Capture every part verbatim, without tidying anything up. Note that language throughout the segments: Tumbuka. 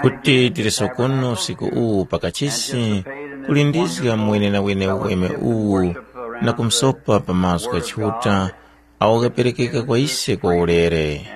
Kuti tili sokono usiku uwu pakachisi, kulindizga mwenenawene uweme uwu na kumsopa pa mazgu gha Chiuta awo ghaperekeka kwa ise kwa ulere.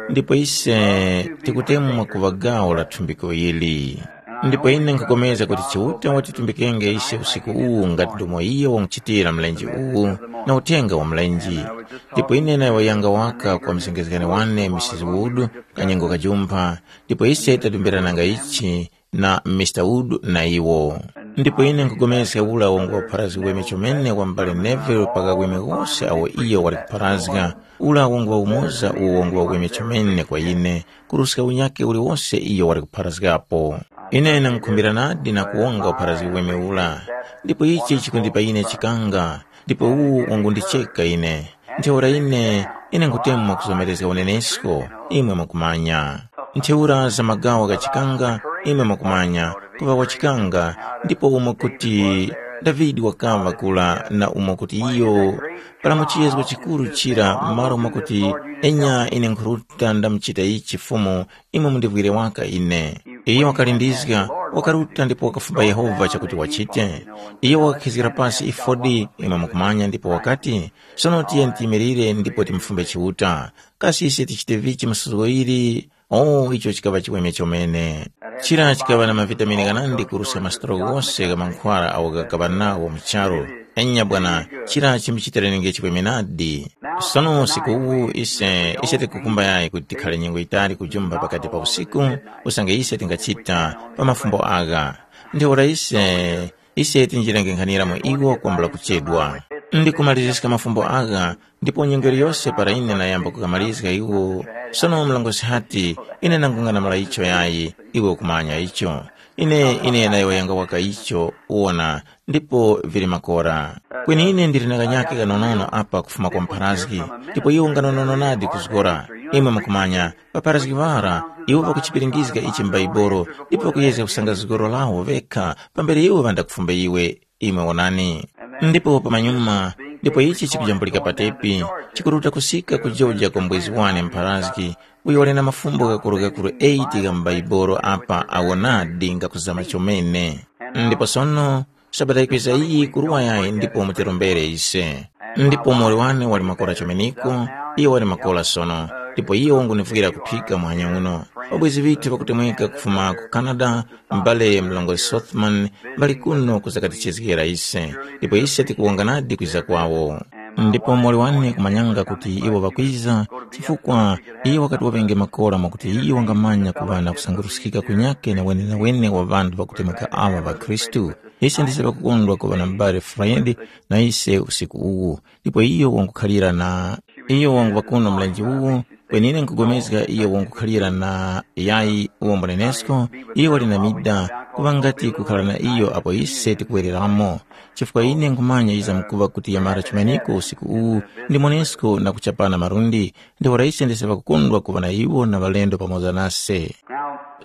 Ndipo ise tikutemwa kuŵa gawo la thumbiko ili. Ndipo ine nkhupulikana kuti Chiuta watitumbikenge ise usiku uwu ngati ndomo iyo wamuchitira mlenje uwu na uthenga wa mlenje. Ndipo ine nayowoyanga waka kwa mzengezgani wane Mrs Wood kanyengo kajumpha, ndipo ise tadumbirananga ichi na Mr Wood na iwo. Ndipo ine nkhupulikana ula wongo wa pharazgi weme chomene wa m'bale Neville pakaweme wose awo iyo wali kupharazga, ula wongo wa umoza uwo wongo wa weme chomene kwa ine, kuruska unyakhe uliwose iyo wali kupharazgapo. Ine ndangukhumbira nadi na kuwonga upharazgi weme ula, ndipo ichi chikundipa ine chikanga, ndipo uwu wangundicheka ine. Ntheura ine, ine nkhutemwa kuzomerezga unenesko, imwe mukumanya. Ntheura za magawa gha chikanga, imwe mukumanya, kuŵa wa chikanga, ndipo umo kuti Davide wakaŵa kula na umo kuti iyo, para mu chiyezgo chikuru chira, malo mwakuti, enya ine nkhuruta ndamuchita ichi Fumu, imwe mundivwire waka ine. Iyo wakalindizga, wakaruta ndipo wakafumba Yehova chakuti wachite. Iyo wakakhizgira pasi ifodi, imwe mukumanya ndipo wakati, sono tiyeni tiyimirire ndipo timufumbe Chiuta. Kasi ise tichite vichi masuzo ili? Oh, icho chikaŵa chiweme chomene. Chira chikaŵa na mavitamini ghanandi kuruska masitolo ghose gha mankhwara agho ghakaŵa nawo mu charu. Enya bwana, chira chimuchitiranenge chiweme nadi. Sono usiku uwu ise ise tikukumba yayi kuti tikhale nyengo yitali kujumba pakati pa usiku, usange ise tingachita pa mafumbo agha. Ntheura ise ise tinjirenge nkhanira mu iwo kwambula kuchedwa. Ndikumaliziska mafumbo agha, ndipo nyengo yose para ine nayamba kughamalizga iwo, sono mlongosi hati, ine nangung'anamula icho yayi, iwe ukumanya icho. Ine ine nayowoyanga waka icho, wona, ndipo vili makora. Kweni ine ndili na kanyake kanonono apa kufuma kwa mpharazgi, ndipo iwo nganonono nadi kuzgora. Imwe mukumanya, ŵapharazgi ŵara, iwo ŵakuchipiringizga ichi m'Baibolo, ndipo ŵakuyezga kusanga zgoro lawo vekha pambere iwo ŵandakufumba iwe. Imwe wonani. Ndipo pamanyuma, ndipo ichi chikujambulika patepi, chikuruta kusika kujoja kwa mbwezi wane mpharazgi, uyo wali na mafumbo ghakuru-ghakuru eight gha m'Baibolo apa awo nadi ngakuzama chomene. Ndipo sono, Sabata yikwiza iyi kuruwa yayi ndipo mutirombere ise. Ndipo muwoli wane wali makora chomeneko, iyo wali makora sono, ndipo iyo wangunivwira kuphika muhanya uno. Ŵabwezi ŵithu ŵakutemweka kufuma ku Canada, m'bale mlongozi Sothman, ŵali kuno kuzakatichezgera ise, ndipo ise tikuwonga nadi kwiza kwawo. Ndipo muwoli wane kumanyanga kuti iwo ŵakwiza, chifukwa iyo wakati waŵenge makora mwakuti iyo wangamanya kuŵa na kusanguruskika kunyakhe na wenewene wa ŵanthu ŵakutemweka aŵa ŵakhristu. Ise ndise ŵakukondwa kuŵa na m'bale Fred na ise usiku uwu, ndipo iyo wangukhalira na iyo wanguŵa kuno mlenje uwu, kweni ine nkugomezga iyo wangukhalira na yayi uwo mbunenesko, iyo wali na mida kuŵa ngati kukhala na iyo apo ise tikuwereramo. Chifukwa ine nkhumanya yizamkuŵa kuti yamara chumaniko usiku uwu, ndimonesko na kuchapana malundi, ntheura ise ndise ŵakukondwa kuŵa na iwo na ŵalendo pamoza nase.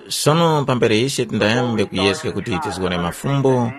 Sono pambere ise tindayambe kuyeska kuti tizgone mafumbo,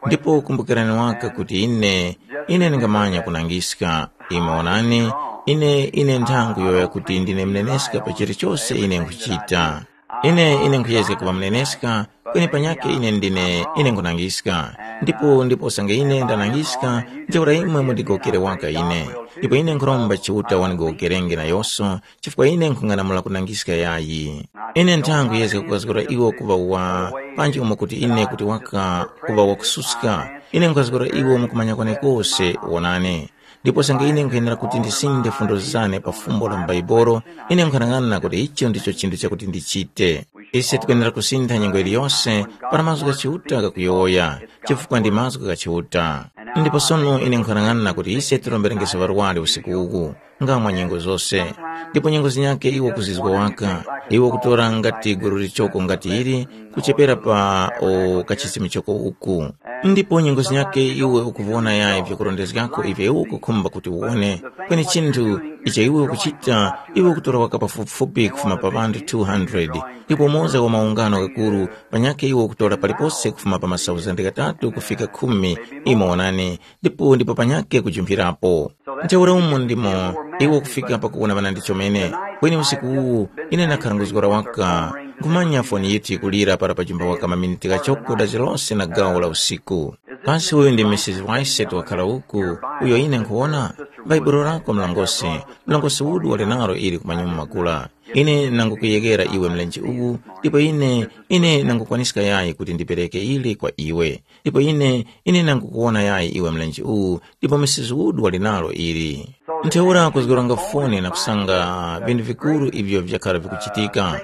ndipo kumbukirani waka kuti ine, ine ndingamanya kunangiska. Imwe wonani, ine, ine nthangu yoya kuti ndine mneneska pa chilichose ine nkhuchita. Ine, ine nkhuyezga kuŵa mneneska, kweni panyakhe ine ndine, ine nkhunangiska. Ndipo, ndipo usange ine ndanangiska, ntheura imwe mundigowokere waka ine. Ndipo ine nkhuromba Chiuta wanigowokerenge nayose, chifukwa ine nkhung'anamula kunangiska yayi. Ine ntha nkhuyezga kukazgora iwo kuŵa wa, panji umo kuti ine kuti waka kuŵa wakususka. Ine nkhukazgora iwo mukumanya kwenekose, wonani. Ndipo usange ine nkwenera kuti ndisinde fundo zane pa fumbo la m'Baibolo, ine nkhanang'ana kuti icho ndicho chinthu chakuti ndichite. Ise tikwenera kusintha nyengo yiliyose para mazgu gha Chiuta ghakuyowoya, chifukwa ndi mazgu gha Chiuta. Ndipo sono ine nkhanang'ana kuti ise tiromberengeso ŵarwari usiku uwu, nga mwa nyengo zose. Ndipo nyengo zinyakhe iwo kuzizwa waka, iwo kutora ngati guru lichoko ngati ili, kuchepera pa o kachisi michoko uku. Ndipo nyengo zinyakhe iwe ukuvona yayi vyakurondezgako ivyo iwe ukukhumba kuti uwone, kweni chinthu icho iwe ukuchita, iwe ukutora waka pafupifupi kufuma pa ŵanthu two hundred, ndipo umoza wa maungano ghakuru, panyakhe iwe ukutora palipose kufuma pa masauzande ghatatu kufika khumi, imo wonani, ndipo ndipo panyakhe kujumphirapo. Ntheura umo ndimo iwe ukufika pakuwona ŵanandi chomene. Kweni usiku uwu ine ndakhala nguzgora waka, Nkhumanya foni yithu yikulira para pachumba waka maminiti ghachoko dazi lose na gawo la usiku. Kasi uyu ndi Mrs Wise wakhala uku, uyo ine nkhuwona? Bhaibuli lako mlongosi, mlongosi udu wali nalo ili kumanyuma makula. Ine nangukuyegera iwe mlenje uwu, ndipo ine, ine nangukwaniska yayi kuti ndipereke ili kwa iwe. Ndipo ine, ine nangukuwona yayi iwe mlenje uwu, ndipo misizi udu wali nalo ili. Ntheura kuzgoranga foni na kusanga vinthu vikuru ivyo vyakhala vikuchitika.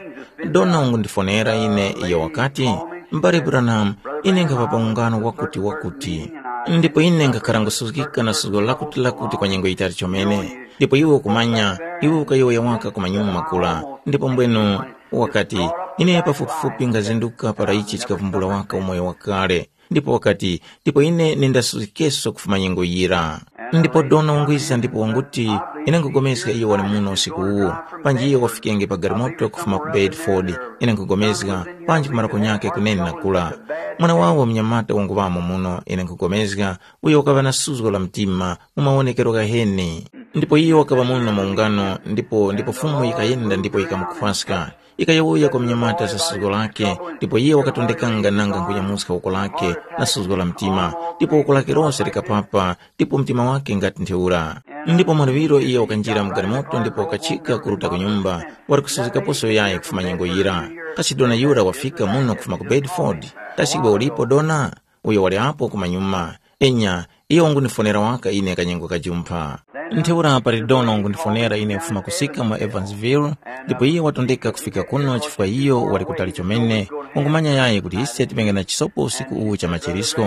Dona wangundifonera ine iyo wakati, mbale Branham, ine nkhapa pa ungano wakuti wakuti. Ndipo ine nkhakhala ngusuzgika na suzgo lakuti lakuti kwa nyengo yitali chomene. Ndipo iwe ukumanya, iwe ukayowoya waka ku manyuma makula. Ndipo mbwenu wakati, ine pafupifupi ngazinduka para ichi chikavumbula waka umoyo wakale. Ndipo wakati, ndipo ine nindasuzgikeso kufuma nyengo yira. Ndipo dona wangwiza ndipo wanguti, ine nkugomezga iyo wali muno usiku uwu, panji iyo wafikenge pa galimoto kufuma ku Bedford, ine nkugomezga, panji kumarako nyakhe kunene na kula. Mwana wawo mnyamata wanguŵamo muno, ine nkugomezga, uyo wakaŵa na suzgo la mtima mu mawonekero ghaheni. Ndipo iyo wakaŵa muno mu ungano, ndipo ndipo Fumu yikayenda ndipo yikamukhwaska. Yikayowoya kwa munyamata za suzgo lakhe, ndipo iye wakatondekanga nanga nkunyamuska woko lakhe na suzgo la mtima, ndipo woko lakhe lose likapapa, ndipo mtima wakhe ngati ntheura. Ndipo mwaluŵiro iye wakanjira mu galimoto ndipo wakachika kuruta ku nyumba, wali kusuzgikaposo yayi kufuma nyengo yira. Kasi dona yura wafika muno kufuma ku Bedford? Kasi iwe ulipo dona? Uyo wali apo kumanyuma. Enya, iyo wangunifonera waka ine kanyengo kajumpha. Ntheura pali dona wangundifonera ine kufuma kusika mu Evansville, ndipo iye watondeka kufika kuno chifukwa iyo wali kutali chomene, wangumanya yayi kuti ise tipenge na chisopo usiku uwu cha machirisko.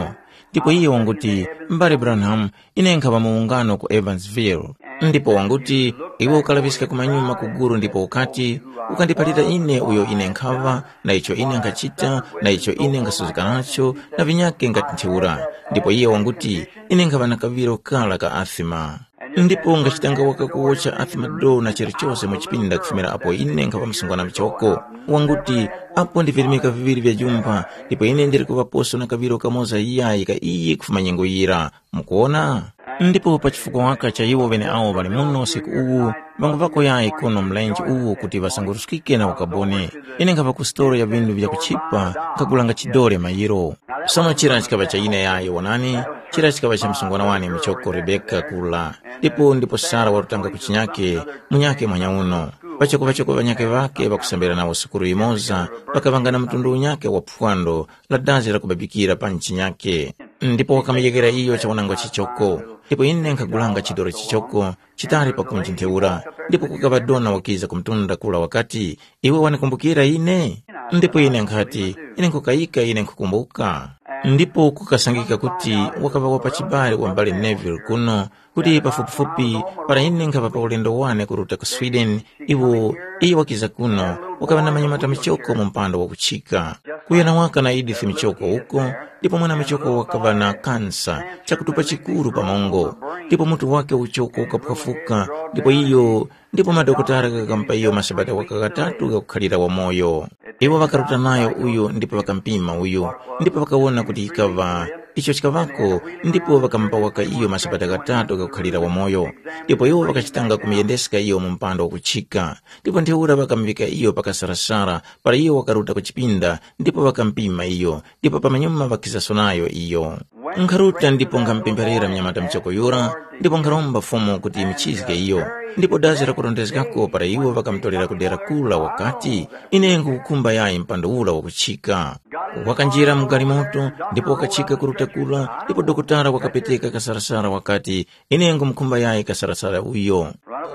Ndipo iye wanguti, mbale Branham, ine nkhaŵa mu ungano ku Evansville. Ndipo wanguti, iwe ukalaŵiska kumanyuma ku gulu ndipo ukati, ukandiphalira ine uyo ine nkhaŵa, na icho ine nkhachita, na icho ine nkhasuzgika nacho, na vinyakhe ngati ntheura. Ndipo iye wanguti, ine nkhaŵa na kaŵiro kara ka asima. Ndipo ngachitanga waka kuwotcha asima do na chilichose mu chipinda kufumira apo ine nkhaŵa msungwana mchoko. Wanguti, apo ndi virimika viŵiri vya jumpha, ndipo ine ndili kuŵaposo na kaŵiro kamoza iyayi ka iyi kufuma nyengo yira. Mukuwona? Ndipo pa chifukwa waka cha iwo ŵeneawo ŵali muno usiku uwu, ŵanguŵako yayi kuno mlenje uwu kuti ŵasanguruskike na ukaboni. Ine nkhapa ku sitolo ya vinthu vyakuchipa, nkhagulanga chidore mayiro. Sono chira chikaŵa cha ine yayi wonani, chira chikaŵa cha msungwana wane muchoko Rebeka kula. Ndipo ndipo Sara warutanga ku chinyake, munyake mwanyauno. Pachoko pachoko ŵanyake ŵakhe ŵakusambira nawo sukuru yimoza, ŵakaŵanga na mtundu unyake wa phwando la dazi lakubabikira pa nchinyake. Ndipo wakamuyekera iyo chawanangwa chichoko. Ndipo ine nkhagulanga chidoro chichoko chitali pakunji ntheura. Ndipo kukaŵa dona wakiza ku mtunda kula wakati, iwe wanikumbukira ine? Ndipo ine nkhati, ine nkukayika ine nkhukumbuka. Ndipo kukasangika kuti wakaŵa wa pachibale wa mbale Neville kuno, kuti pafupifupi para ine nkhaŵa pa ulendo wane kuruta ku Sweden, iwo iyo wakiza kuno, wakaŵa na manyamata michoko mu mpando wakuchika. Kuyana waka na Edith michoko uko, ndipo mwana michoko wakaŵa na kansa, chakutupa chikuru pa mongo, ndipo mutu wake uchoko ukaphwafuka, ndipo iyo ndipo madokotala ghakamupa iyo masabata waka ghatatu ghakukhalira wamoyo. Iwo ŵakaruta nayo uyu ndipo ŵakampima uyu, ndipo ŵakawona kuti yikaŵa icho chikaŵako, ndipo ŵakamupa waka iyo masabata ghatatu ghakukhalira wamoyo. Ndipo iwo ŵakachitanga kumuyendeska iyo mu mpando wakuchika. Ndipo ntheura ŵakamuŵika iyo pa kasarasara para iyo wakaruta ku chipinda, ndipo ŵakampima iyo, ndipo pamanyuma ŵakizaso nayo iyo. Nkharuta ndipo nkhamupempherera mnyamata muchoko yura, ndipo nkharomba Fumu kuti imuchizge iyo. Ndipo dazi lakurondezgako para iwo ŵakamutorera ku dera kula wakati, ine nkhukhumba yayi mpando ura wakuchika. Wakanjira mu galimoto, ndipo wakachika kuruta kula, ndipo dokotala wakapeteka kasarasara wakati, ine nkhumukhumba yayi kasarasara uyo.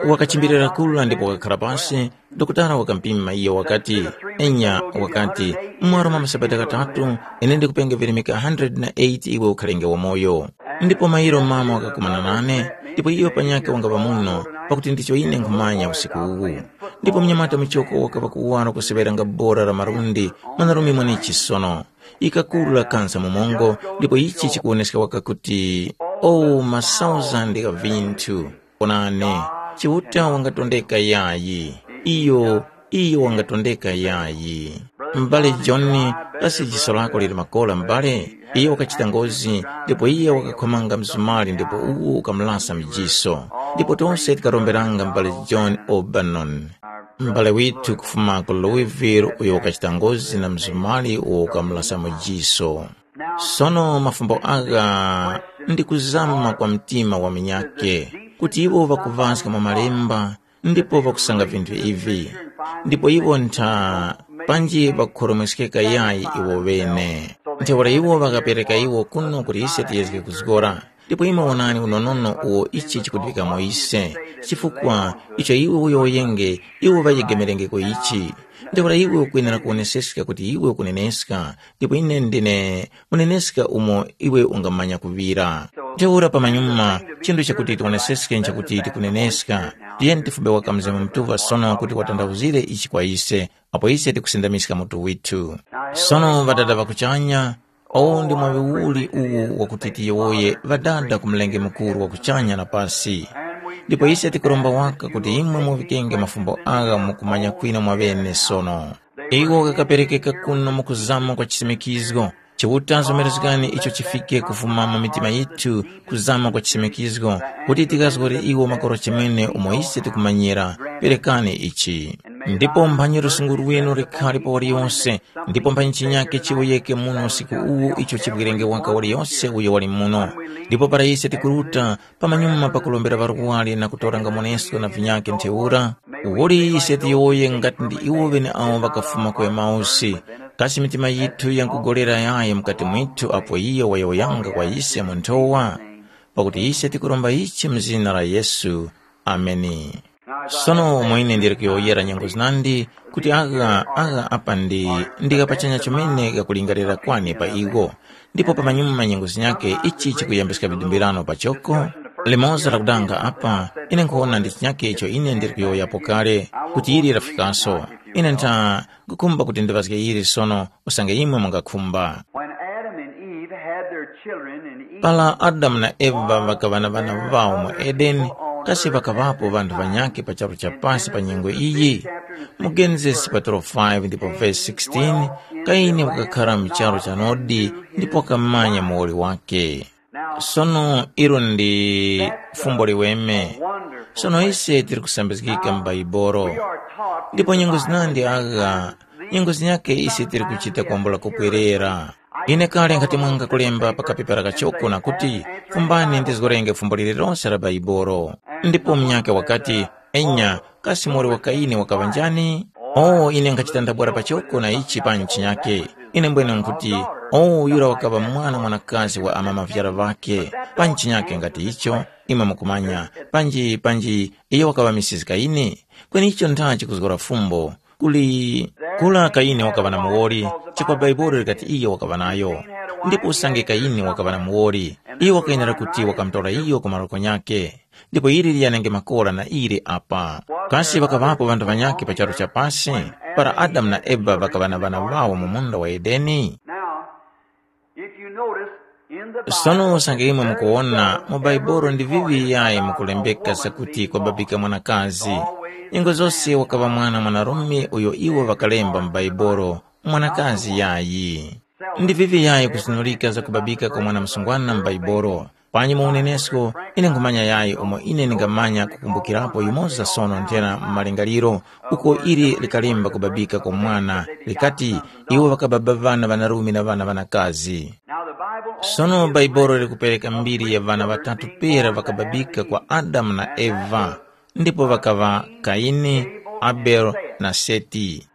Wakachimbirira kula ndipo wakakhala pasi, dokotala wakampima iyo wakati, enya wakati, mwaro mwa masabata ghatatu, ine ndikupenge virimika hundred na eight iwe ukhalenge wamoyo. Ndipo mairo mama wakakumana nane, ndipo iyo panyakhe wangaŵa muno, pakuti ndicho ine nkhumanya usiku uwu. Ndipo mnyamata muchoko wakaŵa kuwaro kuseŵeranga bora la malundi, mwanarume mwanechi sono. Ikakula kansa mu mongo, ndipo ichi chikuwoneska waka kuti, oh, masauzandi gha vinthu. Onani, Chiuta wangatondeka yayi. Iyo, iyo wangatondeka yayi. M'bale John, kasi jiso lako lili makora m'bale? Iyo wakachita ngozi, ndipo iye wakakhomanga msumari ndipo uwu ukamulasa mjiso. Ndipo tose tikaromberanga m'bale John O'Bannon. M'bale withu kufuma ku Louisville uyo wakachita ngozi na mzumali uwo ukamulasa mu jiso. Sono mafumbo agha ndi kuzama kwa mtima wa minyake, kuti iwo ŵakuŵaska mwa malemba ndipo ŵakusanga vinthu ivi, ndipo iwo ntha panji ŵakukhoromweskeka yayi iwo ŵene. Ntheura iwo ŵakapereka iwo kuno kuti ise tiyezge kuzgora. Ndipo imwe wonani unonono uwo ichi chikudiŵikamo ise, chifukwa icho iwe uyowoyenge iwe ŵayegemerengeko ichi. Ntheura iwe ukwenera kuwoneseska kuti iwe ukuneneska, ndipo ine ndine muneneska umo iwe ungamanya kuŵira. Ntheura pamanyuma, chinthu chakuti tiwoneseske nchakuti tikuneneska. Tiyeni tifumbe waka Mzimu Mutuŵa sono kuti watanthauzire ichi kwa ise, apo ise tikusindamiska mutu withu. Sono Ŵadada ŵa kuchanya, uwu ndi mwaŵi uli uwu wakuti tiyowoye Ŵadada ku Mlengi Mukuru wa kuchanya na pasi. Ndipo ise tikuromba waka kuti imwe muŵikenge mafumbo agha mu kumanya kwinu mwaŵene sono. Iwo ghakaperekeka kuno mu kuzama kwa chisimikizgo. Chiuta nzomerezgani icho chifike kufuma mu mitima yithu kuzama kwa chisimikizgo, kuti tikazgore iwo makora chimene umo ise tikumanyira. Perekani ichi. Ndipo mphanyi lusungu lwinu likhale pa waliyonse, ndipo mphanyi chinyake chiwuyeke muno usiku uwu icho chivwirenge waka waliyonse uyo wali muno. Ndipo para ise tikuruta, pamanyuma pakulombera ŵarwari na kutora ngamoneso na vinyake ntheura, uli ise tiyowoye ngati ndi iwo ŵeneawo ŵakafuma ku Emausi, kasi mitima yithu yankugolera yayi mukati mwithu apo iyo wayowoyanga kwa ise mu nthowa? Pakuti ise tikuromba ichi mu zina la Yesu. Ameni. Sono umo ine ndili kuyowoyera nyengo zinandi, kuti agha agha apa ndi ndi ghapachanya chomene ghakulingalira kwani pa iwo. Ndipo pamanyuma nyengo zinyakhe ichi chikuyembeska vidumbirano pachoko. Limoza lakudanga apa, ine nkhuwona ndi chinyakhe icho ine ndili kuyowoyapo kale, kuti ili lafikaso. Ine ntha nkhukhumba kuti ndiŵazge ili sono, usange imwe mungakhumba. When Adam and Eve had their children in Eden, Para Adamu na Eva ŵakaŵa na ŵana ŵawo mu Edeni, kasi ŵakaŵapo ŵanthu ŵanyakhe pa charu cha pasi pa nyengo iyi? Mu Genesis chapter five ndipo verse sixteen, Kaini wakakhala mu charu cha Nodi ndipo wakamanya muwoli wake. Sono ilo ndi fumbo liweme. Sono ise tili kusambizgika mu Baibolo. Ndipo nyengo zinandi agha, nyengo zinyakhe ise tili kuchita kwambula kupwerera. Ine kale nkhati mwanga kulemba pa kapepera kachoko na kuti, fumbani ndizgorenge fumbo lililonse la Baibolo. Ndipo munyakhe wakati, enya, kasi muwoli wa Kaini wakaŵa njani? Oh, ine nkhachita ndabwara pachoko na ichi panyi chinyakhe. Ine mbwene nkhuti, oh, yura wakaŵa mwana mwanakazi wa amama vyara ŵakhe. Panyi chinyakhe ngati icho, imwe mukumanya, panji, panji, iyo wakaŵa Mrs. Kaini? Kweni icho ntha chikuzgora fumbo. Kuli kula Kaini wakaŵa na muwoli, chifukwa Baibuli likati iyo wakaŵa nayo. Ndipo usange Kaini wakaŵa na muwoli, iyo wakayenera kuti wakamutora iyo ku maroko nyakhe. Ndipo ili liyanenge makora na ili apa. Kasi ŵakaŵapo ŵanthu ŵanyakhe pa charu cha pasi, para Adamu na Eva ŵakaŵa na ŵana ŵawo mu munda wa Edeni? Now, if you notice, in the Bible, Sono usange imwe mukuwona mu Baibulo ndi vivi yayi mukulembeka zakuti kwababika mwanakazi. Nyengo zose wakaŵa mwana mwanarume uyo iwo ŵakalemba mu Baibulo, mwanakazi yayi. Ndi vivi yayi kuzinulika za kubabika kwa mwana msungwana mu Baibulo. Panyi mu unenesko, ine nkhumanya yayi umo ine ndingamanya kukumbukirapo yumoza sono nthena mu malingaliro, uko ili likalemba kubabika kwa mwana, likati, iwo ŵakababa ŵana ŵanarume na ŵana ŵanakazi. Sono Bhaibuli likupereka mbiri ya ŵana ŵatatu pera ŵakababika kwa Adamu na Eva, ndipo ŵakaŵa Kaini, Abele na Seti.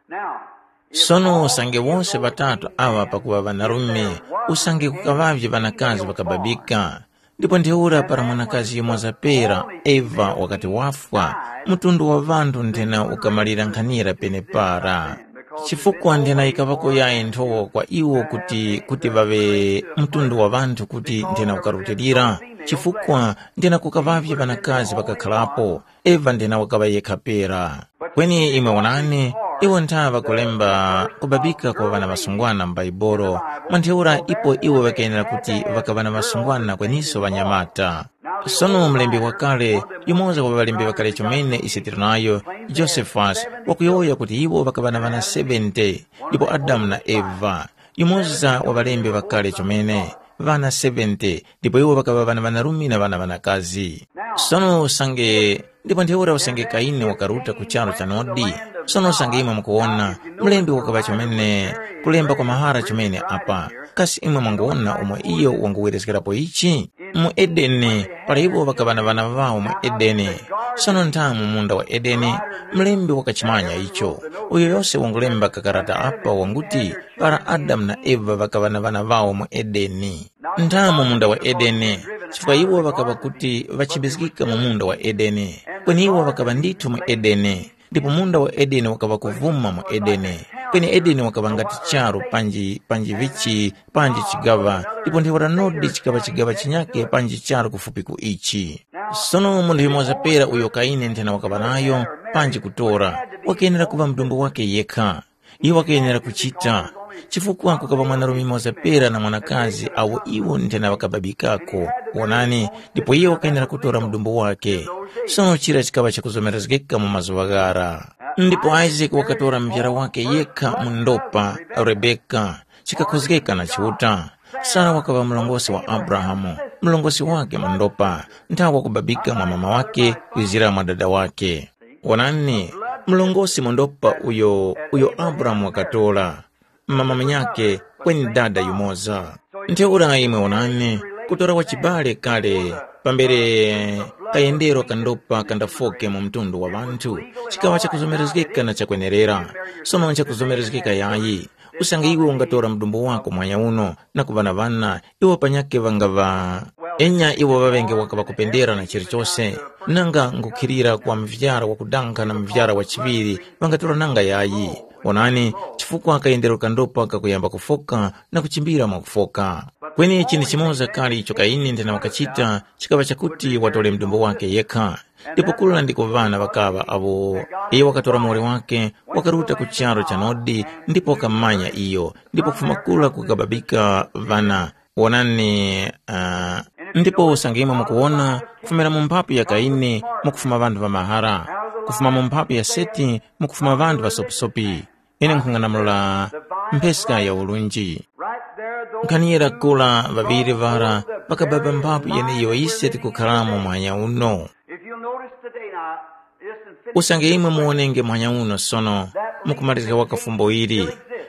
Sono usange wose ŵatatu aŵa pakuŵa ŵanarume, usange kukaŵavye ŵanakazi ŵakababika. Ndipo ntheura para mwanakazi yumoza pera, Eva, wakati wafwa, mtundu wa ŵanthu nthena ukamalira nkhanira penepara. Chifukwa nthena yikaŵako yayi nthowa kwa iwo kuti kuti ŵaŵe mtundu wa ŵanthu kuti nthena ukarutilira, chifukwa nthena kukaŵavye ŵanakazi ŵakakharapo, Eva nthena wakaŵa yekha pera. Kweni imwe wonani, iwo ntha ŵakulemba kubabika kwa ŵana ŵasungwana m'Baibulo, mwa ntheura ipo iwo ŵakayenera kuti ŵakaŵa na ŵasungwana kweniso ŵanyamata. Sono mlembi wakale, yumoza wa ŵalembi ŵakale chomene ise tili nayo, Josephus, wakuyowoya kuti iwo ŵakaŵa na ŵana seventy, ndipo Adamu na Eva. Yumoza wa ŵalembi ŵakale chomene, ŵana seventy, ndipo iwo ŵakaŵa ŵana ŵanarume na ŵana ŵanakazi. Sono usange, ndipo ntheura usange Kaini wakaruta ku charu cha Nodi, Sono usange imwe mukuwona, mlembi wakaŵa chomene kulemba kwa mahara chomene apa. Kasi imwe mwanguwona umo iyo wanguwereskerapo ichi? Mu Edeni, para iwo ŵakaŵa na ŵana ŵawo mu Edeni. Sono ntha mu munda wa Edeni, mlembi wakachimanya icho. Uyo yose wangulemba kakarata apa wanguti, para Adamu na Eva ŵakaŵa na ŵana ŵawo mu Edeni. Ntha mu munda wa Edeni, chifukwa iwo ŵakaŵa kuti ŵachimbizgika mu munda wa Edeni. Kweni iwo ŵakaŵa ndithu mu Edeni. Ndipo munda wa Edeni wakaŵa kuvuma mu Edeni. Kweni Edeni wakaŵa ngati charu panji panji vichi panji chigaŵa, ndipo ntheura nodi chikaŵa chigaŵa chinyakhe panji charu kufupi ku ichi. Sono munthu yumoza pera uyo Kaini nthena wakaŵa nayo, panji kutora, wakenera kuŵa mdumbu wake yekha. Iwo ŵakayenera kuchita, chifukwa kukaŵa mwanarume yumoza pera na mwanakazi awo iwo nthena ŵakababikako. Wonani, ndipo iye wakayenera kutora mudumbu wake. Sono chira chikaŵa chakuzomerezgeka mu mazuŵa ghara. Ndipo Isake wakatora muvyara wake yekha mu ndopa, Rebeka, chikakhozgeka na Chiuta. Sara wakaŵa mlongosi wa Abrahamu, mlongosi wake mu ndopa, nthawa kubabika mwa mama wake kwizira mwa dada wake. Wonani, mlongosi mwendopa uyo uyo Abrahamu wakatora, mama munyakhe kweni dada yumoza. Ntheura imwe wonani, kutora wachibale kale pambere kayendero kandopa kandafoke mu mtundu wa ŵanthu, chikaŵa chakuzomerezgeka na chakwenerera. Sono nchakuzomerezgeka yayi. Usange iwe ungatora mdumbu wako mwanya uno na kuŵa na ŵana, iwo panyakhe ŵangaŵa enya iwo ŵaŵenge waka ŵakupendera na chilichose, nanga ngukhilira kwa muvyara wakudankha na muvyara wa chiŵiri ŵangatora nanga yayi. Onani, chifukwa kayendero kandopa kakuyamba kufoka na kuchimbira mwakufoka. Kweni chinthu chimoza kale icho Kaini nthena wakachita chikaŵa chakuti watore mdumbu wake yekha. Ndipo kula ndiko ŵana ŵakaŵa awo iye wakatora muwoli wake, wakaruta ku charu cha Nodi ndipo wakamanya iyo, ndipo kufuma kula kukababika ŵana. Wonani, uh, ndipo usange imwe mukuwona, kufumira mu mphapu ya Kaini mukufuma ŵanthu ŵa mahara, kufuma mu mphapu ya Seti mukufuma ŵanthu ŵasopisopi. Ine nkhung'anamula mpheska ya ulunji. Right there, those Nkhani yira kula ŵaŵiri ŵara ŵakababa mphapu yeneyo ise tikukharamo mwanya uno. If you'll notice today now, listen, finish. Usange imwe muwonenge mwanya uno sono, mukumalizika waka fumbo ili,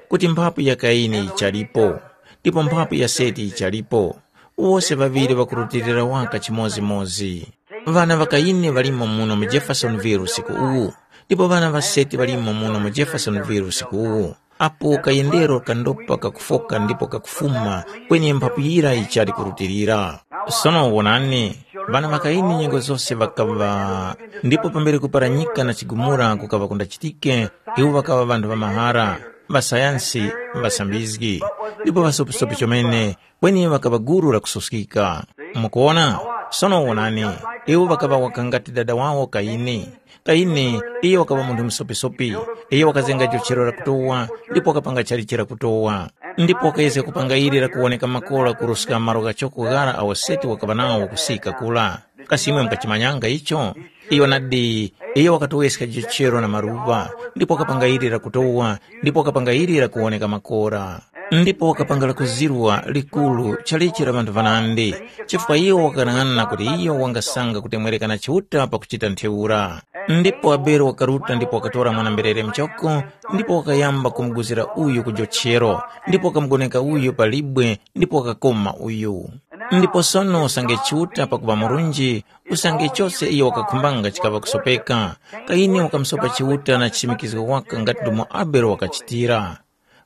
kuti mphapu ya Kaini yichalipo, ndipo mphapu ya Seti yichalipo, wose ŵaŵiri ŵakurutilira waka chimodzimodzi. Ŵana ŵa Kaini ŵalimo muno mu Jeffersonville usiku uwu, ndipo ŵana ŵa Seti ŵalimo muno mu Jeffersonville usiku uwu. Apo kayendero kandopa kakufoka ndipo kakufuma, kweni mphapu yira yichali kurutilira. Sono wonani, ŵana ŵa Kaini nyengo zose ŵakaŵa, ndipo pambere kuparanyika na chigumula kukaŵa kundachitike, iwo ŵakaŵa ŵanthu ŵa mahara, ŵasayansi, ŵasambizgi, ndipo ŵasopisopi chomene, kweni ŵakaŵa gulu lakususkika. Mukuwona? Sono wonani, iwo ŵakaŵa waka ngati dada wawo Kaini. Kaini, iyo wakaŵa munthu musopisopi. Iyo wakazenga jochero lakutowa, ndipo wakapanga chalichi lakutowa. Ndipo wakayezga kupanga ili lakuwoneka makora kuruska malo ghachoko ghara awo Seti wakaŵa nawo kusika kula. Kasi imwe mukachimanyanga icho? Iyo nadi, iyo wakatoweska jochero na maluŵa, ndipo wakapanga ili lakutowa, ndipo wakapanga ili lakuwoneka makora. Ndipo wakapanga lakuzirwa likuru chalichi la ŵanthu ŵanandi, chifukwa iyo wakanang'ana kuti iyo wangasanga kutemwereka na Chiuta pakuchita ntheura. Ndipo Abele wakaruta ndipo wakatora mwana-mberere muchoko, ndipo wakayamba kumuguzira uyu ku jochero, ndipo wakamugoneka uyu pa libwe, ndipo wakakoma uyu. Ndipo sono usange Chiuta pakuŵa murunji, usange chose iyo wakakhumbanga chikaŵa kusopeka. Kaini wakamusopa Chiuta na chichimikizgo waka ngati ndomwe Abele wakachitira.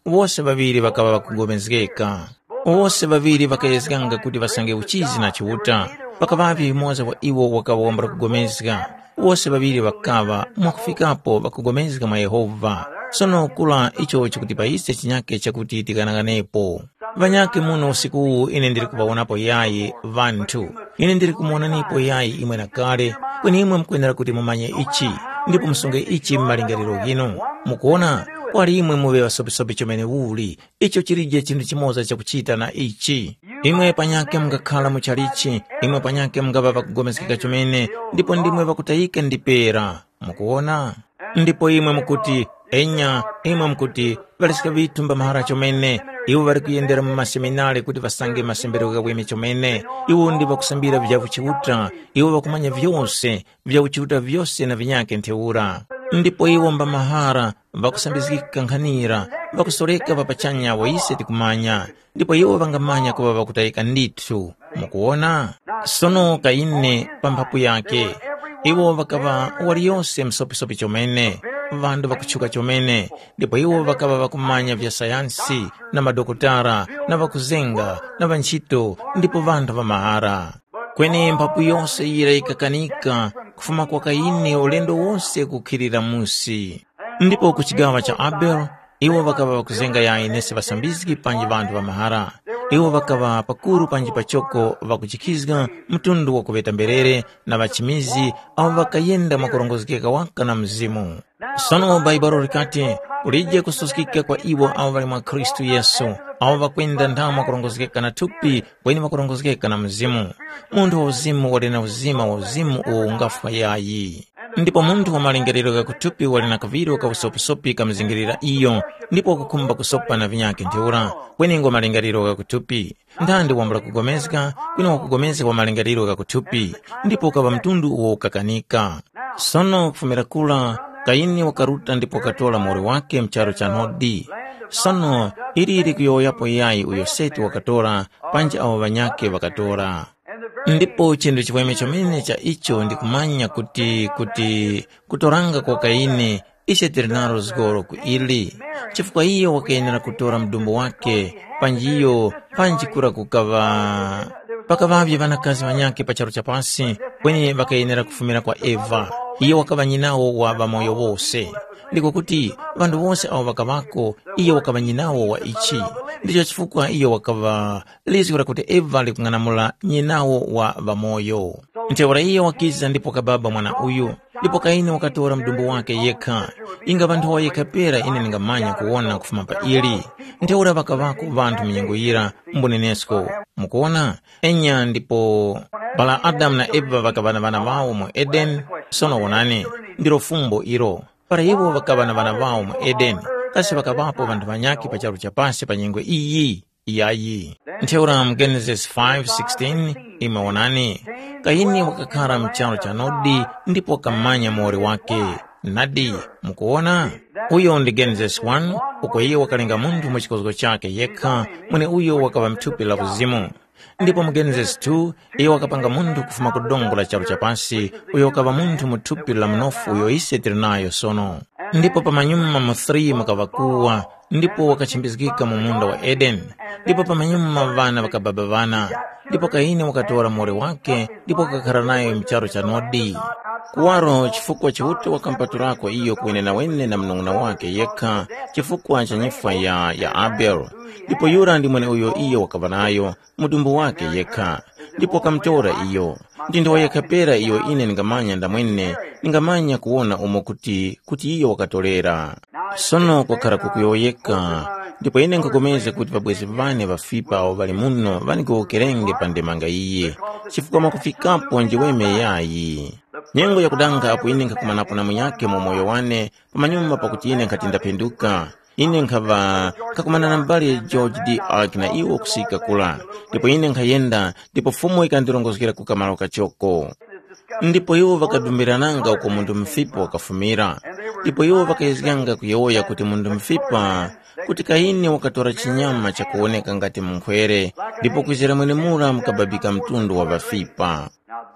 Wose ŵaŵiri ŵakaŵa ŵakugomezgeka. Wose ŵaŵiri ŵakayezganga kuti ŵasange uchizi na Chiuta. Pakaŵapo yumoza wa iwo wakaŵa wambula kugomezga. Wose ŵaŵiri ŵakaŵa mwakufikapo ŵakugomezga mwa Yehova. Sono kura icho chikuti pa ise chinyake chakuti tikanang'anepo. Ŵanyakhe muno usiku uwu ine ndili kuŵawonapo yayi ŵanthu. Ine ndili kumuwonanipo yayi imwe na kale, kweni imwe mukwenera kuti mumanye ichi, ndipo musunge ichi mu malingaliro ghinu. Mukuwona, kwali imwe muŵe ŵasopisopi chomene uli, icho chilije chinthu chimoza chakuchita na ichi. Imwe panyakhe mungakhala mu chalichi, imwe panyakhe mungaŵa ŵakugomezgeka chomene, ndipo ndimwe ŵakutayika ndipera. Mukuwona? Ndipo imwe mukuti, enya, imwe mukuti, ŵaliska ŵithu mba mahara chomene, iwo ŵali kuyendera mu maseminari kuti ŵasange masemberero ghaweme chomene, iwo ndi ŵakusambira vya uchiuta, iwo ŵakumanya vyose, vya uchiuta vyose na vinyakhe ntheura. Ndipo iwo mba mahara ŵakusambizgika nkhanira, ŵakusoreka ŵa pachanya awo ise tikumanya, ndipo iwo ŵangamanya kuŵa ŵakutayika ndithu. Mukuwona? Sono Kaini pa mphapu yake, iwo ŵakaŵa waliyose msopisopi chomene, ŵanthu ŵakutchuka chomene, ndipo iwo ŵakaŵa ŵakumanya vya sayansi, na madokotala, na ŵakuzenga, na ŵantchito, ndipo ŵanthu ŵa mahara. Kweni mphapu yose yira yikakanika kufuma kwa Kaini ulendo wose kukhilira musi. Ndipo ku chigawa cha Abele, iwo ŵakaŵa ŵakuzenga yayi nesi ŵasambizgi panji ŵanthu ŵa mahara. Iwo ŵakaŵa pakuru panji pachoko ŵakuchikizga mtundu wa kuŵeta mberere na ŵachimizi awo ŵakayenda mwakurongozgeka waka na Mzimu. Sono Bhaibuli likati, kulije kususkika kwa iwo awo ŵali mwa Khristu Yesu, awo ŵakwenda nthawe mwakurongozgeka na thupi, kweni ŵakurongozgeka na Mzimu. Munthu wa uzimu wali na uzima wa uzimu uwo ungafwa yayi. Ndipo munthu wa malingaliro gha kuthupi wali na kaŵiro ka usopisopi kamuzingirira iyo, ndipo wakukhumba kusopa na vinyakhe ntheura, kweni ngo malingaliro gha kuthupi. Ndandi wambula kugomezga, kwina wakugomezga wa malingaliro gha kuthupi, ndipo ukaŵa mtundu uwo ukakanika. Sono kufumira kura, Kayini wakaruta ndipo wakatora muwoli wake mu charu cha Nodi. Sono ili likuyowoyapo yayi uyo Seti wakatora, panji awo ŵanyakhe ŵakatora. Ndipo chinthu chiweme chomene cha icho ndikumanya kuti, kuti kutoranga kwa Kayini ise tili nalo zgoro ku ili, chifukwa iyo wakayenera kutora mdumbu wake, panji iyo panji kura kukaŵa pakaŵavye ŵanakazi ŵanyakhe pa charu cha pasi, kweni ŵakayenera kufumira kwa Eva. Iyo wakaŵa nyinawo wa ŵamoyo wose. Ndiko kuti ŵanthu wose awo ŵakaŵako, iyo wakaŵa nyinawo wa ichi. Ndicho chifukwa iyo wakaŵa lizgu lakuti Eva likung'anamula nyinawo wa ŵamoyo. Ntheura iyo wakiza ndipo wakababa mwana uyu, ndipo Kaini wakatora mdumbu wake yekha. Inga ŵanthu yekha pera ine ndingamanya kuwona kufuma pa ili. Ntheura ŵakaŵako ŵanthu mu nyengo yira mbunenesko. Mukuwona? Enya ndipo para Adamu na Eva ŵakaŵa na ŵana ŵawo mu Edeni, sono wonani, ndilo fumbo ilo. Para iwo ŵakaŵa na ŵana ŵawo mu Edeni, kasi ŵakaŵapo ŵanthu ŵanyakhe pa charu cha pasi pa nyengo iyi? Iyayi. Ntheura mu Genesis five sixteen, imwe wonani, Kayini wakakhara mu charu cha Nodi ndipo wakamanya muwoli wake. Nadi, mukuwona? Uyo ndi Genesis one, uko iye wakalenga munthu mu chikozgo chakhe yekha, mweneuyo wakaŵa mu thupi la uzimu. Ndipo mu Genesis two, iye wakapanga munthu kufuma ku dongo la charu cha pasi, uyo wakaŵa munthu mu thupi la mnofu uyo ise tili nayo sono. Ndipo pamanyuma mu three mukaŵa kuwa, ndipo wakachembezgika mu munda wa Edeni. Ndipo pamanyuma ŵana ŵakababa ŵana. Ndipo Kaini wakatora muwoli wake, ndipo wakakhara nayo mu charu cha Nodi. Kuwaro chifukwa Chiuta wakampatulako iyo kuwenenawene na munung'una wake yekha, chifukwa cha nyifwa ya, ya Abele. Ndipo yura ndi mweneuyo iyo wakaŵa nayo, mudumbu wake yekha, ndipo wakamutora iyo. Ndi nthawe yekha pera iyo ine ndingamanya ndamwene, ndingamanya kuwona umo kuti, kuti iyo wakatorera. Sono kwakhara kukuyowoyeka, ndipo ine nkhapulikana kuti ŵabwezi ŵane ŵafipa awo ŵali muno ŵandigowokerenge pa ndemanga iyi, chifukwa mwakufikapo njiweme yayi. Nyengo yakudanga apo ine nkhakumanapo na munyakhe mu moyo wane, pamanyuma pakuti ine nkhati ndaphenduka, ine nkhaŵa nkhakumana na m'bale George D. Ark na iwo kusika kula, ndipo ine nkhayenda, ndipo Fumu yikandilongozgera ku kamaro kachoko. Ndipo iwo ŵakadumbirananga uko munthu mufipa wakafumira, ndipo iwo ŵakayezganga kuyowoya kuti munthu mufipa, kuti Kaini wakatora chinyama chakuwoneka ngati munkhwere, ndipo kwizira mwenemura mukababika mtundu wa ŵafipa.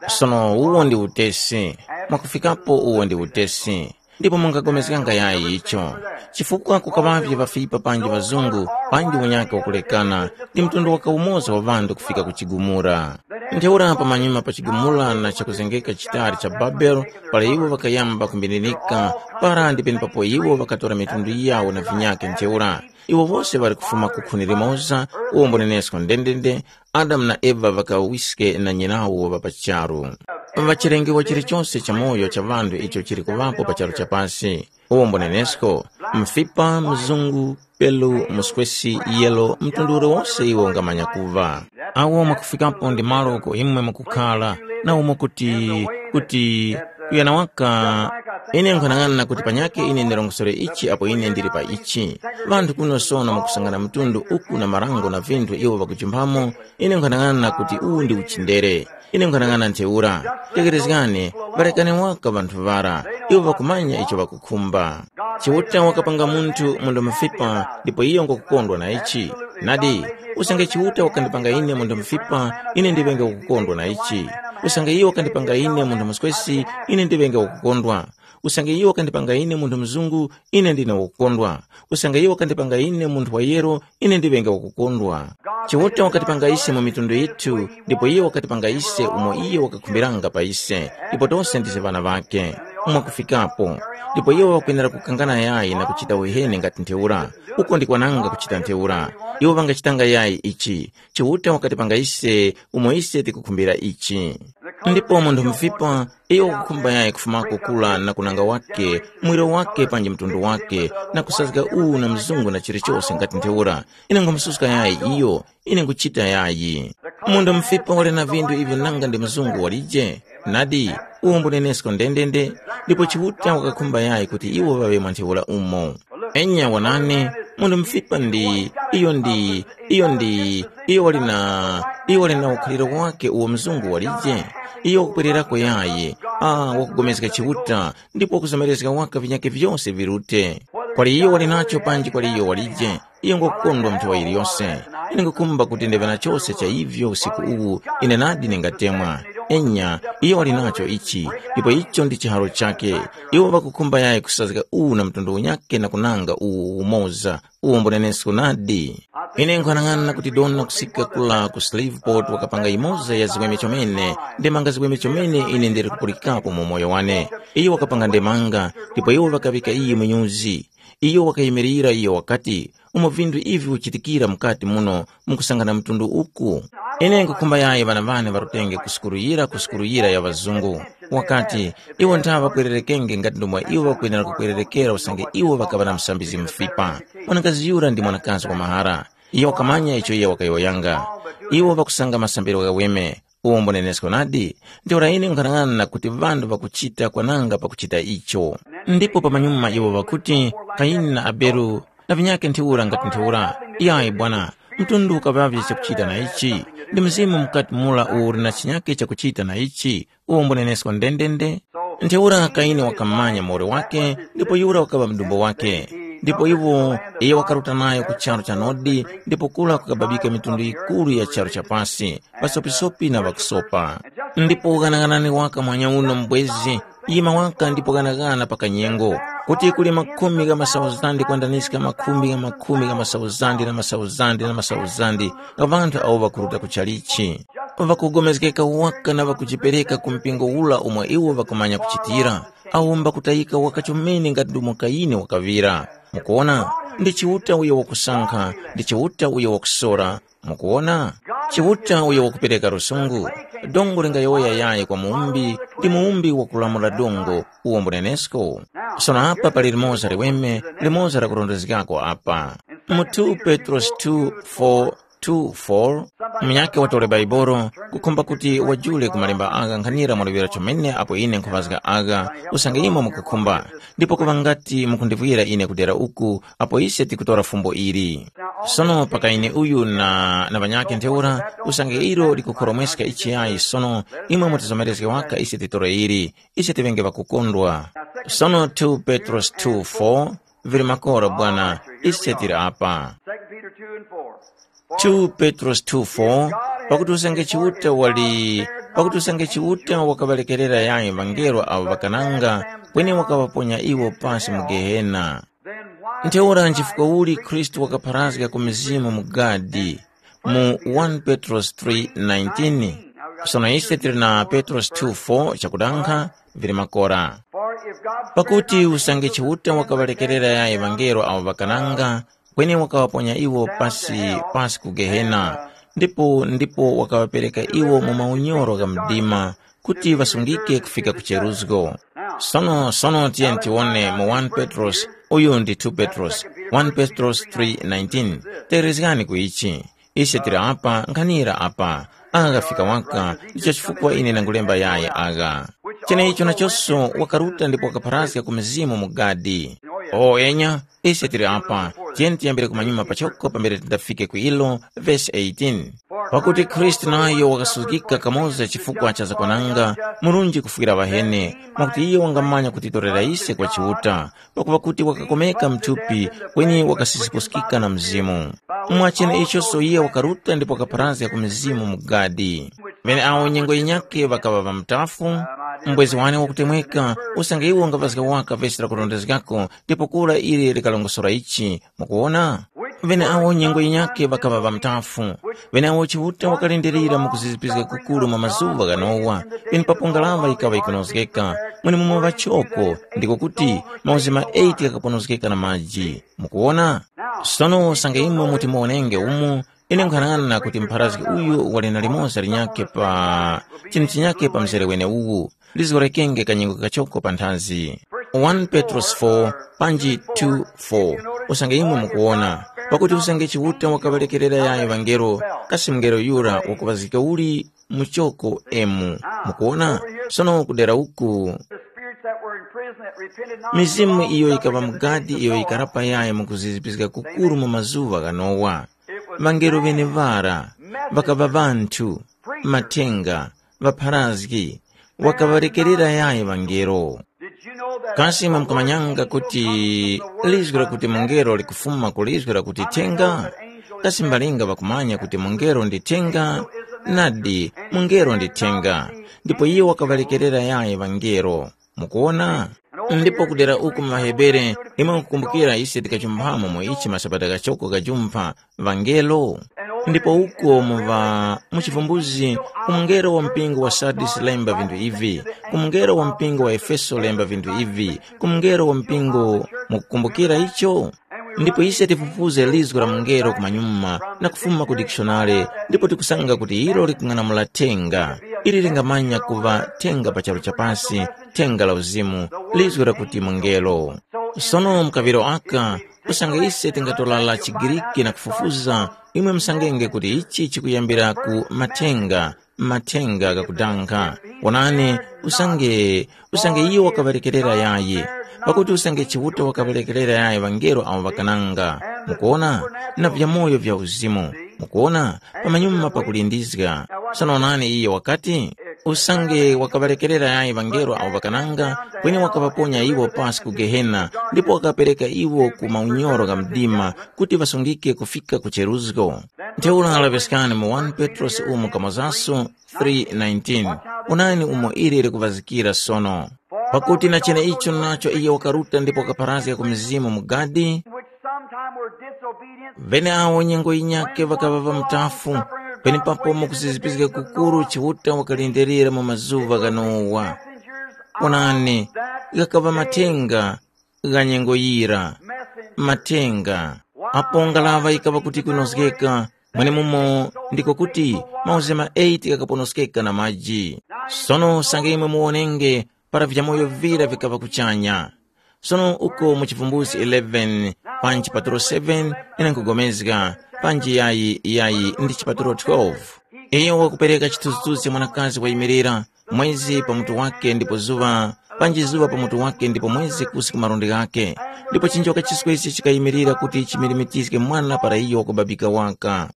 Sono uwo ndi utesi, mwakufikapo uwo ndi utesi. Ndipo mungapulikana yayi icho, chifukwa kukaŵavye ŵafipa panji ŵazungu, panji unyake wakulekana, ndi mtundu waka umoza wa ŵanthu kufika ku chigumula. Ntheura pamanyuma pa chigumula na chakuzengeka chitali cha Babele, para iwo ŵakayamba kumbininika, para ndi penepapo iwo ŵakatora mitundu yawo na vinyake ntheura. Iwo wose ŵali kufuma ku khuni limoza, uwo mbunenesko ndendende, Adamu na Eva ŵakawiske na nyinawo ŵa pa charu. Ŵachilengewa chilichose chamoyo cha ŵanthu icho chili kuŵapo pa charu cha pasi, uwo mbunenesko, mfipa, mzungu, pelu, muskwesi, yelo, mtundu uliwose iwo ungamanya kuŵa. Awo mwakufikapo ndi malo uko imwe mukukhala, na umo kuti, kuti kuyana waka. Ine nkhanang'ana kuti panyakhe ine ndirongosore ichi apo ine ndili pa ichi. Ŵanthu kuno sono mukusangana mtundu uku na marango na vinthu iwo ŵakujumpamo, ine nkhanang'ana kuti uwu ndi uchindere. Ine nkhanang'ana ntheura, tekerezgani, ŵarekani waka ŵanthu ŵara, iwo ŵakumanya icho ŵakukhumba. Chiuta wakapanga munthu munthu mufipa, ndipo iyo ngokukondwa na ichi. Nadi, usange Chiuta wakandipanga ine munthu mufipa, ine ndiŵenge wakukondwa na ichi. Usange iyo wakandipanga ine munthu muswesi, ine ndiŵenge wakukondwa. Usange iyo wakandipanga ine munthu mzungu, ine ndine wakukondwa. Usange iyo wakandipanga ine munthu wa yero, ine ndiŵenge wakukondwa. Chiuta wakatipanga ise mu mitundu yithu, ndipo iyo wakatipanga ise umo iyo wakakhumbiranga pa ise, ndipo tose ndise ŵana ŵakhe. Mwakufikapo. Ndipo iwo ŵakwenera kukangana yayi na kuchita uheni ngati ntheura, uko ndi kwananga kuchita ntheura. Iwo ŵangachitanga yayi ichi. Chiuta wakatipanga ise umo ise tikukhumbira ichi. Ndipo munthu mufipa, iyo wakukhumba yayi kufumako kula na kunanga wake, mwiro wake panji mtundu wake, na kusazga uwu na mzungu na chilichose ngati ntheura. Ine nkhamususka yayi iyo, ine nkuchita yayi. Munthu mufipa wali na vinthu ivyo nanga ndi mzungu walije? Nadi, uwo mbunenesko ndendende, ndipo Chiuta wakakhumba yayi kuti iwo ŵaŵe mwa ntheura umo. Enya wanani, munthu mufipa ndi, iyo ndi, iyo ndi, iyo wali na, iyo wali na ukhaliro wake uwo mzungu walije? Iyo wakupwererako yayi, ah, wakugomezga Chiuta, ndipo wakuzomerezga waka vinyakhe vyose virute. Kwali iyo wali nacho panji kwali iyo walije, iyo ngokukondwa mnthu wa yiliyose. Ine ngukumba kuti ndive na chose cha ivyo usiku uwu, ine nadi ningatemwa. Enya, iyo wali nacho ichi, ndipo icho ndi chiharo chake. Iwo ŵakukhumba yayi kusazga uwu na mtundu unyakhe na kunanga uwu umoza, uwo mbunenesko nadi. Ine nkhanang'ana kuti dona kusika kula ku Shreveport wakapanga imoza ya ziweme chomene, ndemanga ziweme chomene ine ndili kupulikapo mu moyo wane. Iyo wakapanga ndemanga, ndipo iwo ŵakaŵika iyo mu nyuzi. Iyo wakayimirira iyo wakati, umo vinthu ivi vichitikira mukati muno mukusangana mtundu uku. Ine nkukhumba yayi ŵana ŵane ŵarutenge ku sukulu yira ku sukulu yira ya ŵazungu. Wakati, iwo nthawe ŵakwererekenge ngati ndomwe iwo ŵakwenera kukwererekera usange iwo ŵakaŵa na musambizgi mufipa. Mwanakazi yura ndi mwanakazi wa mahara. Iyo wakamanya icho iyo wakayowoyanga. Iwo ŵakusanga masambiro ghaweme. Uwo mbunenesko nadi, ntheura ine nkhanang'ana kuti ŵanthu ŵakuchita kwananga pakuchita icho. Ndipo pamanyuma iwo ŵakuti, Kayini na Abele na vinyakhe ntheura ngati ntheura. Yayi bwana, mtundu ukaŵavye chakuchita na ichi. Ndi mzimu mukati mura uwo uli na chinyakhe chakuchita na ichi, uwo mbunenesko ndendende. Ntheura Kayini wakamanya muwoli wake, ndipo yura wakaŵa mdumbo wake. Ndipo iwo, iye wakaruta nayo ku charu cha Nodi, ndipo kura kukababika mitundu yikuru ya charu cha pasi, ŵasopisopi na ŵakusopa. Ndipo ghanaghanani waka mwanya uno mbwezi, yima waka ndipo ghanaghana pa kanyengo, kuti kuli makhumi gha masauzandi kwandaniska makhumi gha makhumi gha masauzandi na masauzandi na masauzandi gha ŵanthu awo ŵakuruta ku chalichi. Ŵakugomezgeka waka na ŵakujipereka ku mpingo ura umo iwo ŵakumanya kuchitira, awo mbakutayika waka chomene ngati ndomwe Kayini wakaŵira. Mukuwona, ndi Chiuta uyo wakusankha, ndi Chiuta uyo wakusora. Mukuwona? Chiuta uyo wakupereka lusungu. Dongo lingayowoya yayi kwa muwumbi, ndi muwumbi wakulamula dongo, uwo mbunenesko. Sono apa pali limoza liweme, limoza lakurondezgako apa. Mu two Petros two four two four, munyakhe watole Baibolo, kukhumba kuti wajule ku malemba agha nkhanira mwaluŵira chomene apo ine nkhuŵazga agha, usange imwe mukukhumba, ndipo kuŵa ngati mukundivwira ine kudera uku, apo ise tikutora fumbo ili. Sono paka ine uyu na, na ŵanyakhe ntheura, usange ilo likukhoromweska ichiyayi sono, imwe mutizomerezge waka ise titore ili, ise tiŵenge ŵakukondwa. Sono two Petros two four, vili makora bwana, ise tili apa. Second Peter two and four. two Petros two four, pakuti usange Chiuta wali, pakuti usange Chiuta wakaŵalekerera yayi ŵangelo avo ŵakananga, kweni wakaŵaponya iwo pasi mu Gehena. Ntheura nchifukwa uli Khristu wakapharazga ku mizimu mu gadi mu one Petros three nineteen? Sono ise tili na Petros two four chakudankha, vili makora. Pakuti usange Chiuta wakaŵalekerera yayi ŵangelo avo ŵakananga, kweni wakaŵaponya iwo pasi pasi ku Gehena, ndipo ndipo wakaŵapereka iwo mu maunyoro gha mdima, kuti ŵasungike kufika ku cheruzgo. Sono sono tiyeni tiwone mu one Petros, uyu ndi two Petros, one Petros three nineteen. Tegerezgani ku ichi. Ise tili apa nkhanira apa. Agha ghafika waka, ndicho chifukwa ine ndangulemba yayi agha. Cheneicho nachonso wakaruta ndipo wakapharazga ku mizimu mu gadi. O enya, ise tili apa, tiyeni tiyambire kumanyuma pachoko pambere tindafike ku ilo, vesi eighteen. Pakuti Khristu nayo wakasuzgika kamoza chifukwa cha zakwananga, murunji kufwira ŵaheni, mwakuti iyo wangamanya kutitorera ise kwa Chiuta, pakuŵa kuti wakakomeka mthupi, kweni wakasisipuskika na Mzimu. Mwachene ichoso iye wakaruta ndipo wakapharazga ku mizimu mu gadi. Ŵeneawo nyengo yinyakhe ŵakaŵa ŵamutafu, mbwezi wane wakutemweka, usange iwo ungapazga waka vesi lakurondezgako, ndipo kura ili likalongosora ichi. Mukuwona? Ŵeneawo nyengo yinyakhe ŵakaŵa ŵamutafu. Ŵeneawo Chiuta wakalindirira mu kuzizipizga kukuru mwa mazuŵa gha Nowa, penepapo ngaraŵa yikaŵa yikunozgeka, mwenemumo ŵachoko, ndiko kuti mauzi ma eight ghakaponozgeka na maji. Mukuwona? Sono usange imwe muti muwonenge umu, ine nkhanang'ana kuti mpharazgi uyu wali na limoza linyakhe pa chinthu chinyakhe pa mzere weneuwu, lizgorekenge kanyengo kachoko panthazi. One Petrosi four panji two four. Usange imwe mukuwona, pakuti usange Chiuta wakaŵalekerera yayo ŵangelo, kasi mngelo yura wakuŵazgika uli muchoko emu? Mukuwona? Sono kudera uku, The spirits that were in prison that repented not mizimu iyo yikaŵa mu gadi iyo yikarapa yayo mu kuzizipizga kukuru mu mazuŵa gha Nowa. Ŵangelo ŵeneŵara ŵakaŵa ŵanthu, mathenga, ŵapharazgi, wakaŵalekerera yayi ŵangelo. Kasi imwe mukamanyanga kuti lizgu lakuti mungelo likufuma ku lizgu lakuti thenga? Kasi mbalinga ŵakumanya kuti mungelo ndi thenga? Nadi, mungelo ndi thenga, ndipo iyo wakaŵalekerera yayi ŵangelo. Mukuwona? Ndipo kudera uku mu ŵaHebere, imwe mukukumbukira ise tikachumphamo mu ichi masabata ghachoko ghajumpha, ŵangelo. Ndipo uko mu ŵa mu chivumbuzi, ku mungelo wa mpingo wa Sardisi lemba vinthu ivi, ku mungelo wa mpingo wa Efeso lemba vinthu ivi, ku mungelo wa mpingo, mukukumbukira icho? Ndipo ise tifufuze lizgu la mungelo kumanyuma na kufuma ku dikishonale, ndipo tikusanga kuti ilo likung'anamula thenga, ili lingamanya kuŵa thenga pa charu cha pasi, thenga la uzimu, lizgu lakuti mungelo. Sono mu kaŵiro aka, usange ise tingatorala chiGriki na kufufuza, imwe musangenge kuti ichi chikuyambira ku mathenga, mathenga ghakudankha. Wonani, usange, usange iyo wakaŵalekerera yayi, pakuti usange Chiuta wakaŵalekerera yayi ŵangelo awo ŵakananga, mukuwona, na vyamoyo vya uzimu, mukuwona, pamanyuma pakulindizga. Sono wonani iyo wakati, usange wakaŵalekerera yayi ŵangelo awo ŵakananga, kweni wakaŵaponya iwo pasi ku Gehena, ndipo wakaŵapereka iwo ku maunyoro gha mdima, kuti ŵasungike kufika ku cheruzgo. Ntheura laŵiskani mu one Petrosi umo kamozaso three nineteen. Onani umo ili likuŵazikira sono. Pakuti na cheneicho nacho iyo wakaruta ndipo wakapharazga ku mizimu mu gadi, which sometime were disobedient, ŵeneawo nyengo yinyakhe ŵakaŵa ŵamutafu, penepapo mu kuzizipizga kukuru Chiuta wakalindirira mu mazuŵa gha Nowa. Onani, ghakaŵa mathenga gha nyengo yira, mathenga. Apo ngaraŵa yikaŵa kuti kunozgeka, mwenemumo ndiko kuti mauzi ma eight ghakaponoskeka na maji. Sono usange imwe muwonenge para vyamoyo vira vikaŵa kuchanya. Sono uko mu Chivumbulutso eleven, pa nchipatulo seven, ine nkugomezga, panji yayi yayi ndi chipatulo twelve. Iyo wakupereka chithunzithunzi cha mwanakazi wayimirira, mwezi pa mutu wake ndipo zuŵa, panji zuŵa pa mutu wake ndipo mwezi kusi ku malundi ghake. Ndipo chinjoka chiswesi chikayimirira kuti chimilimitizge mwana para iyo wakubabika waka.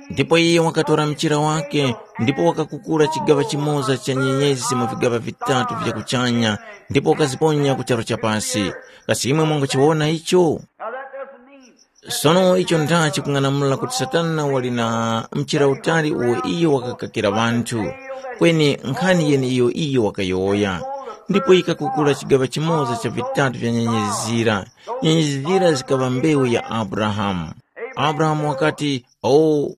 Ndipo iye wakatora mchira wake, ndipo wakakukula chigaŵa chimoza cha nyenyezi mu vigaŵa vitatu vya kuchanya, ndipo wakaziponya ku charu cha pasi. Kasi imwe mwanguchiwona icho? Now that doesn't mean Sono icho ndha chikung'anamula kuti Satana wali na mchira utali uwo iyo wakakakira ŵanthu, kweni nkhani yeneiyo iyo wakayowoya. Ndipo yikakukula chigaŵa chimoza cha vitatu vya nyenyezi zira. Nyenyezi zira zikaŵa mbewu ya Abrahamu. Abrahamu wakati, o,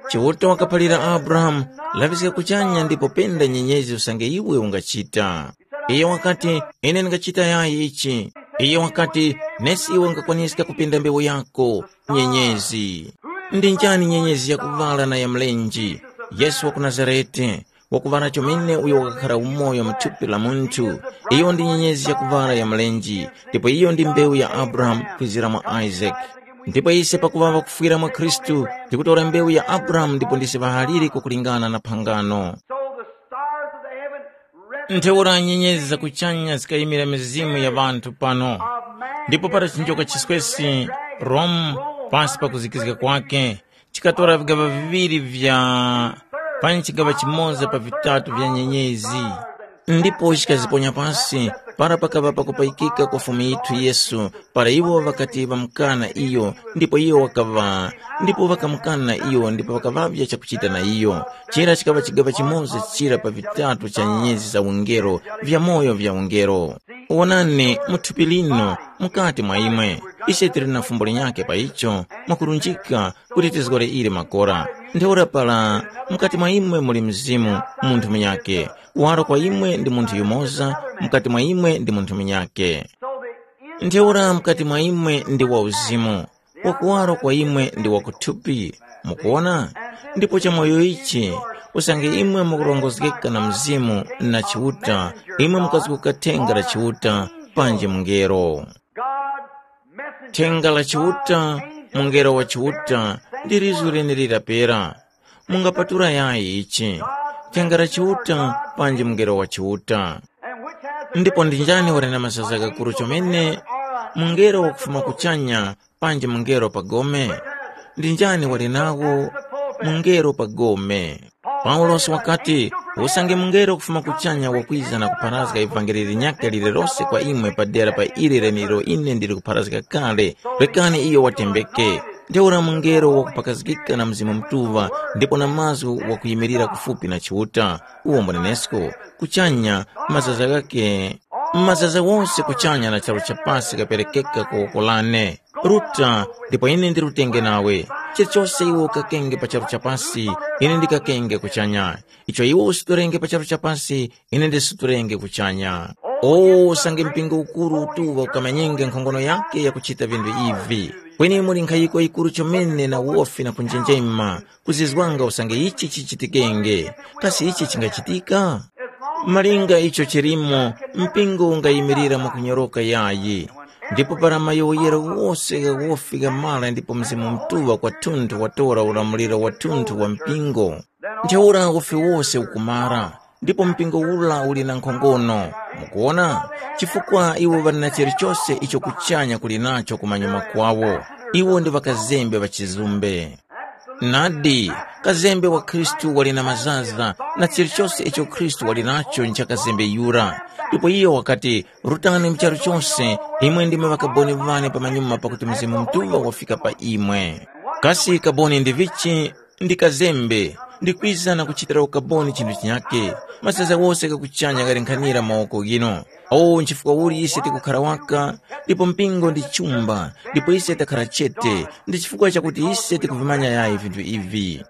Chiuta wakaphalira Abrahamu, laŵiska kuchanya ndipo penda nyenyezi usange iwe ungachita. Iyo wakati, ine ndingachita yayi ichi. Iyo wakati, nesi iwe ungakwaniska kupinda mbewu yako, nyenyezi. Ndi njani nyenyezi yakuŵala na ya mlenje? Yesu wa ku Nazarete, wakuŵala chomene uyo wakakhara umoyo mu thupi la munthu. Iyo ndi nyenyezi yakuŵala ya mlenje, ndipo iyo ndi mbewu ya Abrahamu kwizira mwa Isake. Ndipo ise pakuŵa ŵakufwira mwa Khristu, tikutora mbewu ya Abrahamu ndipo ndise ŵahaliri kukulingana na phangano. So the stars of the heaven represent Ntheura nyenyezi za kuchanya zikayimira mizimu ya ŵanthu pano. Ndipo para chinjoka chiswesi Rome, pasi pa kuzikizga kwake, Katora vigaŵa viŵiri vya panyi chigaŵa chimoza pa vitatu vya nyenyezi, ndipo chikaziponya pasi para pakaŵa pakupayikika kwa Fumu yithu Yesu, para iwo ŵakati ŵamukana iyo, ndipo iyo wakaŵa, ndipo ŵakamukana iyo ndipo ŵakaŵavya chakuchita na iyo. Chira chikaŵa chigaŵa chimoza chira pa vitatu cha nyenyezi za ungelo, vyamoyo vya ungelo. Wonani, mu thupi lino, mukati mwa imwe, ise tili na fumbo linyakhe pa icho, mwakurunjika kuti tizgore ili makora. Ntheura para mukati mwa imwe muli Mzimu, munthu munyakhe, waro kwa imwe ndi munthu yumoza, mukati mwa imwe ndi munthu munyakhe. Ntheura mukati mwa imwe ndi wa uzimu, wakuwaro kwa imwe ndi wakuthupi. Mukuwona? Ndipo chamoyo ichi, usange imwe mukurongozgeka na Mzimu na Chiuta, imwe mukazguka thenga la Chiuta, panji mungelo. Thenga la Chiuta, mungelo wa Chiuta, ndi lizu lenelira pera. Mungapatula yayi ichi, thenga la Chiuta, panji mungelo wa Chiuta. Ndipo ndi njani wali na mazaza ghakuru chomene, mungelo wakufuma kuchanya, panji mungelo pa gome? Ndi njani wali nawo, mungelo pa gome? Paulosi wakati, usange mungelo kufuma kuchanya wakwiza na kupharazga ivangeli linyakhe lililose kwa imwe padera pa ili lenilo ine ndili kupharazga kale, rekani iyo watembeke. Ntheura mungelo wakupakazgika na Mzimu Mutuŵa ndipo na mazgu wakuyimirira kufupi na Chiuta, uwo mbunenesko, kuchanya, mazaza ghakhe, mazaza wose kuchanya na charu cha pasi kaperekeka ku woko lane. Ruta, ndipo ine ndirutenge nawe. Chilichose iwe ukakenge pa charu cha pasi, ine ndikakenge kuchanya. Icho iwe usutorenge pa charu cha pasi, ine ndisutorenge kuchanya. O, usange mpingo ukuru utuŵa ukamanyenge nkhongono yakhe yakuchita vinthu ivi. Kweni muli nkhayiko yikuru chomene na wofi na kunjenjema, kuzizwanga usange ichi chichitikenge. Kasi ichi chingachitika? Malinga icho chilimo, mpingo ungayimirira mwakunyoroka yayi. Ndipo para mayowoyero wose gha wofi ghamara ndipo Mzimu Mutuŵa kwathunthu watora ulamuliro wathunthu wa mpingo, ntheura wofi wose ukumara, ndipo mpingo ura uli na nkhongono. Mukuwona? Chifukwa iwo ŵali na chilichose icho kuchanya kuli nacho kumanyuma kwawo. Iwo ndi ŵakazembe ŵa chizumbe. Nadi, kazembe wa Khristu wali na mazaza, na chilichose icho Khristu wali nacho ncha kazembe yura. Ndipo iyo wakati, rutani mu charu chose, imwe ndimwe ŵakaboni ŵane pamanyuma pakuti Mzimu Mutuŵa wafika pa imwe. Kasi kaboni ndi vichi? Ndi kazembe, ndikwiza na kuchitira ukaboni chinthu chinyakhe. Mazaza wose ghakuchanya ghalenkhanira mawoko ghino. O, nchifukwa uli ise tikukhara waka, ndipo mpingo ndi chumba, ndipo ise takhara chete, ndi chifukwa chakuti ise tikuvimanya yayi vinthu ivi.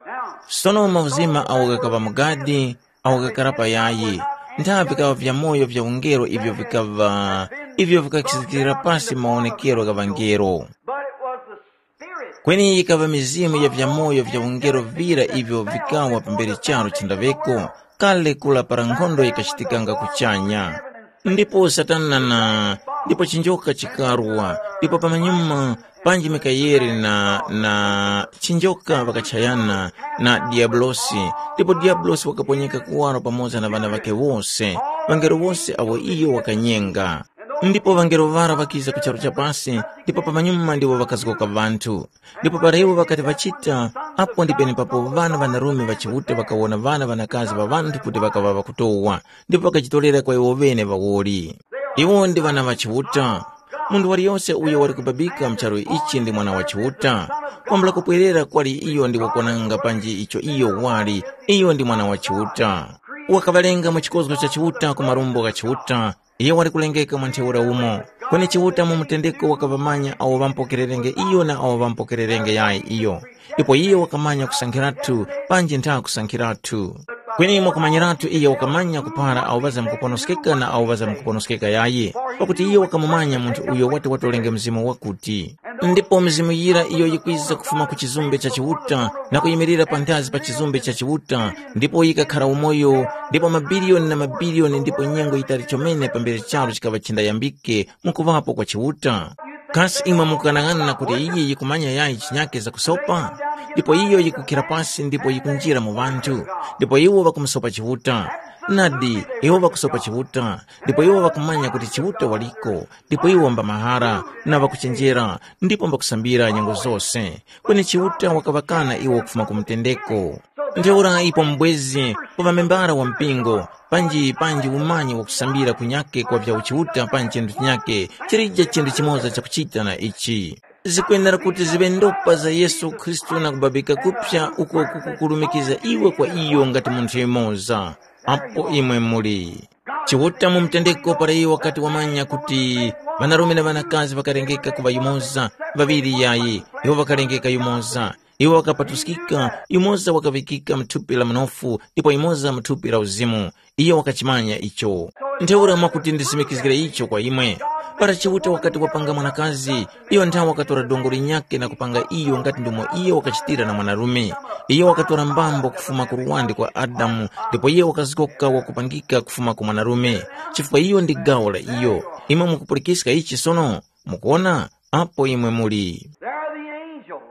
Sono mauzima awo ghakaŵa mu gadi, awo ghakara pa yayi, nthavi vikaŵa vyamoyo vya ungelo ivyo vikaŵa, ivyo vikakhizikira pasi mawonekero gha ŵangelo. But it was the Spirit. Kweni yikaŵa mizimu ya vyamoyo vya ungelo vira ivyo vikawa pambere charu chindaŵeko, kale kura para nkhondo yikachitikanga kuchanya. Ndipo Satana na, ndipo chinjoka chikarwa, ndipo pamanyuma panji Mikayeli na, na chinjoka ŵakachayana na Diabulosi, ndipo Diabulosi wakaponyeka kuwaro pamoza na ŵana ŵakhe wose, ŵangelo wose awo iyo wakanyenga. Ndipo ŵangelo ŵara ŵakiza ku charu cha pasi, ndipo pamanyuma ndiwo ŵakazgoka ŵanthu. Ndipo para iwo ŵakati ŵachita, apo ndi penepapo ŵana ŵanarume ŵa Chiuta ŵakawona ŵana ŵanakazi ŵa ŵanthu kuti ŵakaŵa ŵakutowa, ndipo ŵakajitorera kwa iwo ŵene ŵawoli. Iwo ndi ŵana ŵa Chiuta. Munthu waliyose uyo wali kubabika mu charu ichi ndi mwana wa Chiuta. Kwambula kupwerera kwali iyo ndi wakwananga panji icho iyo wali, iyo ndi mwana wa Chiuta. Wakaŵalenga mu chikozgo cha Chiuta ku marumbo gha Chiuta, iyo wali kulengeka mwa ntheura umo. Kweni Chiuta mu mutendeko wakaŵamanya awo ŵampokererenge iyo na awo ŵampokererenge yayi iyo. Ndipo iyo wakamanya kusankhiratu panji ntha kusankhiratu. Kweni mwakumanyiratu iyo wakamanya kupara awo ŵazamkuponoskeka na awo ŵazamkuponoskeka yayi, pakuti iyo wakamumanya munthu uyo wati watolenge mzimu wakuti. Ndipo mizimu yira iyo yikwiza kufuma ku chizumbe cha Chiuta na kuyimirira panthazi pa chizumbe cha Chiuta, ndipo yikakhara umoyo, ndipo mabiliyoni na mabiliyoni ndipo nyengo yitali chomene pambere charu chikaŵa chindayambike mu kuŵapo kwa Chiuta. Kasi imwe mukughanaghana kuti iyi yikumanya yayi chinyake zakusopa? Ndipo iyo yikukhira pasi ndipo yikunjira mu ŵanthu, ndipo iwo ŵakumusopa Chiuta. Nadi, iwo ŵakusopa Chiuta, ndipo iwo ŵakumanya kuti Chiuta waliko, ndipo iwo mba mahara na ŵakuchenjera, ndipo mbakusambira nyengo zose. Kweni Chiuta wakaŵakana iwo kufuma ku mutendeko. Ntheura ipo mubwezi ku ŵamembara wa mpingo, panji panji umanyi wakusambira kunyake kwa vya uchiuta panji chinthu chinyake chilije chinthu chimoza chakuchita na ichi. Zikwenera kuti ziŵe ndopa za Yesu Khristu na kubabika kupsa uko kukukurumikiza iwe kwa iyo ngati munthu yumoza. Apo imwe muli. Chiuta mu mutendeko para iyo wakati wamanya kuti ŵanarume na ŵanakazi ŵakalengeka kuŵa yumoza, ŵaŵiri yayi, iwo ŵakalengeka yumoza. Iwo ŵakapatuskika, yumoza wakaŵikika mu thupi la mnofu ndipo yumoza mu thupi la uzimu. Iyo wakachimanya icho. Ntheura mwakuti ndisimikizgire icho kwa imwe. Para Chiuta wakati wapanga mwanakazi, iyo nthawe wakatora dongo linyakhe na kupanga iyo ngati ndomwe iyo wakachitira na mwanarume. Iyo wakatora mbambo kufuma ku luwande kwa Adamu, ndipo iyo wakazgoka wakupangika kufuma ku mwanarume, chifukwa iyo ndi gawo la iyo. Imwe mukupulikiska ichi sono? Mukuwona? Apo imwe muli. There are the angels.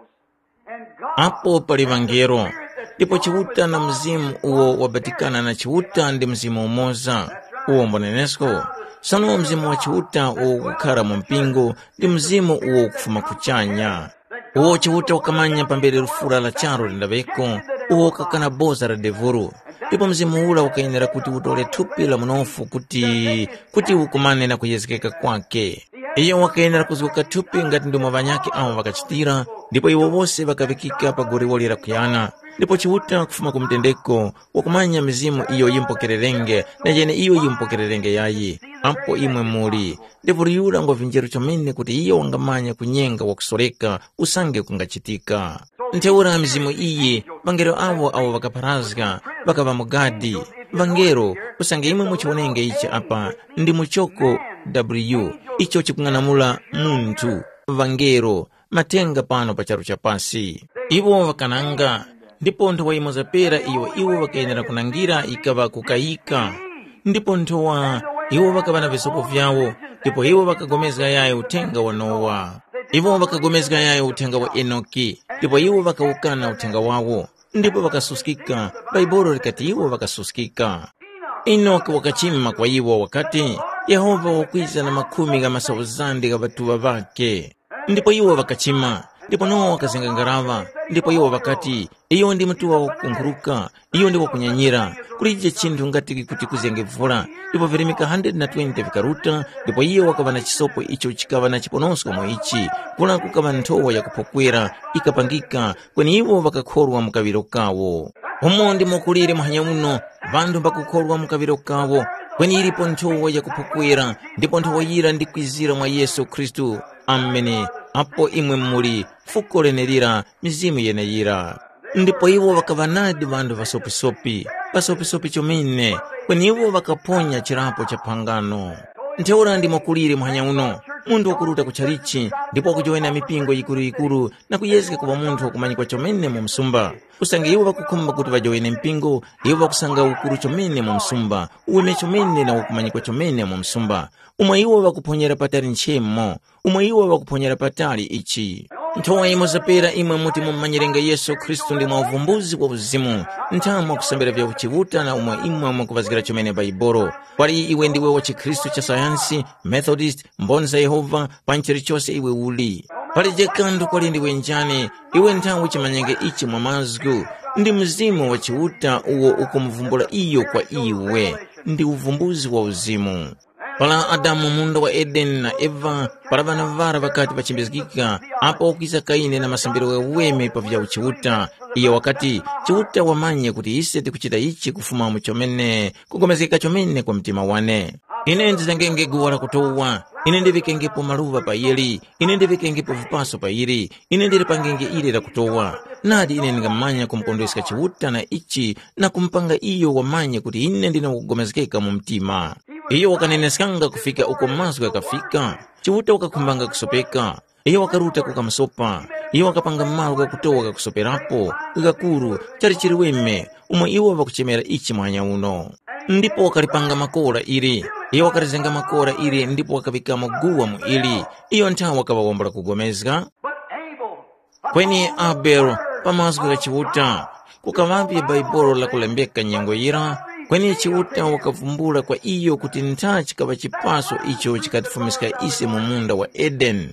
And God Apo pali ŵangelo, ndipo Chiuta na Mzimu uwo wabatikana na Chiuta ndi Mzimu umoza. Uwo mbonenesko. Sono Mzimu wa Chiuta uwo ukukhara mu mpingo ndi Mzimu uwo ukufuma kuchanya. Uwo Chiuta wakamanya pambere lufura la charu lindaŵeko, uwo ukakana boza la devuru. Ndipo Mzimu ura wakayenera kuti utore thupi la munofu kuti, kuti ukumane na kuyezgeka kwake. Iyo wakayenera kuzgoka thupi ngati ndomwe ŵanyakhe awo ŵakachitira, ndipo iwo wose ŵakaŵikika pa goliwoli lakuyana. Ndipo Chiuta kufuma ku mutendeko wakumanya mizimu iyo yimpokererenge na yeneiyo yimpokererenge yayi. Apo imwe muli, ndevuli yura ngwa vinjeru chomene kuti iyo wangamanya kunyenga wakusoreka usange kungachitika. Ntheura mizimu iyi, ŵangelo awo awo ŵakapharazga, ŵakaŵa mu gadi. Ŵangelo, usange imwe muchiwonenge ichi apa, ndi muchoko w icho chikung'anamula munthu, ŵangelo, mathenga pano pa charu cha pasi. Iwo ŵakananga, ndipo nthowa yimoza pera iyo iwo ŵakayenera kunangira yikaŵa kukayika. Ndipo nthowa iwo ŵakaŵa na visopo vyawo, ndipo iwo ŵakagomezga yayo uthenga wa Nowa. Iwo ŵakagomezga yayo uthenga wa Enoki, ndipo iwo ŵakawukana uthenga wawo, ndipo ŵakasuskika. Bhaibuli likati iwo ŵakasuskika. Enoki wakachima kwa iwo wakati, Yehova wakwiza na makhumi gha masauzande gha ŵatuŵa ŵakhe. Ndipo iwo ŵakachima, ndipo Nowa wakazenga ngaraŵa, ndipo iwo ŵakati, iyo ndi mutuŵa wakukunkhuruka, iyo ndi wakunyanyira, kulije chinthu ngati kuti kuzenge vula. Ndipo virimika hundred na twenty vikaruta, ndipo iyo wakaŵa na chisopo icho chikaŵa na chiponosko mu ichi, kura kukaŵa nthowa yakuphokwera, ikapangika, kweni iwo ŵakakhorwa mu kaŵiro kawo. Umo ndimo kulire muhanya uno, ŵanthu mbakukhorwa mu kaŵiro kawo, kweni ilipo nthowa yakuphokwera, ndipo nthowa yira ndikwizira mwa Yesu Khristu. Ameni. Apo imwe muli, fuko lenelira, mizimu yeneyira. Ndipo iwo ŵakaŵa nadi ŵanthu ŵasopisopi, ŵasopisopi chomene, kweni iwo ŵakaphonya chirapo cha phangano. Ntheura ndimo kulire muhanya uno, munthu wakuruta ku chalichi, ndipo wakujowena mipingo yikuru-yikuru na kuyezga kuŵa munthu wakumanyikwa chomene mu msumba. Usange iwo ŵakukhumba kuti ŵajowene mpingo, iwo ŵakusanga ukuru chomene mu msumba, uweme chomene na wakumanyikwa chomene mu msumba, umo iwo ŵakuphonyera patali nchemo, umo iwo ŵakuphonyera patali ichi. Nthowa imo zapera imwe muti mumumanyirenge Yesu Khristu ndi mwa uvumbuzi wa uzimu, nthamu mwakusambira vya uchiuta na umo imwe mwakuŵazgira chomene Baibolo. Pali iwe ndiwe wa chikhristu cha sayansi, Methodist, Mboni za Yehova, pa nchilichose iwe uli. Palije kanthu kwali ndiwe njani, iwe nthawe chimanyenge ichi mwa mazgu, ndi Mzimu wa Chiuta uwo ukumuvumbula iyo kwa iwe. Ndi uvumbuzi wa uzimu. Para Adamu mu munda wa Edeni na Eva, para ŵana ŵara ŵakati ŵachimbizgika, apo wakwiza Kaini na masambiro ghaweme pa vya uchiuta, iyo wakati, Chiuta wamanye kuti ise tikuchita ichi kufuma mu chomene, kugomezgeka chomene kwa mtima wane. Ine ndizengenge guwa lakutowa, ine ndiŵikengepo maluŵa pa yili, ine ndiŵikengepo vipaso pa yili, ine ndilipangenge ili lakutowa. Nadi ine ndingamanya kumukondweska Chiuta na ichi na kumupanga iyo wamanye kuti ine ndine wakugomezgeka mu mtima. Iyo wakaneneskanga kufika uko mazgu ghakafika. Chiuta wakakhumbanga kusopeka. Iyo wakaruta kukamusopa. Iyo wakapanga malo ghakutowa ghakusoperapo, ghakuru, chali chiliweme, umo iwo ŵakuchemera ichi muhanya uno. Ndipo wakalipanga makora ili. Iyo wakalizenga makora ili ndipo wakaŵikamo guwa mu ili. Iyo nthawe wakaŵa wambula kugomezga. But Abel, kweni Abele, pa mazgu gha Chiuta, kukaŵapo bhaibolo lakulembeka nyengo yira, kweni Chiuta wakavumbula kwa iyo kuti ntha chikaŵa chipaso icho chikatifumiska ise mu munda wa Edeni.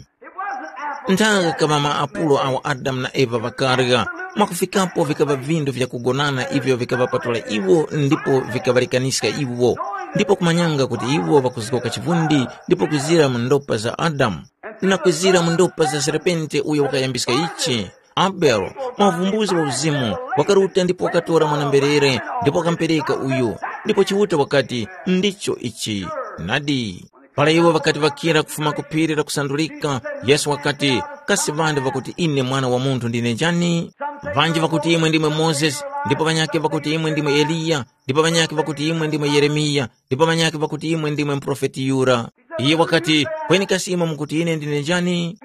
Ntha ghakaŵa maapulo awo Adamu na Eva ŵakarya, mwakufikapo vikaŵa vindu vyakugonana ivyo vikaŵapatula iwo ndipo vikaŵarekaniska iwo, ndipo kumanyanga kuti iwo ŵakuzgoka chivundi ndipo kwizira mu ndopa za Adamu, na kwizira mu ndopa za serpente uyo wakayambiska ichi. Abele, mwa uvumbuzi wa uzimu, wakaruta ndipo wakatora mwana-mberere ndipo wakamupereka uyu, ndipo Chiuta wakati, ndicho ichi. Nadi. Para iwo ŵakati ŵakira kufuma ku phiri lakusandulika, Yesu wakati, kasi ŵanthu ŵakuti ine Mwana wa Munthu ndine njani? Ŵanji ŵakuti imwe ndimwe Mozesi, ndipo ŵanyakhe ŵakuti imwe ndimwe Eliya, ndipo ŵanyakhe ŵakuti imwe ndimwe Yeremiya, ndipo ŵanyakhe ŵakuti imwe ndimwe muprofeti yura. Iye wakati, kweni kasi imwe mukuti ine ndine njani?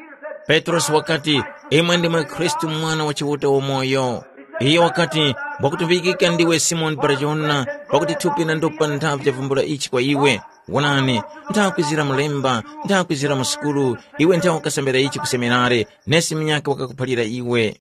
Petrosi wakati, imwe ndimwe Khristu Mwana wa Chiuta wamoyo. Iye wakati, ngwakutumvikika ndiwe Simoni Barajona, pakuti thupi na ndopa nthavi chavumbula ichi kwa iwe. Wonani, nthakwizira mulemba, nthakwizira mu sukulu, iwe nthawe ukasambira ichi ku seminare, nesi munyakhe wakakuphalira iwe.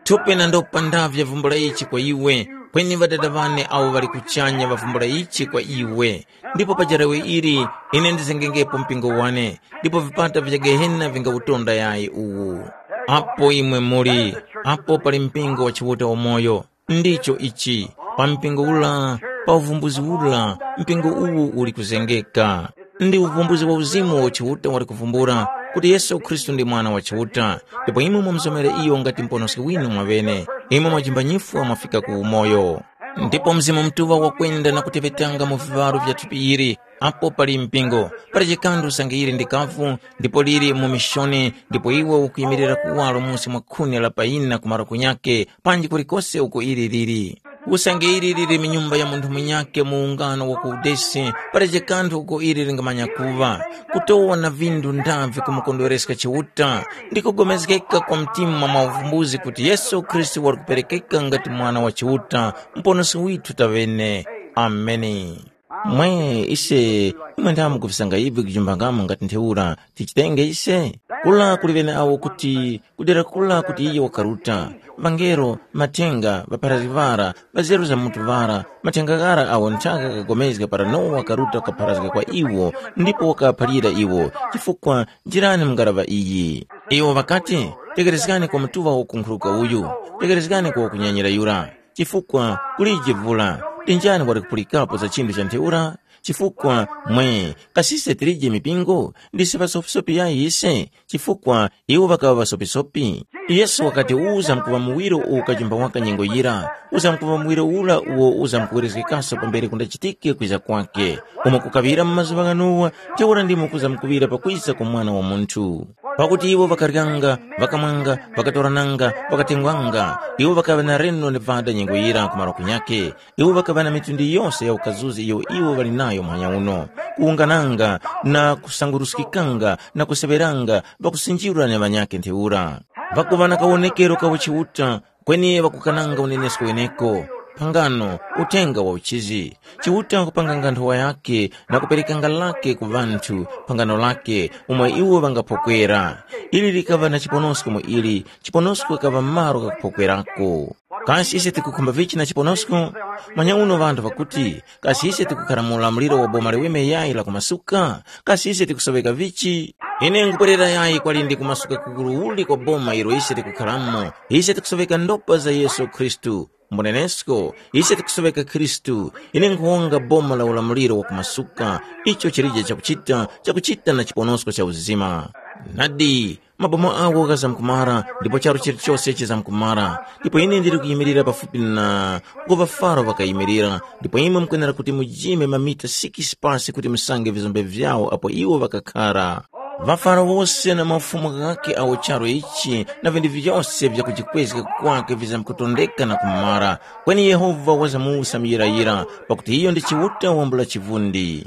Thupi na ndopa ndavyo vyavumbula ichi kwa iwe, kweni Ŵadada ŵane awo ŵali kuchanya ŵavumbula ichi kwa iwe. Ndipo pa jarawe ili, ine ndizengengepo mpingo wane, ndipo vipata vya Gehena vingawutonda yayi uwu. Apo imwe muli, apo pali mpingo wa Chiuta wamoyo. Ndicho ichi, pa mpingo ula, pa uvumbuzi ula, mpingo uwu uli kuzengeka. Ndi uvumbuzi wa uzimu uwo Chiuta wali kuvumbula kuti Yesu Khristu ndi Mwana wa Chiuta, ndipo imwe mwamuzomera iyo ngati Muponoski winu mwaŵene, imwe mwajimba nyifwa mwafika ku umoyo. Ndipo Mzimu Mutuŵa wakwenda na kuteŵetanga mu viŵaro vya thupi ili, apo pali mpingo, pali chikanthu usange ili ndi kavu, ndipo lili mu mishoni, ndipo iwo ukuyimirira kuwaro musi mwa khuni la payina ku malo kunyakhe, panji kulikose uko ili lili. Usange ili lili mu nyumba ya munthu munyakhe mu ungano wa ku udesi, palibe kanthu uko ili lingamanya kuŵa, kutowa na vindu ndavi kumukondwereska Chiuta, ndi kugomezgeka kwa mtima mwa uvumbuzi kuti Yesu Khristu wali kuperekeka ngati Mwana wa Chiuta, Muponoski withu taŵene. Ameni. Mwe ise, imwe ndamwe mukufisanga ivi kujumbangamo ngati ntheura, tichitenge ise? Kula kuli ŵeneawo kuti kudera kula kuti iye wakaruta, ŵangelo, mathenga, ŵapharazgi ŵara, ŵazeru za mutu ŵara, mathenga ghara awo nthaka ghakagomezga para Nowa wakaruta kukapharazga kwa iwo ndipo wakaŵaphalira iwo, chifukwa njirani mu ngaraŵa iyi. Iwo ŵakati, tekerezgani kwa mutuŵa wakunkhuruka uyu, tekerezgani kwa wakunyanyira yura. Chifukwa kulije vula, ndi njani wali kupulikapo za chinthu cha ntheura? Chifukwa mwe, kasi ise tilije mipingo? Ndise ŵasopisopi yayi ise? Chifukwa iwo ŵakaŵa ŵasopisopi. Yesu wakati uzamkuŵa muwiro uwo ukajimba waka nyengo yira, uzamkuŵa muwiro ura uwo uzamkuwerezgekaso pambere kundachitike kwiza kwake. Umo kukaŵira mu mazuŵa gha Nowa, ntheura ndimo kuzamkuŵira pakwiza kwa Mwana wa Munthu. Pakuti iwo ŵakaryanga, ŵakamwanga, ŵakatorananga, ŵakatengwanga, iwo ŵakaŵa na reno ni vada nyengo yira ku malo kunyakhe. Iwo ŵakaŵa na mitundu yose ya ukazuzi iyo iwo ŵali nayo muhanya uno, kuwungananga na kusanguruskikanga na kuseŵeranga ŵakusinjirwa na ŵanyakhe ntheura. Ŵakuŵa na kawonekero ka uchiuta, kweni ŵakukananga unenesko weneko, phangano, uthenga wa uchizi. Chiuta wakupanganga nthowa yakhe na kuperekanga lake ku ŵanthu, phangano lake, umo iwo ŵangaphokwera. Ili likaŵa na chiponosko mu ili, chiponosko chikaŵa malo kakuphokwerako. Kasi ise tikukhumba vichi na chiponosko? Manyauno ŵanthu ŵakuti, kasi ise tikukhara mu ulamuliro wa boma liweme yayi la kumasuka? Kasi ise tikusoŵeka vichi? Ine nkupwerera yayi kwalindi kumasuka kukuru uli kwa boma ilo ise tikukharamo. Ise tikusoŵeka ndopa za Yesu Khristu. Mbunenesko, ise tikusoŵeka Khristu. Ine nkhuwonga boma la ulamuliro wa kumasuka, icho chilije chakuchita, chakuchita na chiponosko cha uzima. Nadi, maboma agho ghazamkumara, ndipo charu chilichose chizamkumara. Ndipo ine ndili kuyimirira pafupi na uko ŵafaro ŵakayimirira, ndipo imwe mukwenera kuti mujime mamita sikisi pasi kuti musange vizombe vyawo apo iwo ŵakakhara. Ŵafaro wose na mafumu ghakhe awo charu ichi na vinthu vyose vyakujikwezga kwakhe vizamkutondeka na kumara, kweni Yehova wazamuwusa muyirayira, pakuti iyo ndi Chiuta wambula chivundi.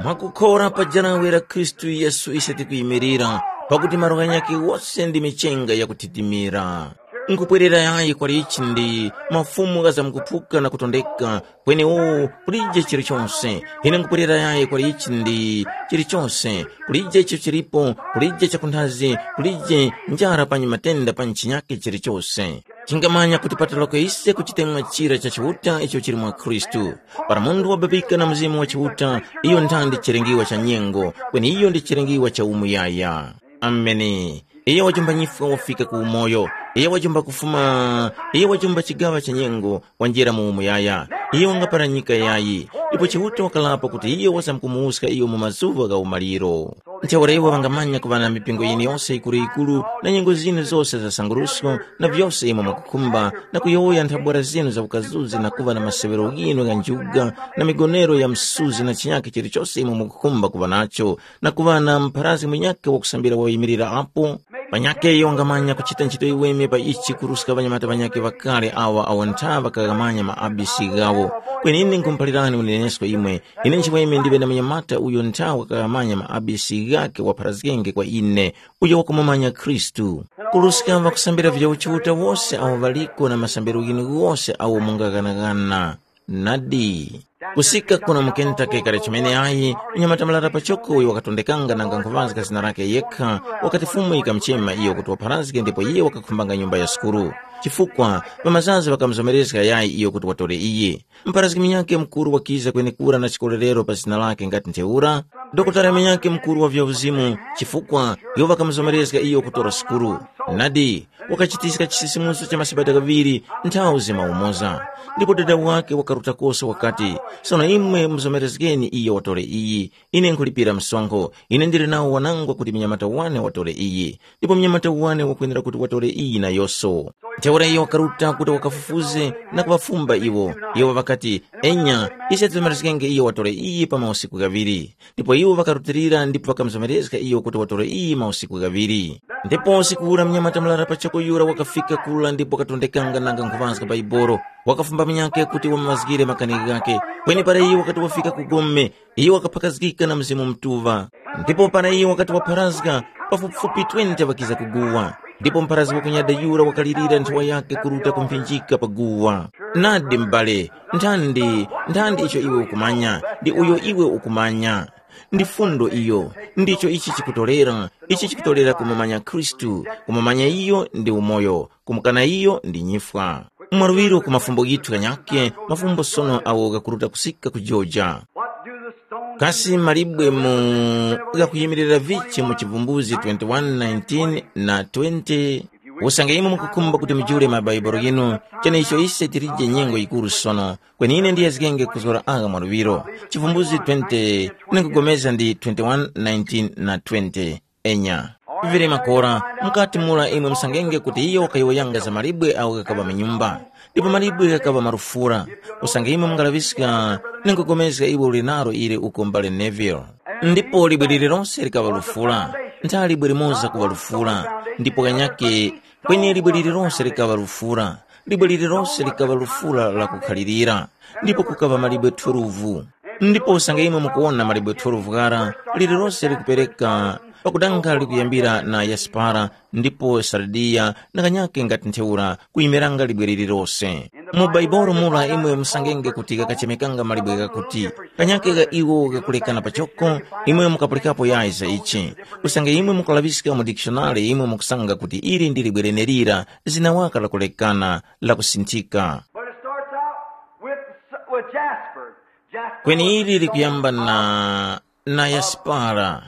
Mwakukhora pa janawe la Khristu Yesu ise tikuyimirira, pakuti malo ghanyakhe wose ndi michenga yakuthitimira. Nkupwerera yayi kwali ichi ndi mafumu ghazamkuphuka na kutondeka, kweni uwu kulije chilichose. Ine nkupwerera yayi kwali ichi ndi chilichose, kulije icho chilipo, kulije chakunthazi, kulije njara panyi matenda panyi chinyake chilichose. Chingamanya kuti patoloko ise ku chitemwa chira cha Chiuta icho chili mwa Khristu. Para munthu wababika na Mzimu wa Chiuta, iyo nthandi chilengiwa cha nyengo, kweni iyo ndi chilengiwa cha umuyaya. Ameni. Iyo wajumba nyifwa wafika ku umoyo. Iyo wajumba kufuma, iyo wajumba chigaŵa cha nyengo, wanjira mu umuyaya. Iyo wangapara nyika yayi. Ndipo Chiuta wakalapo kuti iyo wasamkumuwuska iyo mu mazuŵa gha umaliro. Ntheura iwo ŵangamanya kuŵa na mipingo yiniyose yikuru-yikuru na nyengo zinu zose za sangurusko na vyose imwe mwakukhumba, na kuyowoya nthabwara zinu za ukazuzi na kuŵa na maseŵero ghinu gha njuga na migonero ya msuzi na chinyakhe chilichose imwe mwakukhumba kuŵa nacho, na kuŵa na mpharazgi munyakhe wakusambira wayimilira apo. Panyakhe iyo wangamanya kuchita nchito yiweme pa ichi kuruska ŵanyamata ŵanyakhe ŵakale awa awo ntha ŵakaghamanya ma A B C ghawo. Kweni ine nkhumuphalirani unenesko imwe, ine nchiweme ndiŵe na munyamata uyo ntha wakaghamanya ma A B C ghakhe wapharazgenge kwa ine, uyo wakumumanya Khristu. Kuruska ŵakusambira vya uchiuta wose awo ŵaliko na masambiro ghinu ghose awo mungaghanagana. Nadi. Kusika kuno mu Kentucky kale chimene ayi, mnyamata murara pachoko uyo wakatondekanga nanga nkhuŵazga zina lakhe yekha, wakati Fumu yikamuchema iyo kuti wapharazge ndipo iye wakakhumbanga nyumba ya sukulu. Chifukwa, ŵamazazi ŵakamuzomerezga yayi iyo kuti watore iye. Mpharazgi munyakhe mukuru wakiza kwenekura na chikolerero pa zina lakhe ngati ntheura, dokotala munyakhe mukuru wa vyauzimu, chifukwa iwo ŵakamuzomerezga iyo kutora sukulu. Nadi, wakachitiska chisisimuso cha masabata ghaŵiri nthawi zima umoza. Ndipo dada wakhe wakaruta kose wakati, sono imwe muzomerezgeni iyo watore iyi. Ine nkhulipira msonkho. Ine ndili nawo wanangwa kuti mnyamata wane watore iyi. Ndipo mnyamata wane wakwenera kuti watore iyi nayonso. Ntheura iyo wakaruta kuti wakafufuze na kuŵafumba iwo. Iwo ŵakati, enya, ise tizomerezgenge iyo watore iyi pa mausiku ghaŵiri. Ndipo iwo ŵakarutilira ndipo ŵakamuzomerezga iyo kuti watore iyi mausiku ghaŵiri. Ndipo usiku ura mnyamata murara pachoko yura wakafika kura ndipo wakatondekanga nanga nkhuŵazga Baibolo. Wakafumba munyakhe kuti wamumazgire makani ghakhe. Kweni para iyo wakati wafika ku gome, iyo wakaphakazgika na Mzimu Mutuŵa. Ndipo para iyo wakati wapharazga, pafupifupi twenty ŵakiza kuguwa. Ndipo mpharazgi wakunyada yura wakalirira nthowa yakhe kuruta kumphinjika pa guwa. Nadi m'bale, nthandi, nthandi icho iwe ukumanya, ndi uyo iwe ukumanya. Ndi fundo iyo, ndicho ichi chikutolera, ichi chikutolera kumumanya Khristu, kumumanya iyo ndi umoyo, kumukana iyo ndi nyifwa. Mwaluŵiro ku mafumbo ghithu ghanyakhe, mafumbo sono agho ghakuruta kusika ku Georgia. What do the stones Kasi malibwe mu ghakuyimirira vichi mu Chivumbuzi twenty-one nineteen na twenty? Usange imwe mukukhumba kuti mujule mabaibulo ghinu, cheneicho ise tilije nyengo yikuru sono, kweni ine ndiyezgenge kuzgora agha mwaluŵiro. Chivumbuzi twenty, ndinkupulikana ndi twenty-one nineteen na twenty. Enya. Vili makora, mukati mura imwe musangenge kuti iyo wakayowoyanga za malibwe agho ghakaŵa mu nyumba. Ndipo malibwe ghakaŵa marufura. Usange imwe mungalaŵiska, ninkupulikana iwe uli nalo ili uko m'bale Neville. Ndipo libwe lililonse likaŵa lufura. Ntha libwe limoza kuŵa lufura. Ndipo kanyake, kweni libwe lililonse likaŵa lufura. Libwe lililonse likaŵa lufura la kukhalirira. Ndipo kukaŵa malibwe twelve. Ndipo usange imwe mukuwona malibwe twelve ghara, lililose likupereka pakudanga likuyambira na yasipara, ndipo sardiya, na kanyake ngati ntheura kuyimiranga libwe lililose. Mu Baibolo mura imwe musangenge kuti ghakachemekanga malibwe ghakuti, kanyake gha iwo ghakulekana pachoko, imwe mukapulikapo yayi za ichi. Usange imwe mukalaŵiska mu dikishonale imwe mukusanga kuti ili ndi libwe lenelira, zina waka lakulekana, lakusinthika. But it starts out with, with jasper. Jasper Kweni ili likuyamba na, na yasipara.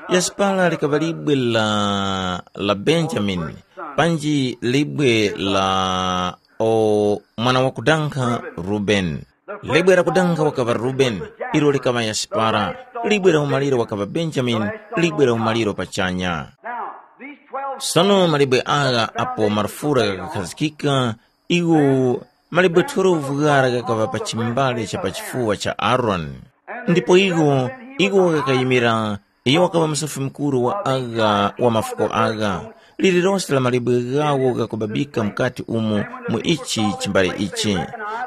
Yasipara likaŵa libwe la, la Benjamini, panji libwe la o mwana wakudankha Rubeni. Libwe lakudankha wakaŵa Rubeni, ilo likaŵa yasipara. Libwe la umaliro wakaŵa Benjamini, libwe la umaliro pachanya. Now, these twelve Sono malibwe agha apo marufura ghakakhazikika, iwo malibwe twelve ghara ghakaŵa pa chimbale cha pa chifuwa cha Aaroni. Ndipo iwo, iwo ghakayimira, iyo wakaŵa musofi mukuru wa agha wa mafuko agha. lililose la malibwe ghawo ghakubabika mukati umu mu ichi chimbale ichi.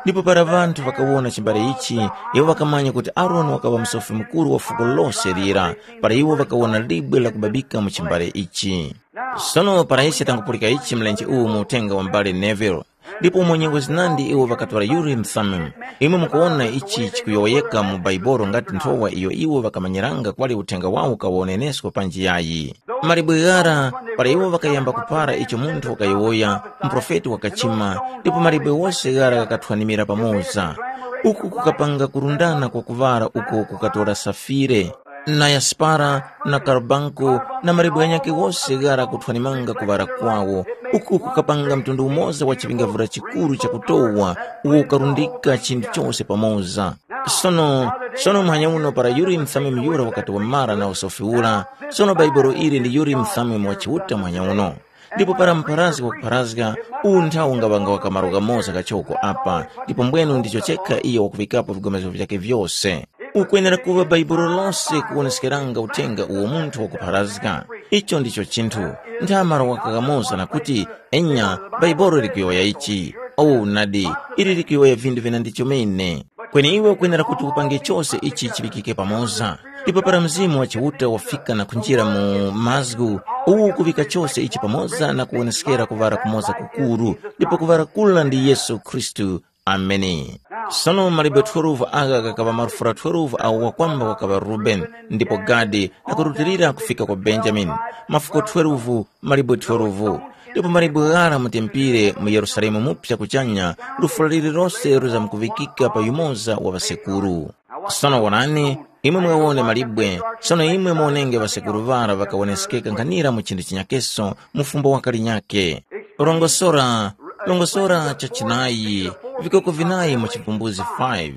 Ndipo para ŵanthu ŵakawona chimbale ichi, iwo ŵakamanya kuti Aroni wakaŵa Musofi Mukuru wa fuko lose lira, para iwo ŵakawona libwe lakubabika mu chimbale ichi. Sono para ise tangupulika ichi mlenje uwu mu uthenga wa m'bale Neville, ndipo umo nyengo zinandi iwo ŵakatwala Urim Thummim, imwe mukuwona ichi chikuyowoyeka mu Baibolo ngati nthowa iyo iwo ŵakamanyiranga kwali uthenga wawo kawonenesko panji yayi. Malibwe ghara, para iwo ŵakayamba kupara icho munthu wakayowoya, muprofeti wakachima, ndipo malibwe wose ghara ghakathwanimira pamoza. Uku kukapanga kurundana kwa kuŵara uko kukatora safire, na yaspara, na karbanko, na malibwe ghanyakhe ghose ghara kuthwanimanga kuŵara kwawo. Uku kukapanga mtundu umoza wa chiŵingavura chikuru chakutowa, uwo ukarundika chinthu chose pamoza. Sono, sono muhanya uno para Urimu Thumimu yura wakati wamara na usofi ura, sono Baibolo ili ndi Urimu Thumimu wa Chiuta muhanya uno. Ndipo para mupharazgi wakupharazga, uwu nthawi ungaŵanga wa kamaro kamoza kachoko apa, ndipo mbwenu ndicho chekha iyo wakuŵikapo vigomezgo vyakhe vyose. Ukwenera kuŵa Baibolo lose kuwoneskeranga uthenga uwo munthu wakupharazga. Icho ndicho chinthu. Nthamara wakakamoza na kuti, enya, Baibolo likuyowoya ichi. Owu nadi, ili likuyowoya vinthu vina ndi chomene. Kweni iwe ukwenera kuti upange chose ichi chiŵikike pamoza. Ndipo para Mzimu wa Chiuta wafika na kunjira mu mazgu, uwu ukuŵika chose ichi pamoza na kuwoneskera kuŵala kumoza kukuru, ndipo kuŵala kula ndi Yesu Khristu. Ameni. Sono malibwe twelve agha ghakaŵa marufura twelve awo wakwamba wakaŵa Rubeni, ndipo Gadi, na kurutilira kufika kwa Benjamini, mafuko twelve, malibwe twelve. Ndipo malibwe ghara mutempire mu Yerusalemu mupya kuchanya, lufura lililose lizamkuŵikika pa yumoza wa ŵasekuru. Sono wonani, imwe mwawone malibwe, sono imwe muwonenge ŵasekuru ŵara ŵakawonesekeka nkhanira mu chinthu chinyakeso mu fumbo wakalinyakhe. Rongosora, rongosora cha chinayi, vikoko vinayi mu Chivumbuzi five.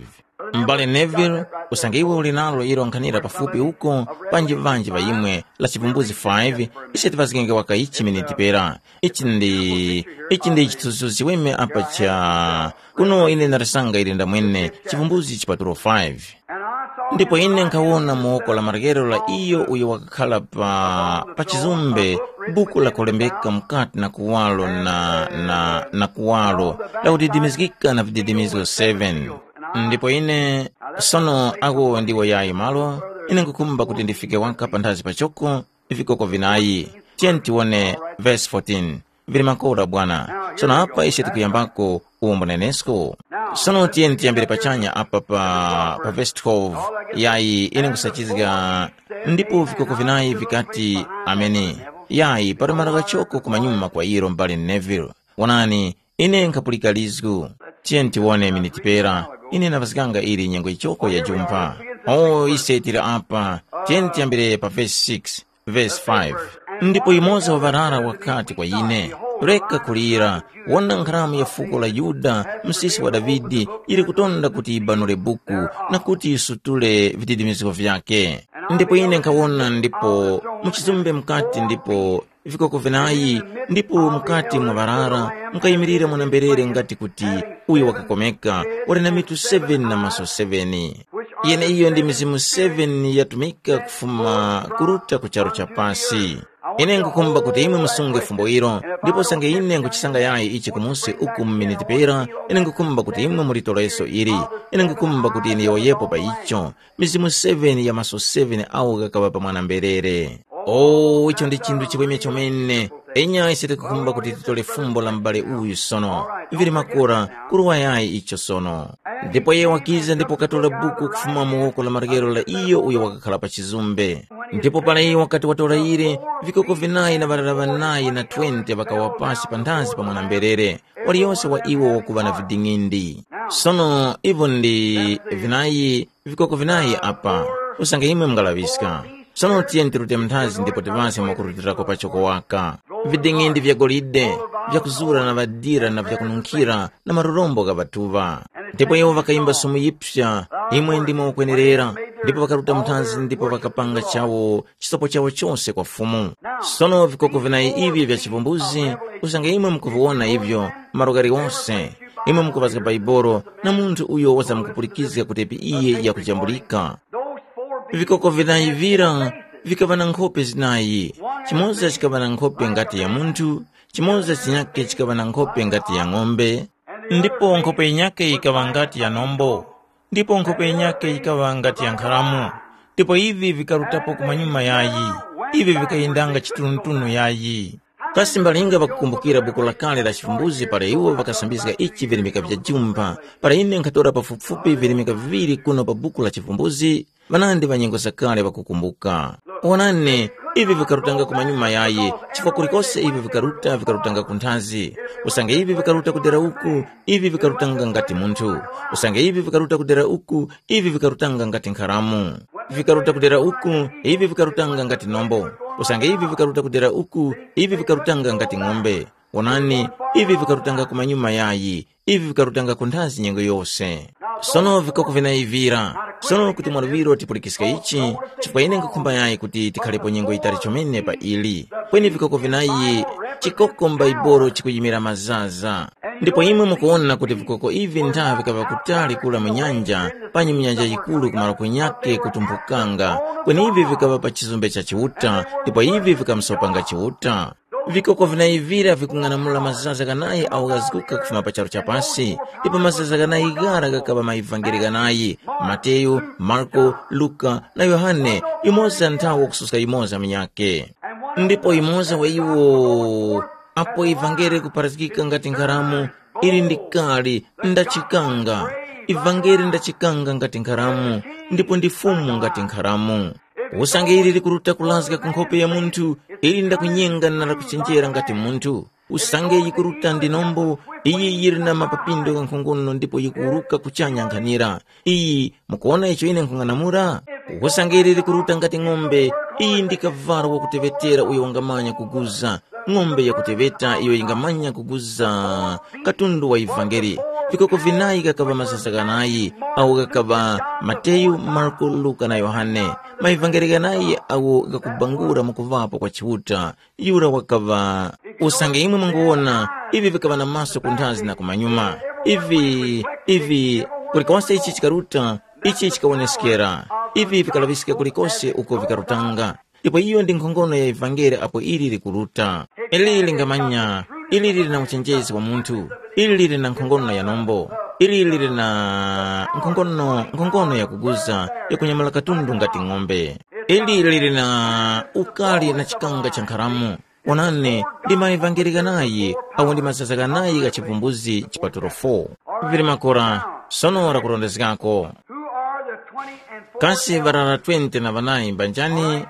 M'bale Neville, usange iwe uli nalo ilo nkhanira pafupi uko, panji ŵanji ŵa imwe, la Chivumbuzi five, ise tiŵazgenge waka ichi miniti pera. Ichi ndi, ichi ndi chithunzithunzi chiweme apa cha, kuno ine ndarisanga ili ndamwene, Chivumbuzi chipatulo five. Ndipo ine nkhawona mu woko la maryero la iyo uyo wakakhala pa, pa chizumbe, buku lakolembeka mukati na kuwalo na, na, na kuwalo, lakudidimizgika na vididimizo seven. Ndipo ine, sono ako ndiwo yayi malo, ine nkukhumba kuti ndifike waka panthazi pachoko, vikoko vinayi. Tiyeni tiwone verse fourteen. Vili makora bwana. Sono apa ise tikuyambako uwombo nenesko. Sono tiyeni tiyambire pachanya apa pa, pa verse twelve. Yayi, ine nkusachizga. Ndipo vikoko vinayi vikati, ameni. Yayi, pali malo ghachoko kumanyuma kwa ilo m'bale Neville. Wonani, ine nkhapulika lizgu. Tiyeni tiwone miniti pera. Ine napaskanga ili nyengo ichoko ya jumpha. O, ise tili apa. Tiyeni tiyambire pa verse six. Verse five. Ndipo yumoza wa ŵarara wakati kwa ine, reka kulira, wona nkharamu ya fuko la Yuda, msisi wa Davide, yili kutonda kuti yibanure buku, na kuti yisutule vididimizgo vyakhe. Ndipo ine nkhawona ndipo mu chizumbe mukati ndipo vikoko vinayi, ndipo mukati mwa ŵarara mukayimirira mwana-mberere ngati kuti uyo wakakomeka, wali na mitu seven na maso seven. Yeneiyo ndi mizimu seven yatumika kufuma kuruta ku charu cha pasi. Ine nkukhumba kuti imwe musunge fumbo ilo, ndipo usange ine nkuchisanga yayi ichi kumusi uku mu miniti pera, ine nkukhumba kuti imwe mulitoleso ili. Ine nkukhumba kuti ine yowoyepo pa icho. Mizimu seven ya maso seven awo ghakaŵa pa mwana-mberere. O, icho ndi chinthu chiweme chomene. Enya ise tikukhumba kuti titole fumbo la m'bale uyu sono. Vili makora, kuruwa yayi icho sono. Ndipo iye wakiza ndipo wakatora buku kufuma mu woko la maryero la iyo uyo wakakhala pa chizumbe. Ndipo para iye wakati watora yire, vikoko vinayi na ŵarara ŵanayi na twenty ŵakawa pasi panthazi pa mwana-mberere, waliyose wa iwo wakuŵa na viding'indi. Sono ivo ndi vinayi, vikoko vinayi apa, usange imwe mungalaŵiska. Sono tiyeni tirute mnthazi ndipo tiŵaske mwakurutilirako pachoko waka. Viding'indi vya golide, vyakuzura na ŵadira na vyakununkhira na marurombo gha ŵatuŵa. Ndipo iwo ŵakayimba sumu yipsa, imwe ndimwe mukwenerera, ndipo ŵakaruta mnthazi ndipo ŵakapanga chawo chisopo chawo chose kwa Fumu. Sono vikoko vinayi ivi vya chivumbuzi, usange imwe mukuviwona ivyo, malo ghaliwose, imwe mukuŵazga Baibolo na munthu uyo wazamkupulikizga kutepi iye yakujambulika. Vikoko vinayi vira vikaŵa na nkhope zinayi, Chimoza chikaŵa na nkhope ngati ya munthu, chimoza chinyakhe chikaŵa na nkhope ngati ya ng'ombe, ndipo nkhope yinyakhe yikaŵa ngati ya nombo, ndipo nkhope yinyakhe yikaŵa ngati ya nkharamu. Ndipo ivi vikarutapo kumanyuma yayi, ivi vikayendanga chitunutunu yayi. Kasi mbalinga ŵakukumbukira buku lakale la Chivumbuzi para iwo ŵakasambizga ichi virimika vya jumba, para ine nkhatora pafupifupi virimika viŵiri kuno pa buku la Chivumbuzi, ŵanandi ŵa nyengo zakale ŵakukumbuka. Wonani, ivi vikarutanga kumanyuma yayi, chifukwa kulikose ivi vikaruta, vikarutanga kunthazi. Usange ivi vikaruta kudera uku, ivi vikarutanga ngati munthu. Usange ivi vikaruta kudera uku, ivi vikarutanga ngati nkharamu. Vikaruta kudera uku, ivi vikarutanga ngati nombo. Usange ivi vikaruta kudera uku, ivi vikarutanga ngati ng'ombe. Wonani, ivi vikarutanga kumanyuma yayi, ivi vikarutanga kunthazi nyengo yose. Sono vikoko vinaivira. Sono kuti mwaluŵiro tipulikiske ichi, chifukwa ine nkhukhumba yayi kuti tikhalepo nyengo yitali chomene pa ili. Kweni vikoko vinayi, chikoko m'Baibolo chikuyimira mazaza. Ndipo imwe mukuwona kuti vikoko ivi ntha vikaŵa kutali kura mu nyanja, panyi mu nyanja yikuru kumaro kunyake kutumphukanga, kweni ivi vikaŵa pa chizumbe cha Chiuta, ndipo ivi vikamsopanga Chiuta. Vikoko vinayi vira vikung'anamula mazaza ghanayi agho ghazguka kufuma pa charu cha pasi, ndipo mazaza ghanayi ghara ghakaŵa maevangeli ghanayi, Mateyu, Marko, Luka na Yohane, yumoza nthawe kususka yumoza munyakhe. Ndipo yumoza wa iwo, apo ivangeli kupharazgika ngati nkharamu, ili ndikali ndachikanga. Ivangeli ndachikanga ngati nkharamu, ndipo ndi Fumu ngati nkharamu. Usange ili likuruta kulazga ku nkhope ya munthu, ili ndakunyenga na lakuchenjera ngati munthu. Usange yikuruta ndi nombo, iyi yili na mapapindo ghankhongono ndipo yikuwuruka kuchanya nkhanira. Iyi, mukuwona icho ine nkhung'anamula? Usange ili likuruta ngati ng'ombe, iyi ndi kavalo wakuteŵetera uyo wangamanya kuguza. Ng'ombe yakuteŵeta iyo yingamanya kuguza katundu wa ivangeli. Vikoko vinayi ghakaŵa mazaza ghanayi, awo ghakaŵa Mateyu, Marko, Luka na Yohane. Maivangeli ghanayi awo ghakubangula mukuŵapo kwa Chiuta. Yura wakaŵa. Usange imwe munguwona, ivi vikaŵa na maso kunthazi na kumanyuma. Ivi, ivi, kulikose ichi chikaruta, ichi chikawoneskera. Ivi vikalaŵiska kulikose uko vikarutanga. Ndipo iyo ndi nkhongono ya ivangeli apo ili likuruta. Ili lingamanya, ili lili na uchenjezi wa munthu, ili lili na nkhongono ya nombo, ili lili na nkhongono, nkhongono yakuguza, yakunyamula katundu ngati ng'ombe. Ili lili na ukali na chikanga cha nkharamu. Onani, ndi maevangeli ghanayi, awo ndi mazaza ghanayi gha chivumbuzi chipatulo four. Vili makora, sono lakurondezgako. Who are the twenty and four? Kasi ŵarara twenty na ŵanayi mbanjani?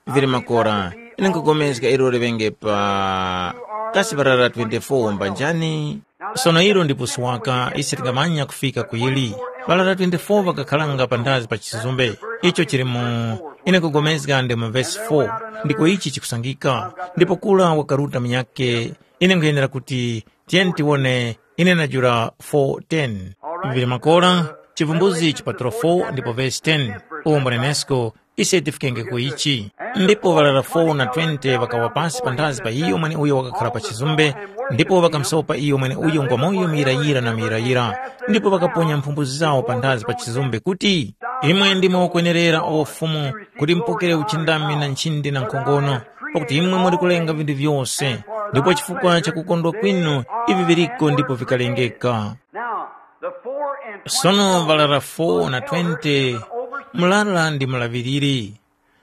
Vili makora, ine nkugomezga ilo liŵenge pa kasi ŵarara twenty-four mbanjani? Sono ilo ndi puswaka, ise tingamanya kufika ku yili. Ŵarara twenty-four ŵakakharanga panthazi pa chizumbe. Icho chili mu, ine nkugomezga ndi mu vesi four, ndiko ichi chikusangika. Ndipo kura wakaruta munyakhe, ine nkhuyenera kuti, tiyeni tiwone, ine najula four ten. Vili makora, chivumbuzi chipatulo four ndipo vesi ten. Umo mwanenesko, ise tifikenge ku ichi. Ndipo ŵarara four na twenty ŵakawa pasi panthazi pa iyo mweneuyo wakakhara pa chizumbe, ndipo ŵakamusopa iyo mweneuyo ngwa moyo muyirayira na muyirayira, ndipo ŵakaponya mphumbu zawo panthazi pa chizumbe kuti, imwe ndimwe okwenerera o Fumu, kuti mupokere uchindami na nchindi na nkhongono, pakuti imwe muli kulenga vinthu vyose, ndipo chifukwa cha kukondwa kwinu ivi viliko ndipo vikalengeka. Now, the four and twenty. Sono ŵarara four na twenty, murara ndi mulaŵiriri.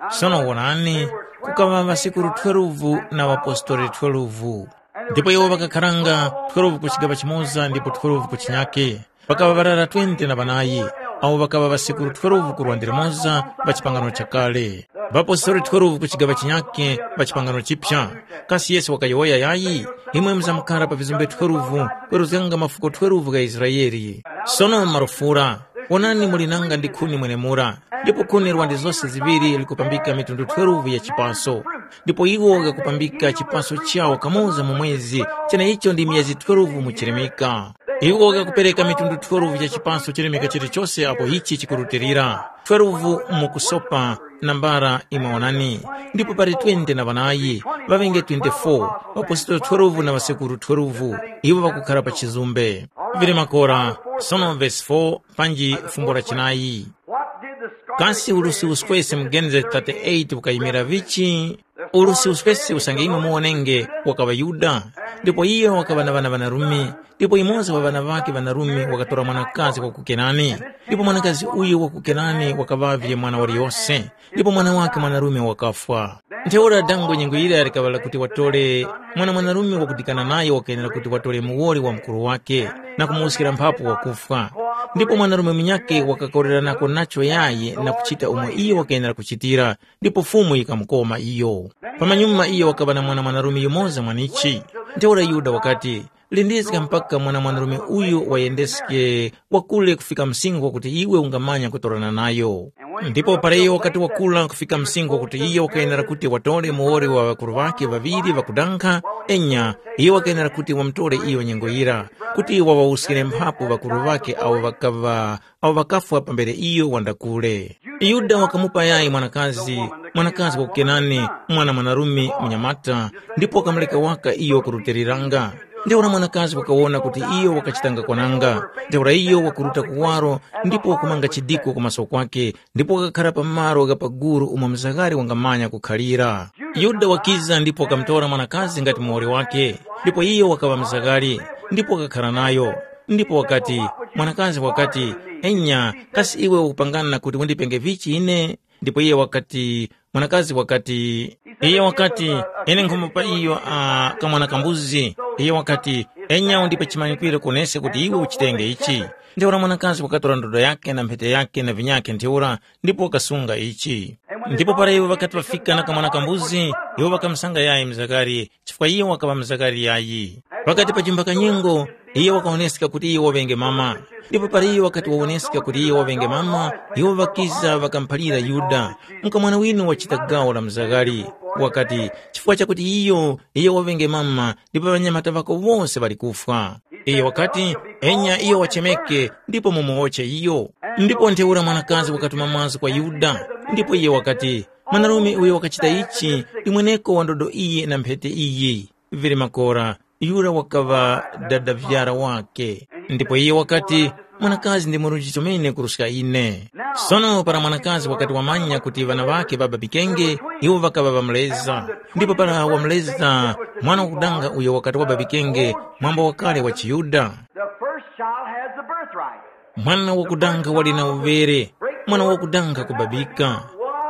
Sono wonani, kukaŵa ŵasekuru twelve na ŵapostoli twelve. Ndipo iwo ŵakakharanga twelve ku chigaŵa chimoza ndipo twelve ku chinyake. Pakaŵa ŵarara twenty na ŵanayi, awo ŵakaŵa ŵasekuru twelve ku lwande limoza pa chipangano chakale. Ŵapostoli twelve ku chigaŵa chinyake pa chipangano chipya. Kasi Yesu wakayowoya yayi? Imwe muzamkara pa vizumbe twelve, kweruzganga mafuko twelve gha Israele. Sono marufura, wonani muli nanga ndi khuni mwenemura, ndipo khuni lwa ndi zose ziŵiri likupambika mitundu twelve ya chipaso. Ndipo iwo ghakupambika chipaso chawo kamoza mu mwezi, cheneicho ndi myezi twelve mu chirimika. Iwo ghakupereka mitundu twelve ya chipaso chirimika chilichose apo ichi chikurutilira. Twelve mu kusopa, nambala imwe wonani, ndipo pali twenty na ŵanayi, ŵaŵenge twenty-four, ŵapositolo twelve na ŵasekuru twelve, iwo ŵakukhara pa chizumbe. Vili makora, sono vesi four, panji fumbo la chinayi. What did the scarlet Kasi ulusi thread uswese mu Genesis thirty-eight ukayimira vichi? Urusi uspesi usange imwe muwonenge wakaŵa Yuda, ndipo iyo wakaŵa na ŵana ŵanarume, ndipo yumoza wa ŵana ŵakhe ŵanarume wakatora mwanakazi wa ku Kenani, ndipo mwanakazi uyo wa ku Kenani wakaŵavye mwana waliyose, ndipo mwana wakhe mwanarume wakafwa. Ntheura dango nyengo yira likaŵa lakuti watore mwana mwanarume wakudikana nayo wakayenera kuti watore muwoli wa mukuru wake na kumuwuskira mphapu wakufwa. Ndipo mwanarume munyakhe wakakoreranako nacho yayi na kuchita umo iyo wakayenera kuchitira, ndipo Fumu yikamukoma iyo. Pamanyuma iyo wakaŵa na mwana mwanarume yumoza mwanichi. Ntheura Yuda wakati, “Lindizga mpaka mwana mwanarume uyu wayendeske wakule kufika msinkhu wakuti iwe ungamanya kutorana nayo.” Ndipo para iyo wakati wakula kufika msinkhu wakuti iyo wakayenera kuti watore muwoli wa ŵakuru ŵakhe ŵaŵiri ŵakudankha, enya, iyo wakayenera kuti wamutore iyo nyengo yira, kuti waŵawuskire mphapu ŵakuru ŵakhe awo ŵakaŵa awo ŵakafwa pambere iyo wandakule. Yuda wakamupa yayi mwanakazi, mwanakazi wa ku Kenani, mwana mwanarume munyamata, ndipo wakamureka waka iyo kurutiliranga. Ntheura mwanakazi wakawona kuti iyo wakachitanga kwananga. Ntheura iyo wakuruta kuwaro ndipo wakumanga chidiko ku maso kwake, ndipo wakakhara pa malo gha paguru umo mzagari wangamanya kukhalira. Yuda wakiza ndipo wakamutora mwanakazi ngati muwoli wake, ndipo iyo wakaŵa mzagari, ndipo wakakhara nayo. Ndipo wakati, mwanakazi wakati, “Enya, kasi iwe ukupangana kuti undipenge vichi ine?” Ndipo iye wakati, mwanakazi wakati, iye wakati, “Ine nkhomo pa iyo a kamwana kambuzi.” Iye wakati, “Enya undipe chimanyikwiro kuneske kuti iwe uchitenge ichi.” Ntheura mwanakazi wakatora ndodo yake na mphete yake na vinyakhe ntheura ndipo wakasunga ichi. Ndipo para iwo ŵakati ŵafika na kamwana kambuzi, iwo ŵakamusanga yayi mzakari, chifukwa iyo wakaŵa mzakari yayi. Pakati pa chimbaka nyengo, iyo wakawoneska kuti iyo waŵenge mama. Ndipo para iyo wakati wawoneska kuti iyo waŵenge mama, iwo ŵakiza ŵakamuphalira Yuda, “Mukamwana winu wachita gawo la mzakari.” Wakati, “Chifukwa chakuti iyo, iyo waŵenge mama, ndipo ŵanyamata ŵako wose ŵali kufwa.” Iyo wakati, “Enya iyo wachemeke, ndipo mumuwotche iyo.” Ndipo ntheura mwanakazi wakatuma mazgu kwa Yuda, ndipo iye wakati, “Mwanarume uyo wakachita ichi ndi mweneko wa ndodo iyi na mphete iyi.” Vili makora, yura wakaŵa dadavyara wake. Ndipo iye wakati, “Mwanakazi ndi murunji chomene kuruska ine.” Sono para mwanakazi wakati wamanya kuti ŵana ŵakhe ŵababikenge, iwo ŵakaŵa ŵamuleza. Ndipo para wamuleza, mwana wakudanga uyo wakati wababikenge, mwambo wakale wa chiYuda. The first child has the birthright. Mwana wakudanga wali na uvere, mwana wakudanga kubabika.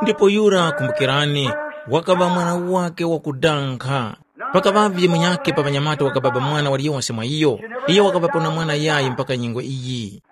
Ndipo yura kumbukirani, wakaŵa mwana wake wakudanga. Pakaŵavye munyakhe pa ŵanyamata wakababa mwana waliyonse mwa iyo. Iyo wakaŵapo na mwana yayi mpaka nyengo iyi.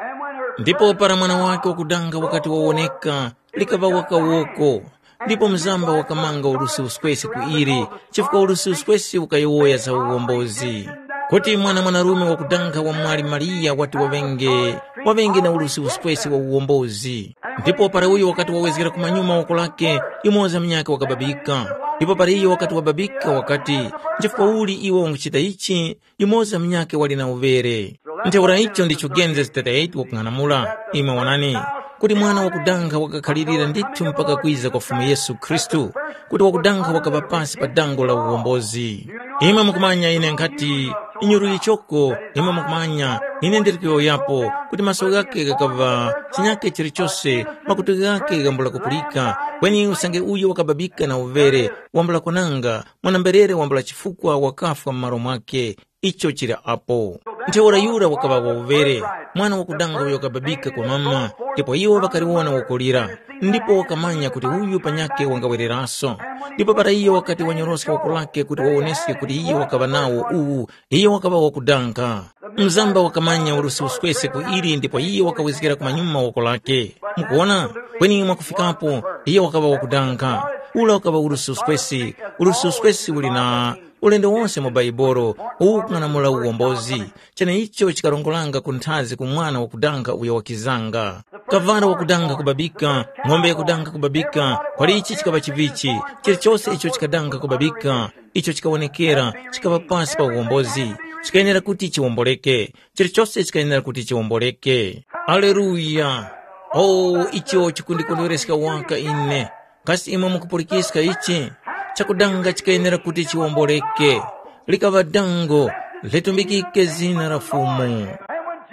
Ndipo para mwana wake wakudanga wakati wawoneka, likaŵa wakawoko. Ndipo mzamba wakamanga ulusi uswesi ku ili, chifukwa ulusi uswesi ukayowoya za uwombozi. Kuti mwana mwanarume wakudanga wa mwali Mariya wati waŵenge, waŵenge na ulusi uswesi wa uwombozi. Ndipo para uyo wakati wawezgera kumanyuma woko lake, yumoza munyakhe wakababika. Ndipo para iyo wakati wababika wakati, “Nchifukwa uli iwe unguchita ichi?” Yumoza munyakhe wali na uvere. Ntheura icho ndicho Genesis thirty-eight wakung'anamula. Imwe wanani, kuti mwana wakudanga wakakhalirira ndithu mpaka kwiza kwa Fumu Yesu Khristu, kuti wakudanga wakaŵa pasi pa dango la uwombozi. Imwe mukumanya ine nkhati, inyuru yichoko, imwe mukumanya, ine ndiri kuyowoyapo, kuti maso ghakhe ghakaŵa chinyakhe chilichose, makutu ghakhe ghambula kupulika, kweni usange uyo wakababika na uvere, wambula kwananga, mwana-mberere wambula chifukwa wakafwa m'malo mwakhe. Icho chili apo. Ntheura yura wakaŵa wauvere, mwana wakudanga uyo wakababika kwa mama, ndipo iwo ŵakaliwona wakulira, ndipo wakamanya kuti uyu panyakhe wangawereraso. Ndipo para iyo wakati wanyoroska woko lake kuti wawoneske kuti iyo wakaŵa nawo uwu, iyo wakaŵa wakudanga. Mzamba wakamanya ulusi uswese ku ili ndipo iyo wakawezgera kumanyuma woko lake. Mukuona? Kweni mwakufikapo, iyo wakaŵa wakudanga. Ula wakaŵa ulusi uswesi, ulusi uswesi uli na ulendo wonse mu Baibolo uwu ukung'anamula uwombozi. Cheneicho chikarongoranga ku nthazi ku mwana wakudanga uyo wakizanga. Kavara wakudanga kubabika, ng'ombe yakudanga kubabika, kwali ichi chikaŵa chivichi, chilichose icho chikadanga kubabika, icho chikawonekera, chikaŵa pasi pa uwombozi, chikayenera kuti chiwomboleke. Chilichose chikayenera kuti chiwomboleke. Aleluya! O, icho chikundikondwereska waka ine. Kasi imwe mukupulikiska ichi? Chakudanga chikayenera kuti chiwomboleke. Likaŵa dango, litumbikike zina la Fumu.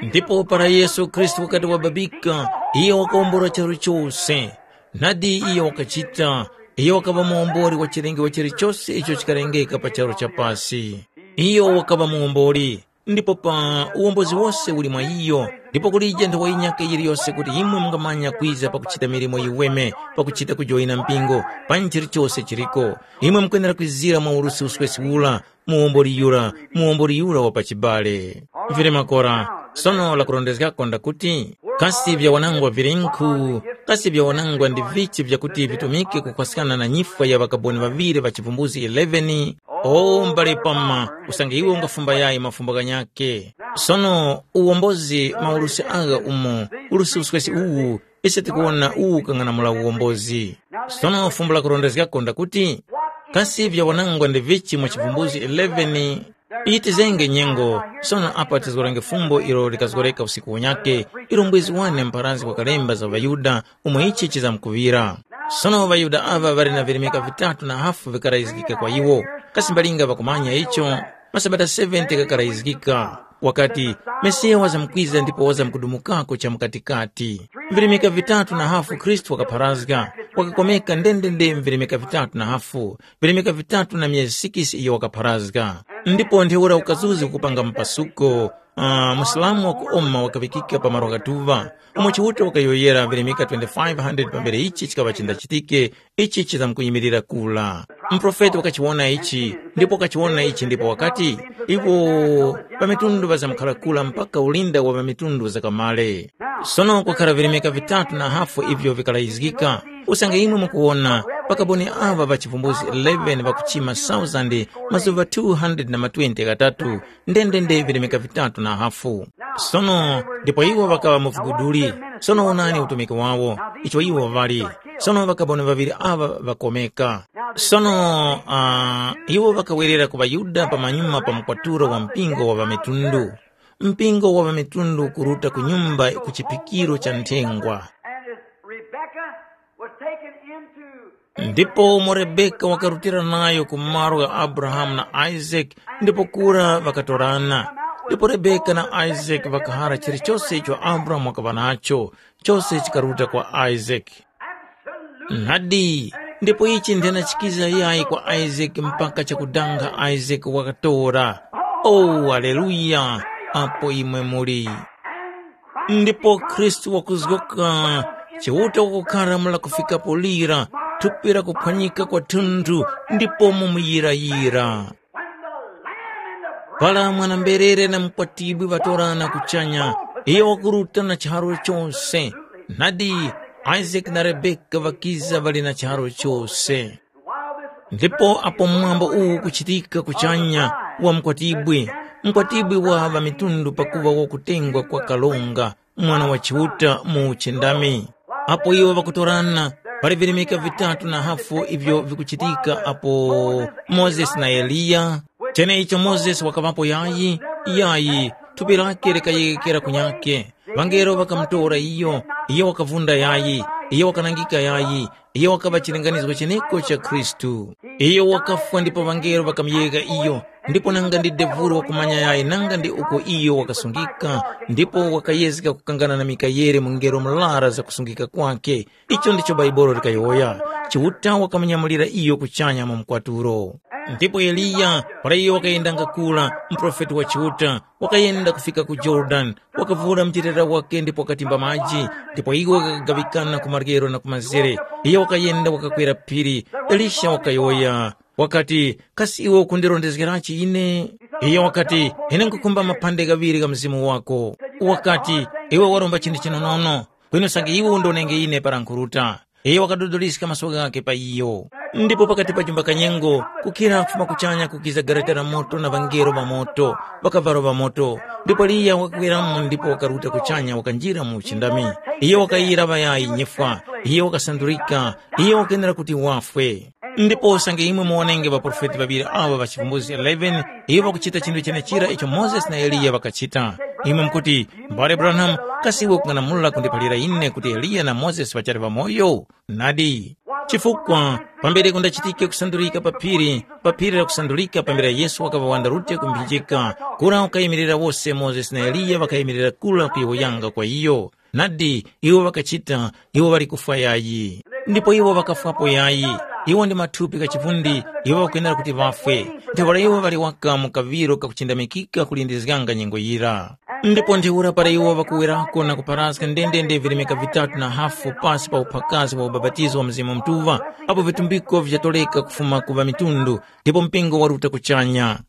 Ndipo para Yesu Khristu wakati wababika, iyo wakawombola charu chose. Nadi iyo wakachita, Iyo wakaŵa muwombori wa chilengedwe chilichose icho chikalengeka pa charu cha pasi. Iyo wakaŵa muwombori, ndipo pa uwombozi wose uli mwa iyo, ndipo kulije nthowa yinyakhe yiliyose kuti imwe mungamanya kwiza pakuchita milimo yiweme, pakuchita kujoyina mpingo, panyi chilichose chiliko. Imwe mukwenera kwizira mwa urusi uswesi ura, muwomboli yura, muwomboli yura wa pachibale. Vili makora, sono lakurondezgako ndakuti, kasi vyawanangwa vilenkhu, kasi vyawanangwa ndi vichi vyakuti vitumike kukwaskana na nyifwa ya ŵakaboni ŵaŵiri ŵa chivumbuzi eleven? O mbale pama, usange iwe ungafumba yayi mafumbo ghanyakhe. Sono uwombozi maurusi agha umo, urusi uswesi uwu, ise tikuwona uwu ukang'anamula uwombozi. Sono fumbo lakurondezgako ndakuti, kasi vyawanangwa ndi vichi mu chivumbuzi eleven? Yitizenge nyengo, sono apa tizgorenge fumbo ilo likazgoreka usiku unyakhe, ilo mbwezi wane mpharanzi wakalemba za ŵaYuda umo ichi chizamkuŵira. Sono ŵaYuda aŵa ŵali na virimika vitatu na hafu vikarayizgika kwa iwo. Kasi mbalinga ŵakumanya icho? Masabata seventy ghakarayizgika. Wakati, Mesiya wazamkwiza ndipo wazamkudumukako cha mukatikati. Virimika vitatu na hafu Khristu wakapharazga, wakakomeka ndendende virimika vitatu na hafu, virimika vitatu na myezi sikisi iyo wakapharazga. Ndipo ntheura ukazuzi kupanga mpasuko, uh, Musilamu wakuoma wakaŵikika pa malo ghatuŵa, umo Chiuta wakayowoyera virimika twenty-five hundred pambere ichi chikaŵa chindachitike, ichi chizamkuyimirira kura. Muprofeti wakachiwona ichi, ndipo wakachiwona ichi ndipo wakati, iwo ŵamitundu ŵazamkhala kura mpaka ulinda wa ŵamitundu zakamale. Sono kwakhara virimika vitatu na hafu ivyo vikalayizgika. Usange imwe mukuwona, ŵakaboni aŵa ŵa chivumbuzi eleven ŵakuchima thousand mazuŵa two hundred na matwenty ghatatu, ndendende virimika vitatu na hafu. Sono ndipo iwo ŵakaŵa mu viguduli. Sono wonani utumiki wawo, icho iwo ŵali. Sono ŵakaboni ŵaŵiri aŵa ŵakomeka. Sono uh, iwo ŵakawerera ku ŵaYuda pamanyuma pa mkwaturo wa mpingo wa ŵamitundu. Mpingo wa ŵamitundu kuruta ku nyumba ku chiphikiro cha nthengwa. And as Rebekah was taken into Ndipo umo Rebeka wakarutira nayo ku malo gha Abrahamu na Isake, ndipo kura ŵakatorana. Ndipo Rebeka na Isake ŵakahara chilichose icho Abrahamu wakaŵa nacho, chose chikaruta kwa Isake. Nadi, ndipo ichi nthenachikiza yayi kwa Isake mpaka chakudanga Isake wakatora. Oh, aleluya! Apo imwe muli. Ndipo Khristu wakuzgoka, Chiuta wakukhara mula kufikapo lira, thupi la kuphwanyika kwathunthu, ndipo mumuyirayira. Para mwana-mberere na mukwatibwi ŵatorana kuchanya, iyo wakuruta na charu chose. Nadi, Isake na Rebeka ŵakiza ŵali na charu chose. Ndipo apo mwambo uwu ukuchitika kuchanya wa mukwatibwi, mukwatibwi wa ŵamitundu pakuŵa wakutengwa kwa kalonga, mwana wa Chiuta mu uchindami. Apo iwo ŵakutorana, pali virimika vitatu na hafu ivyo vikuchitika apo Mozesi na Eliya. Cheneicho Mozesi wakaŵapo yayi, yayi, thupi lake likayegekera kunyakhe. Ŵangelo ŵakamutora iyo, iyo wakavunda yayi, iyo wakanangika yayi, iyo wakaŵa chilinganizo cheneko cha Khristu. Iyo wakafwa ndipo ŵangelo ŵakamuyegha iyo, ndipo nanga ndi devuro wakumanya yayi nanga ndi uko iyo wakasungika, ndipo wakayezga kukangana na Mikayele mungelo murara za kusungika kwakhe. Icho ndicho Bhaibuli likayowoya. Chiuta wakamunyamulira iyo kuchanya mu mkwatulo. Ndipo Eliya, para iyo wakayendanga kura, muprofeti wa Chiuta, wakayenda kufika ku Yorodani, wakavura mchitera wake ndipo wakatimba maji, ndipo iwo ghakagaŵikana ku maryero na ku mazere. Iyo wakayenda wakakwera phiri. Elisha wakayowoya, wakati, kasi iwe ukundirondezgerachi ine? Iyo wakati, ine nkukhumba maphande ghaŵiri gha mzimu wako. Wakati, iwe waromba chinthu chinonono, kweni usange iwe undonenge ine para nkhuruta. Iyo wakadodoliska maso ghakhe pa iyo. Ndipo pakati pa chumba kanyengo, kukhira kufuma kuchanya kukiza gareta la moto na ŵangelo ŵa moto, ŵakavalo ŵa moto. Ndipo Eliya wakaweramo ndipo wakaruta kuchanya wakanjira mu uchindami. Iyo wakayira ŵayayi nyifwa, iyo wakasandulika, iyo wakenera kuti wafwe. Ndipo usange imwe muwonenge ŵaprofeti ŵaŵiri awa ŵa chivumbulutso eleven, iwo ŵakuchita chinthu chenechira icho Mozesi na Eliya ŵakachita. Imwe mukuti, mbale Branham, kasi iwe ukung'anamula kundiphalira ine kuti Eliya na Mozesi ŵachali ŵamoyo? Nadi. Chifukwa, pambere kundachitike kusandulika pa phiri, pa phiri la kusandulika pambere Yesu wakaŵa wanda rute ku mphinjika, kura wakayimirira wose Mozesi na Eliya ŵakayimirira kura kuyowoyanga kwa iyo. Nadi, iwo ŵakachita, iwo ŵali kufwa yayi. Ndipo iwo ŵakafwapo yayi. Iwo ndi mathupi gha chivundi, iwo ŵakwenera kuti ŵafwe. Ntheura iwo ŵali waka mu kaŵiro kakuchindamikika kulindizganga nyengo yira. Ndipo ntheura para iwo ŵakuwerako na kuparaska ndendende virimika vitatu na hafu pasi pa uphwakazi wa ubapatizo wa Mzimu Mutuŵa, apo vitumbiko vichatoreka kufuma ku ŵamitundu, ndipo mpingo waruta kuchanya.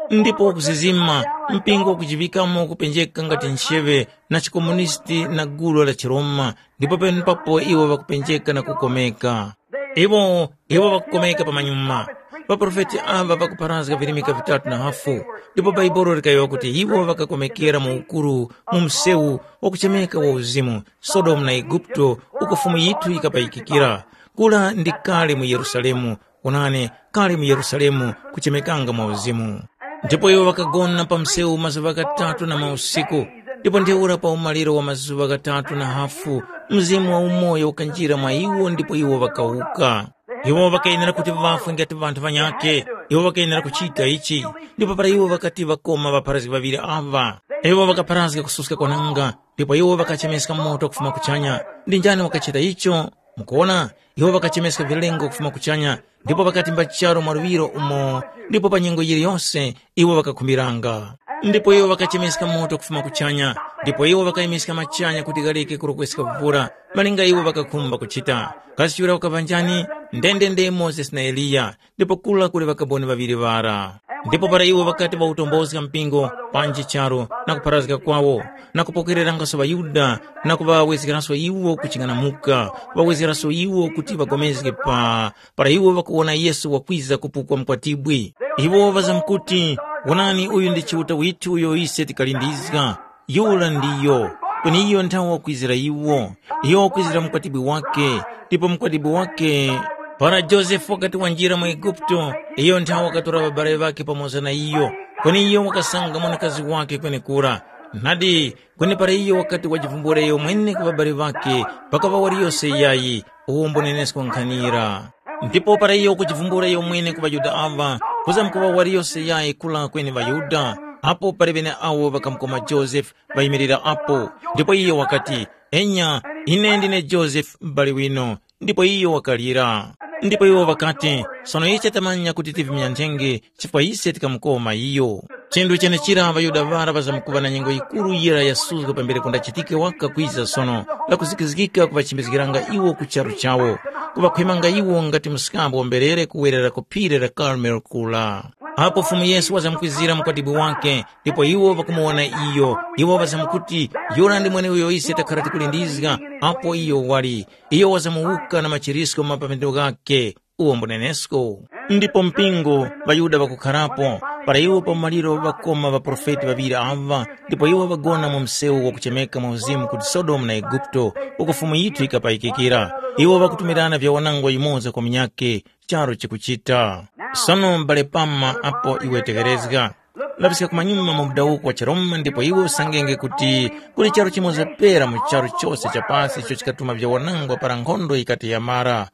Ndipo wakuzizima, mpingo wakujiŵikamo kupenjeka ngati ncheŵe na chikomunisti na gulu la chiRoma, ndipo penepapo iwo ŵakupenjeka na kukomeka. Iwo, iwo ŵakukomeka pamanyuma. Ŵaprofeti aŵa ŵakupharazga virimika vitatu na hafu, ndipo Bhaibuli likayowoya kuti iwo ŵakakomekera mu ukuru mu msewu wakuchemeka wa uzimu, Sodomu na Eguputo, uko Fumu yithu yikapayikikira. Kura ndi kale mu Yerusalemu, onani, kale mu Yerusalemu kuchemekanga mwa uzimu. Ndipo iwo ŵakagona pa msewu mazuŵa ghatatu na mausiku, ndipo ntheura pa umaliro wa mazuŵa ghatatu na hafu, Mzimu wa umoyo ukanjira mwa iwo ndipo iwo ŵakawuka. Iwo ŵakayenera kuti ŵafwe ngati ŵanthu ŵanyakhe, iwo ŵakayenera kuchita ichi. Ndipo para iwo ŵakati ŵakoma ŵapharazgi ŵaŵiri aŵa, iwo ŵakapharazga kususka kwananga, ndipo iwo ŵakachemeska moto kufuma kuchanya. Ndi njani wakachita icho? Mukuwona, iwo ŵakachemeska vilengo kufuma kuchanya, ndipo ŵakatimba charu mwaluŵiro umo, ndipo pa nyengo yiliyose iwo ŵakakhumbiranga. Ndipo iwo ŵakachemeska moto kufuma kuchanya, ndipo iwo ŵakayimiska machanya kuti ghareke kurokweska vura, malinga iwo ŵakakhumba kuchita. Kasi chura wakaŵa njani? Ndendende Mozesi na Eliya, ndipo kura kuli ŵakaboni ŵaŵiri ŵara. Ndipo para iwo ŵakati ŵawutombozga mpingo, panji charu, na kupharazga kwawo, na kupokererangaso ŵaYuda, na kuŵawezgeranso iwo kuching'anamuka, kuŵawezgeranso iwo kuti ŵagomezge pa, para iwo ŵakuwona Yesu wakwiza kupukwa mukwatibwi. Iwo ŵazamkuti, “Wonani, uyu ndi Chiuta withu uyo ise tikalindizga. Yura ndiyo, kweni iyo nthawe wakwizira iwo. Iyo wakwizira mukwatibwi wake, ndipo mukwatibwi wake.” Para Josefe wakati wanjira mu Eguputo, iyo nthawe wakatora ŵabale ŵakhe pamoza na iyo, kweni iyo wakasanga mwanakazi wakhe kwenekura. Nadi, kweni para iyo wakati wajivumbula iyomwene ku ŵabale ŵakhe, pakaŵa waliyose yayi, uwombo nenesko nkhanira. Ndipo para iyo kujivumbula iyomwene ku ŵaYuda aŵa, kuzamkuŵa waliyose yayi kula kweni ŵaYuda, apo pali ŵeneawo ŵakamukoma Josefe, ŵayimirira apo. Ndipo iyo wakati, “Enya, ine ndine Josefe m'bale winu.” Ndipo iyo wakalira. Ndipo iwo ŵakati, “Sono ise tamanya kuti tivimyanthenge, chifukwa ise tikamukoma iyo.” Chinthu chenechira ŵaYuda ŵara ŵazamkuŵa na nyengo yikuru yira yasuzga pambere kundachitike wakakwiza sono, lakuzikizgika kuŵachimbizgiranga iwo ku charu chawo, kuŵakhwemanga iwo ngati mskambo wa mberere kuwerera ku phiri la Karmelo kula. Apo Fumu Yesu wazamkwizira mukwatibwi wake, ndipo iwo ŵakumuwona iyo, iwo ŵazamkuti, “Yura ndi mweneuyo ise takhara tikulindizga, apo iyo wali.” Iyo wazamuwuka na machirisko ma pamendo ghakhe, uwo mbunenesko. Ndipo mpingo, ŵaYuda ŵakukharapo, para iwo pa maliro ŵakoma ŵaprofeti ŵaŵiri aŵa, ndipo iwo ŵagona mu msewu wakuchemeka mwa uzimu kuti Sodomu na Eguputo, uko Fumu yithu yikapayikikira. Iwo ŵakutumirana vyawanangwa yumoza kwa munyakhe, charu chikuchita. Sono m'bale Pama apo iwe tekerezga. Laŵiska kumanyuma mu mudawuko wa chiRoma ndipo iwe usangenge kuti kuli charu chimoza pera mu charu chose cha pasi icho chikatuma vyawanangwa para nkhondo yikati yamara.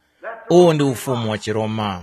Uwo ndi ufumu wa chiRoma.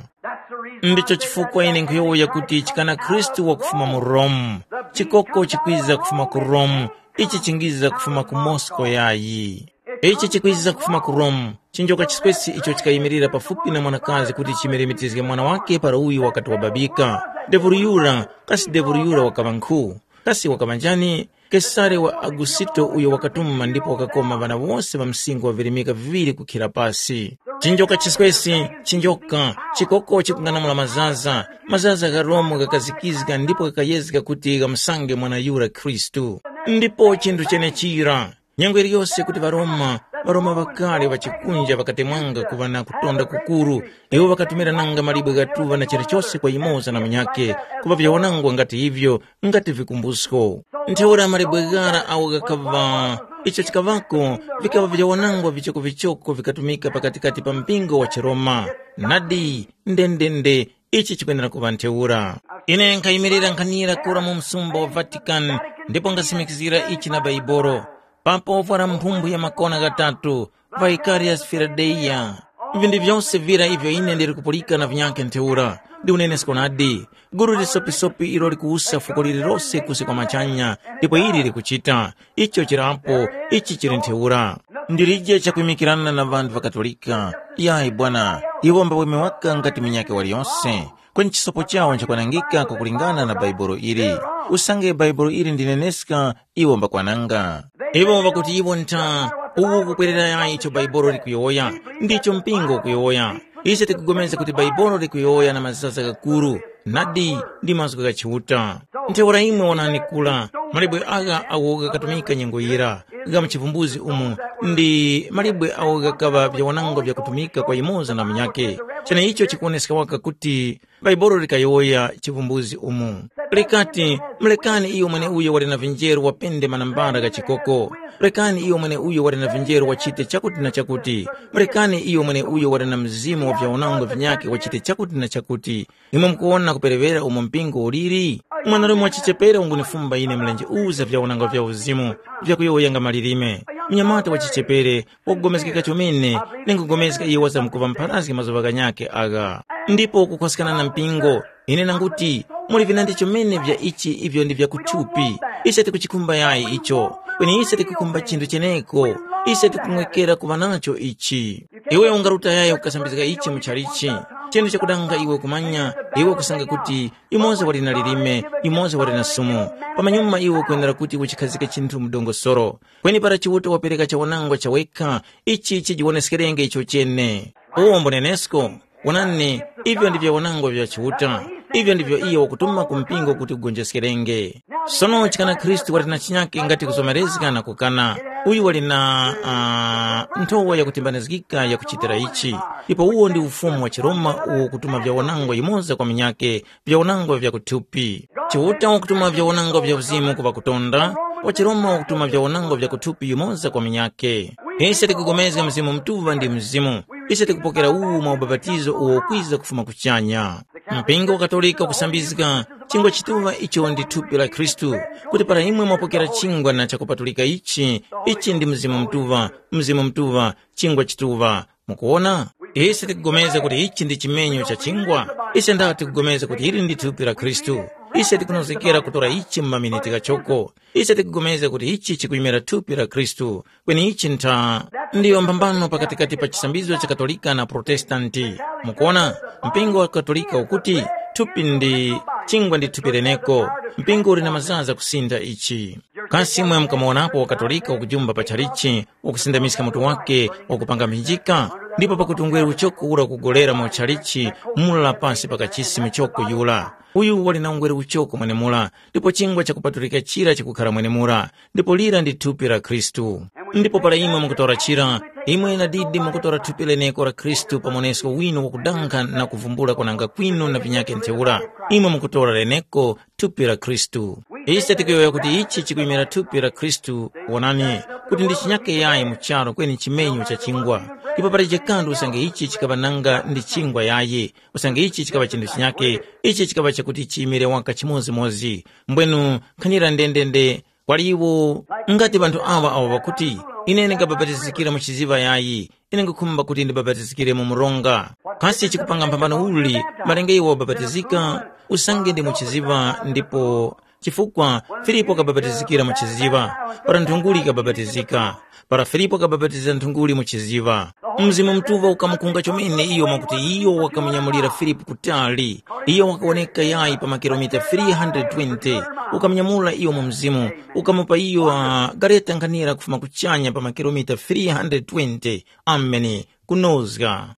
Ndicho chifukwa ine nkhuyowoya kuti chikana Khristu wakufuma mu Rome, chikoko chikwiza kufuma ku Rome, ichi chingiza kufuma ku Moscow yayi. Ichi chikwiza kufuma ku Rome, chinjoka chiswesi icho chikayimirira pafupi na mwanakazi kuti chimulemetezge mwana wake para uyu wakati wababika. Devulu yura, kasi devulu yura wakaŵa nkhu? Kasi wakaŵa njani? Kesare wa Agusito uyo wakatuma ndipo wakakoma ŵana wose ŵa msinkhu wa virimika viŵiri kukhira pasi. Chinjoka chiswesi, chinjoka, chikoko chikung'anamula mazaza, mazaza gha Rome ghakazikizga ndipo ghakayezga kuti ghamusange mwana yura Khristu. Ndipo chinthu chenechira, nyengo iliyose kuti ŵaRoma, ŵaRoma ŵakale ŵachikunja ŵakatemwanga kuŵa na kutonda kukuru, iwo ŵakatumirananga malibwe ghatuŵa na chilichose kwa yumoza na munyakhe, kuŵa vyawanangwa ngati ivyo, ngati vikumbusko. Ntheura malibwe ghara agho ghakaŵa, icho chikaŵako, vikaŵa vyawanangwa vichokovichoko vikatumika pakatikati pa mpingo wa chiRoma. Nadi, ndendende, ichi chikwenera kuŵa ntheura. Ine nkhayimirira nkhanira kura mu msumba wa Vatican, ndipo ngasimikizgira ichi na Baibolo. Papo vwara mphumphu ya makona ghatatu, Vicarius Fidelia. Vinthu vyose vira ivyo ine ndili kupulika na vinyakhe ntheura, ndi unenesko nadi. Gulu lisopisopi ilo likuwusa fuko lililose kusi kwa machanya, ndipo ili likuchita. Icho chirapo, ichi chili ntheura. Ndilije chakwimikirana na ŵanthu ŵa Katolika. Yayi bwana, iwo mbaweme waka ngati munyakhe waliyose. Kweni chisopo chawo nchakwanangika kwakulingana na Bhaibuli ili. Usange Bhaibuli ili ndineneska, iwo mbakwananga. Iwo ŵakuti iwo ntha, uwu ukukwerera yayi icho Bhaibuli likuyowoya, ndicho mpingo ukuyowoya. Ise tikupulikana kuti Bhaibuli likuyowoya na mazaza ghakuru, nadi ndi mazgu gha Chiuta. Ntheura imwe wonani kura, malebwe agha awo ghakatumika nyengo yira, gha mu chivumbuzi umu, ndi malebwe awo ghakaŵa vyawanangwa vyakutumika kwa yumoza na munyakhe. Cheneicho chikuwoneska waka kuti Bhaibuli likayowoya chivumbuzi umu. Likati, mulekani iyo mweneuyo wali na vinjeru wapende manambala gha chikoko. Mulekani iyo mweneuyo wali na vinjeru wachite chakuti na chakuti. Mulekani iyo mweneuyo wali na mzimu wa vyawanangwa vinyakhe wachite chakuti na chakuti. Imwe mukuwona kuperewera umo mpingo uliri? Mwanarume wa chichepere ungunifumba ine mlenje uza vyawanangwa vya uzimu, vyakuyowoyanga malilime. Mnyamata wa chichepere, wakugomezgeka chomene, ningupulikana iyo wazamkuŵa mpharazgi mazuŵa ghanyakhe agha. Ndipo kukhoskana na mpingo, ine nanguti, muli vinandi chomene vya ichi ivyo ndi vya kuthupi. Ise tikuchikhumba yayi icho, kweni ise tikukhumba chinthu cheneko. Ise tikung'wekera kuŵa nacho ichi. Iwe ungaruta yayi ukasambizga ichi mu chalichi. Chinthu chakudanga iwe kumanya, iwe kusanga kuti yumoza wali na lilime, yumoza wali na sumu. Pamanyuma iwe ukwenera kuti uchikhazike chinthu mu dongosolo. Kweni para Chiuta wapereka chawanangwa chawekha, ichi chijiwoneskerenge icho chene. Uwo mbunenesko, wonani, ivyo ndivyo wanangwa vya Chiuta, ivyo ndivyo iyo wakutuma ku mpingo kuti ugonjeskerenge. Sono chikana Khristu wali na chinyake ngati kuzomerezga na kukana, uyu wali na uh, nthowa yakutimbanizgika yakuchitira ichi, ndipo uwo ndi ufumu wa Chiroma uwo kutuma vyawanangwa yumoza kwa minyake, vyawanangwa vya kuthupi. Chiuta wakutuma vyawanangwa vya uzimu ku ŵakutonda, wa Chiroma wakutuma vyawanangwa vya kuthupi yumoza kwa minyakhe. Ise tikupulikana Mzimu Mutuŵa ndi Mzimu. Ise tikupokera uwu mwa ubapatizo uwo ukwiza kufuma kuchanya. Mpingo wa Katolika ukusambizga chingwa chituŵa icho ndi thupi la Khristu, kuti para imwe mwapokera chingwa na chakupatulika ichi, ichi ndi Mzimu Mutuŵa, Mzimu Mutuŵa, chingwa chituŵa. Mukuwona? Ise tikupulikana kuti ichi ndi chimenyo cha chingwa. Ise ndati tikupulikana kuti ili ndi thupi la Khristu. Ise tikunozgekera kutora ichi mu maminiti ghachoko. Ise tikupulikana kuti ichi chikuyimira thupi la Khristu. Kweni ichi ntha ndiyo mphambano pakatikati pa chisambizo cha Katolika na Protestanti. Mukuwona, mpingo wa Katolika ukuti thupi ndi chingwa ndi thupi leneko. Mpingo uli na mazaza kusintha ichi. Kasi imwe mukamuwonapo wa Katolika ukujumba pa chalichi, ukusindamiska mutu wake, ukupanga mphinjika? Ndipo pakuti ungwere uchoko ura ukugolera mu chalichi mula pasi pa kachisi muchoko yura. Uyu wali na ungwere uchoko mwenemura, ndipo chingwa chakupatulika chira chikukhara mwenemura, ndipo lira ndi thupi la Khristu. Ndipo para imwe mukutora chira, imwe na didi mukutora thupi leneko la Khristu pamonesko wino wakudankha na kuvumbula kwananga kwinu na vinyake ntheura. Imwe mukutora leneko thupi la Khristu. Ise tikuyowoya kuti ichi chikuyimira thupi la Khristu, wonani, kuti ndi chinyake yayi mu charu kweni chimenyo cha chingwa. Ndipo pali chikanthu usange ichi chikaŵa nanga ndi chingwa yayi, usange ichi chikaŵa chinthu chinyake, ichi chikaŵa chakuti chiyimire waka chimodzimodzi. Mbwenu nkhanira ndendende kwali iwo ngati ŵanthu awa awo ŵakuti, ine ndingabapatizikira mu chiziŵa yayi, ine nkhukhumba kuti ndibapatizikire mu mronga. Kasi chikupanga mphambano uli malinga iwe wabapatizika usange ndi mu chiziŵa ndipo chifukwa Filipo wakabapatizikira mu chiziŵa, para nthunguli ikabapatizika, para Filipo wakabapatiza nthunguli mu chiziŵa. Mzimu Mutuŵa ukamukunga chomene iyo mwakuti iyo wakamunyamulira Filipo kutali. Iyo wakawoneka yayi pa makilomita three hundred twenty, ukamunyamula iyo mu mzimu, ukamupa iyo uh, gareta nkhanira kufuma kuchanya pa makilomita three hundred twenty. Ameni. Kunozga.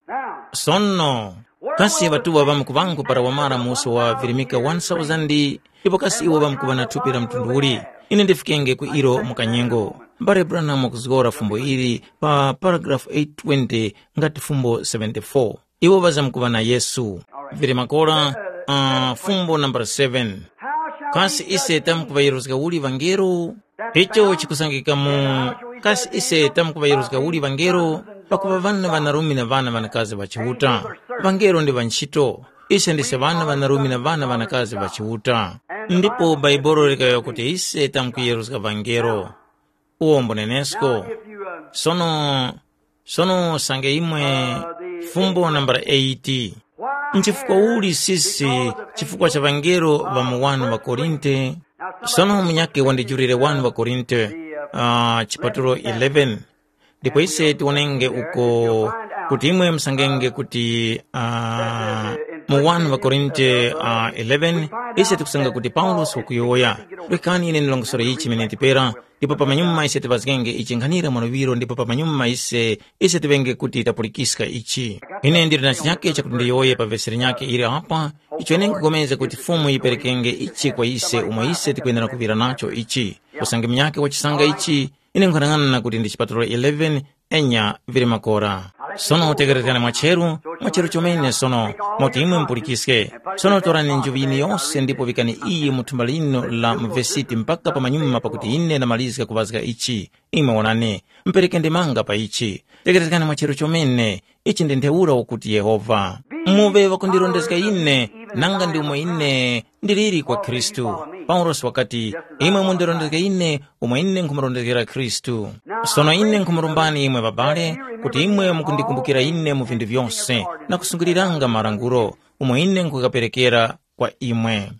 Sono, kasi ŵatuŵa ŵamkuŵangu para wamara musi wa virimika one thousand, ndipo kasi iwo ŵamkuŵa na thupi la mtundu uli? Ine ndifikenge ku ilo mu kanyengo. Mbale Branham wakuzgora fumbo ili pa paragrafu eight twenty ngati fumbo seventy-four. Iwo ŵazamkuŵa na Yesu. Vili makora, uh, fumbo nambala seven. Kasi ise tamkuŵayeruzga uli ŵangelo? Icho chikusangika mu, kasi ise tamkuŵayeruzga uli ŵangelo? Pakuŵa ŵana ŵanarume na ŵana ŵanakazi ŵa Chiuta. Ŵangelo ndi ŵa ntchito. Ise ndise ŵana ŵanarume na ŵana ŵanakazi ŵa Chiuta. Ndipo Bhaibuli likayowoya kuti ise tamkuyeruzga ŵangelo. Uwo mbunenesko. Sono, sono sange imwe fumbo nambala eight. Nchifukwa uli sisi chifukwa cha ŵangelo ŵa mu one ŵa Korinte? Sono munyakhe wandijulire one ŵa Korinte, uh, chipatulo eleven. Ndipo ise tiwonenge uko kuti imwe musangenge kuti uh, mu wani ŵakorinte uh, eleven, ise tikusanga kuti paulosi wakuyowoya. Rekani ine ndilongosore ichi chimene tipera, ndipo pamanyuma ise tiŵazgenge ichi nkhanira mwaluŵiro ndipo pamanyuma ise ise tiŵenge kuti tapulikiska ichi. Ine ndili na chinyake chakuti ndiyowoye pa vesi linyake ili apa, icho ine nkupulikana kuti Fumu yiperekenge ichi kwa ise umo ise tikwenera kuŵira nacho ichi. Usange munyakhe wachisanga ichi, ine nkhanang'ana kuti ndi chipatulo eleven, enya vili makora. Sono tekerezgani mwacheru, mwacheru chomene sono, moti imwe mupulikiske. Sono torani njuŵi yinu yose ndipo vikani iyi mu thumba linu la muvesiti mpaka pamanyuma pakuti ine ndamalizga kuŵazga ichi. Imwe wonani, mpereke ndemanga pa ichi. Tekerezgani mwacheru chomene, ichi ndi ntheura ukuti Yehova. Muŵe ŵakundirondezga ine, nanga ndi umo ine ndiliri kwa Khristu. Paulosi wakati, imwe mundirondezge ine, umo ine nkhumurondezgera Khristu. Sono ine nkhumurombani imwe ŵabale, kuti imwe mukundikumbukira ine mu vinthu vyose, na kusungiliranga malangulo, umo ine nkhukaperekera kwa imwe.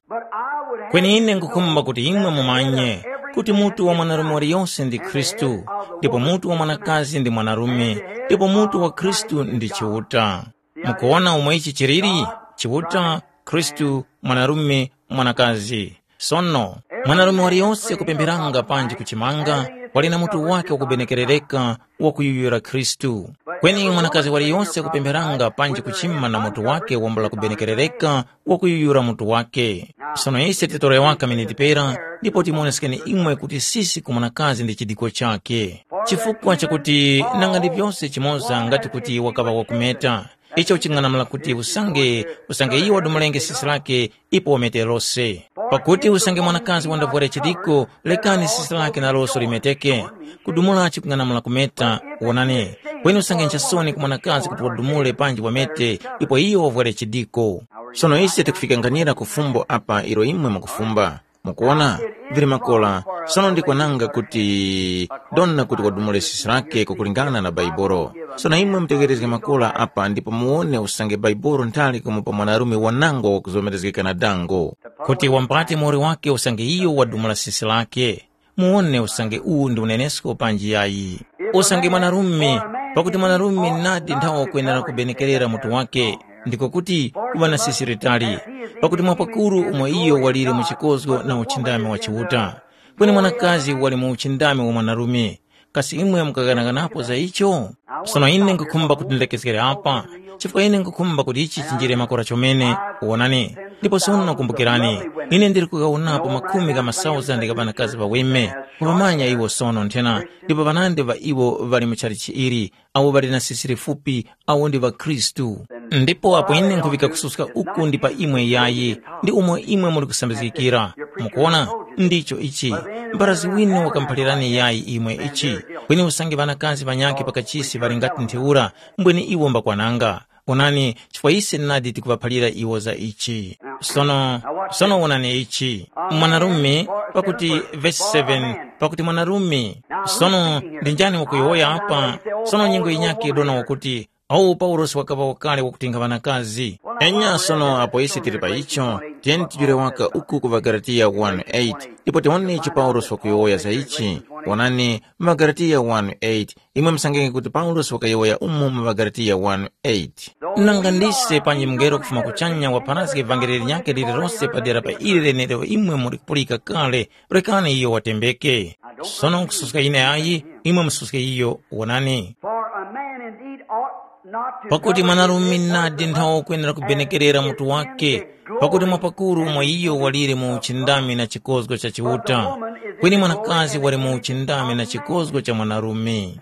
Kweni ine nkhukhumba kuti imwe mumanye kuti mutu wa mwanarume waliyonse ndi Khristu, ndipo mutu wa mwanakazi ndi mwanarume, ndipo mutu wa Khristu ndi Chiuta. Mukuwona umo ichi chiliri? Chiuta, Khristu, mwanarume, mwanakazi. Sono, mwanarume waliyonse kupempheranga panji kuchimanga, wali na mutu wake wakubenekerereka wakuyuyura Khristu. Kweni mwanakazi waliyonse kupempheranga panji kuchima na mutu wake wambula kubenekerereka wakuyuyura mutu wake. Sono ise titore waka miniti pera, ndipo timuoneskeni imwe kuti sisi ku mwanakazi ndi chidiko chake. Chifukwa chakuti nanga ndi vyose chimoza ngati kuti wakaŵa wakumeta, icho ching'anamula kuti usange usange iyo wadumulenge sisi lake ipo wamete lose. Pakuti usange mwanakazi wandavwera chidiko, lekani sisi lake naloso limeteke. Kudumula chikung'anamula kumeta, wonani. Kweni usange nchasoni ku mwanakazi kuti wadumule panji wamete ipo iyo wavwere chidiko. Sono ise tikufika nganira ku fumbo apa ilo imwe mukufumba. Mukuona, vili makola. Sono ndikwananga kuti dona kuti wadumule sisi lake kukulingana na Baibolo. Sono imwe mutegerezge makola apa ndipo muwone usange Baibolo nthali kumupa mwanarume wanangwa wakuzomerezgeka na dango, kuti wambate muwoli wake usange iyo wadumula sisi lake. Muwone usange uwu ndi unenesko panji yayi. Usange mwanarume, pakuti mwanarume nadi nthawi wakwenera kubenekerera mutu wake, ndiko kuti kuŵa na sisi litali, pakuti mwapakuru umo iyo walire mu chikozgo na uchindami wa Chiuta. Kweni mwanakazi wali mu uchindami wa mwanarume. Kasi imwe mukaghanaganapo za icho? Sono ine nkhukhumba kuti ndilekezgere apa, chifukwa ine nkhukhumba kuti ichi chinjire makora chomene. Wonani, ndipo sono kumbukirani, ine ndili kughawunapo makhumi gha masauzandi gha ŵanakazi ŵaweme, kuŵamanya iwo sono nthena, ndipo ŵanandi ŵa iwo ŵali mu chalichi ili, awo ŵali na sisi lifupi, awo ndi ŵakhristu. Ndipo apo ine nkhuŵika kususka uku ndi pa imwe yayi, ndi umo imwe muli kusambizgikira. Mukuona, ndicho ichi. Mbarazi winu wakamuphalirani yayi imwe ichi. Kweni usange ŵanakazi ŵanyakhe pakachisi ŵali ngati ntheura, mbweni iwo mbakwananga. Onani, chifukwa ise nadi tikuŵaphalira iwo za ichi. Sono, sono wonani ichi. Mwanarume, pakuti vesi seven, pakuti mwanarume. Sono, ndi njani wakuyowoya apa? Sono nyengo yinyakhe yidona wakuti, awu Paulosi wakaŵa wakale wakutinga ŵanakazi. Enya sono apo ise tili pa icho, tiyeni tijule waka uku ku ŵaGalatiya one eight, ndipo tiwone ichi Paulosi wakuyowoya za ichi. Wonani, mu ŵaGalatiya one eight, imwe musangenge kuti Paulosi wakayowoya umo mu ŵaGalatiya one eight. Nanga ndise panji mungelo kufuma kuchanya wapharazge vangeli linyakhe lililose padera pa ili lenelo imwe muli kupulika kale, rekani iyo watembeke. Sono nkususka ine ayi, imwe mususke iyo, wonani. For a man indeed ought not to Pakuti govern mwanarume his nadi nthawi ukwenera kubenekerera mutu wake, pakuti mwapakuru umo iyo walire mu uchindami na chikozgo cha Chiuta, kweni mwanakazi wali mu uchindami na chikozgo cha mwanarume.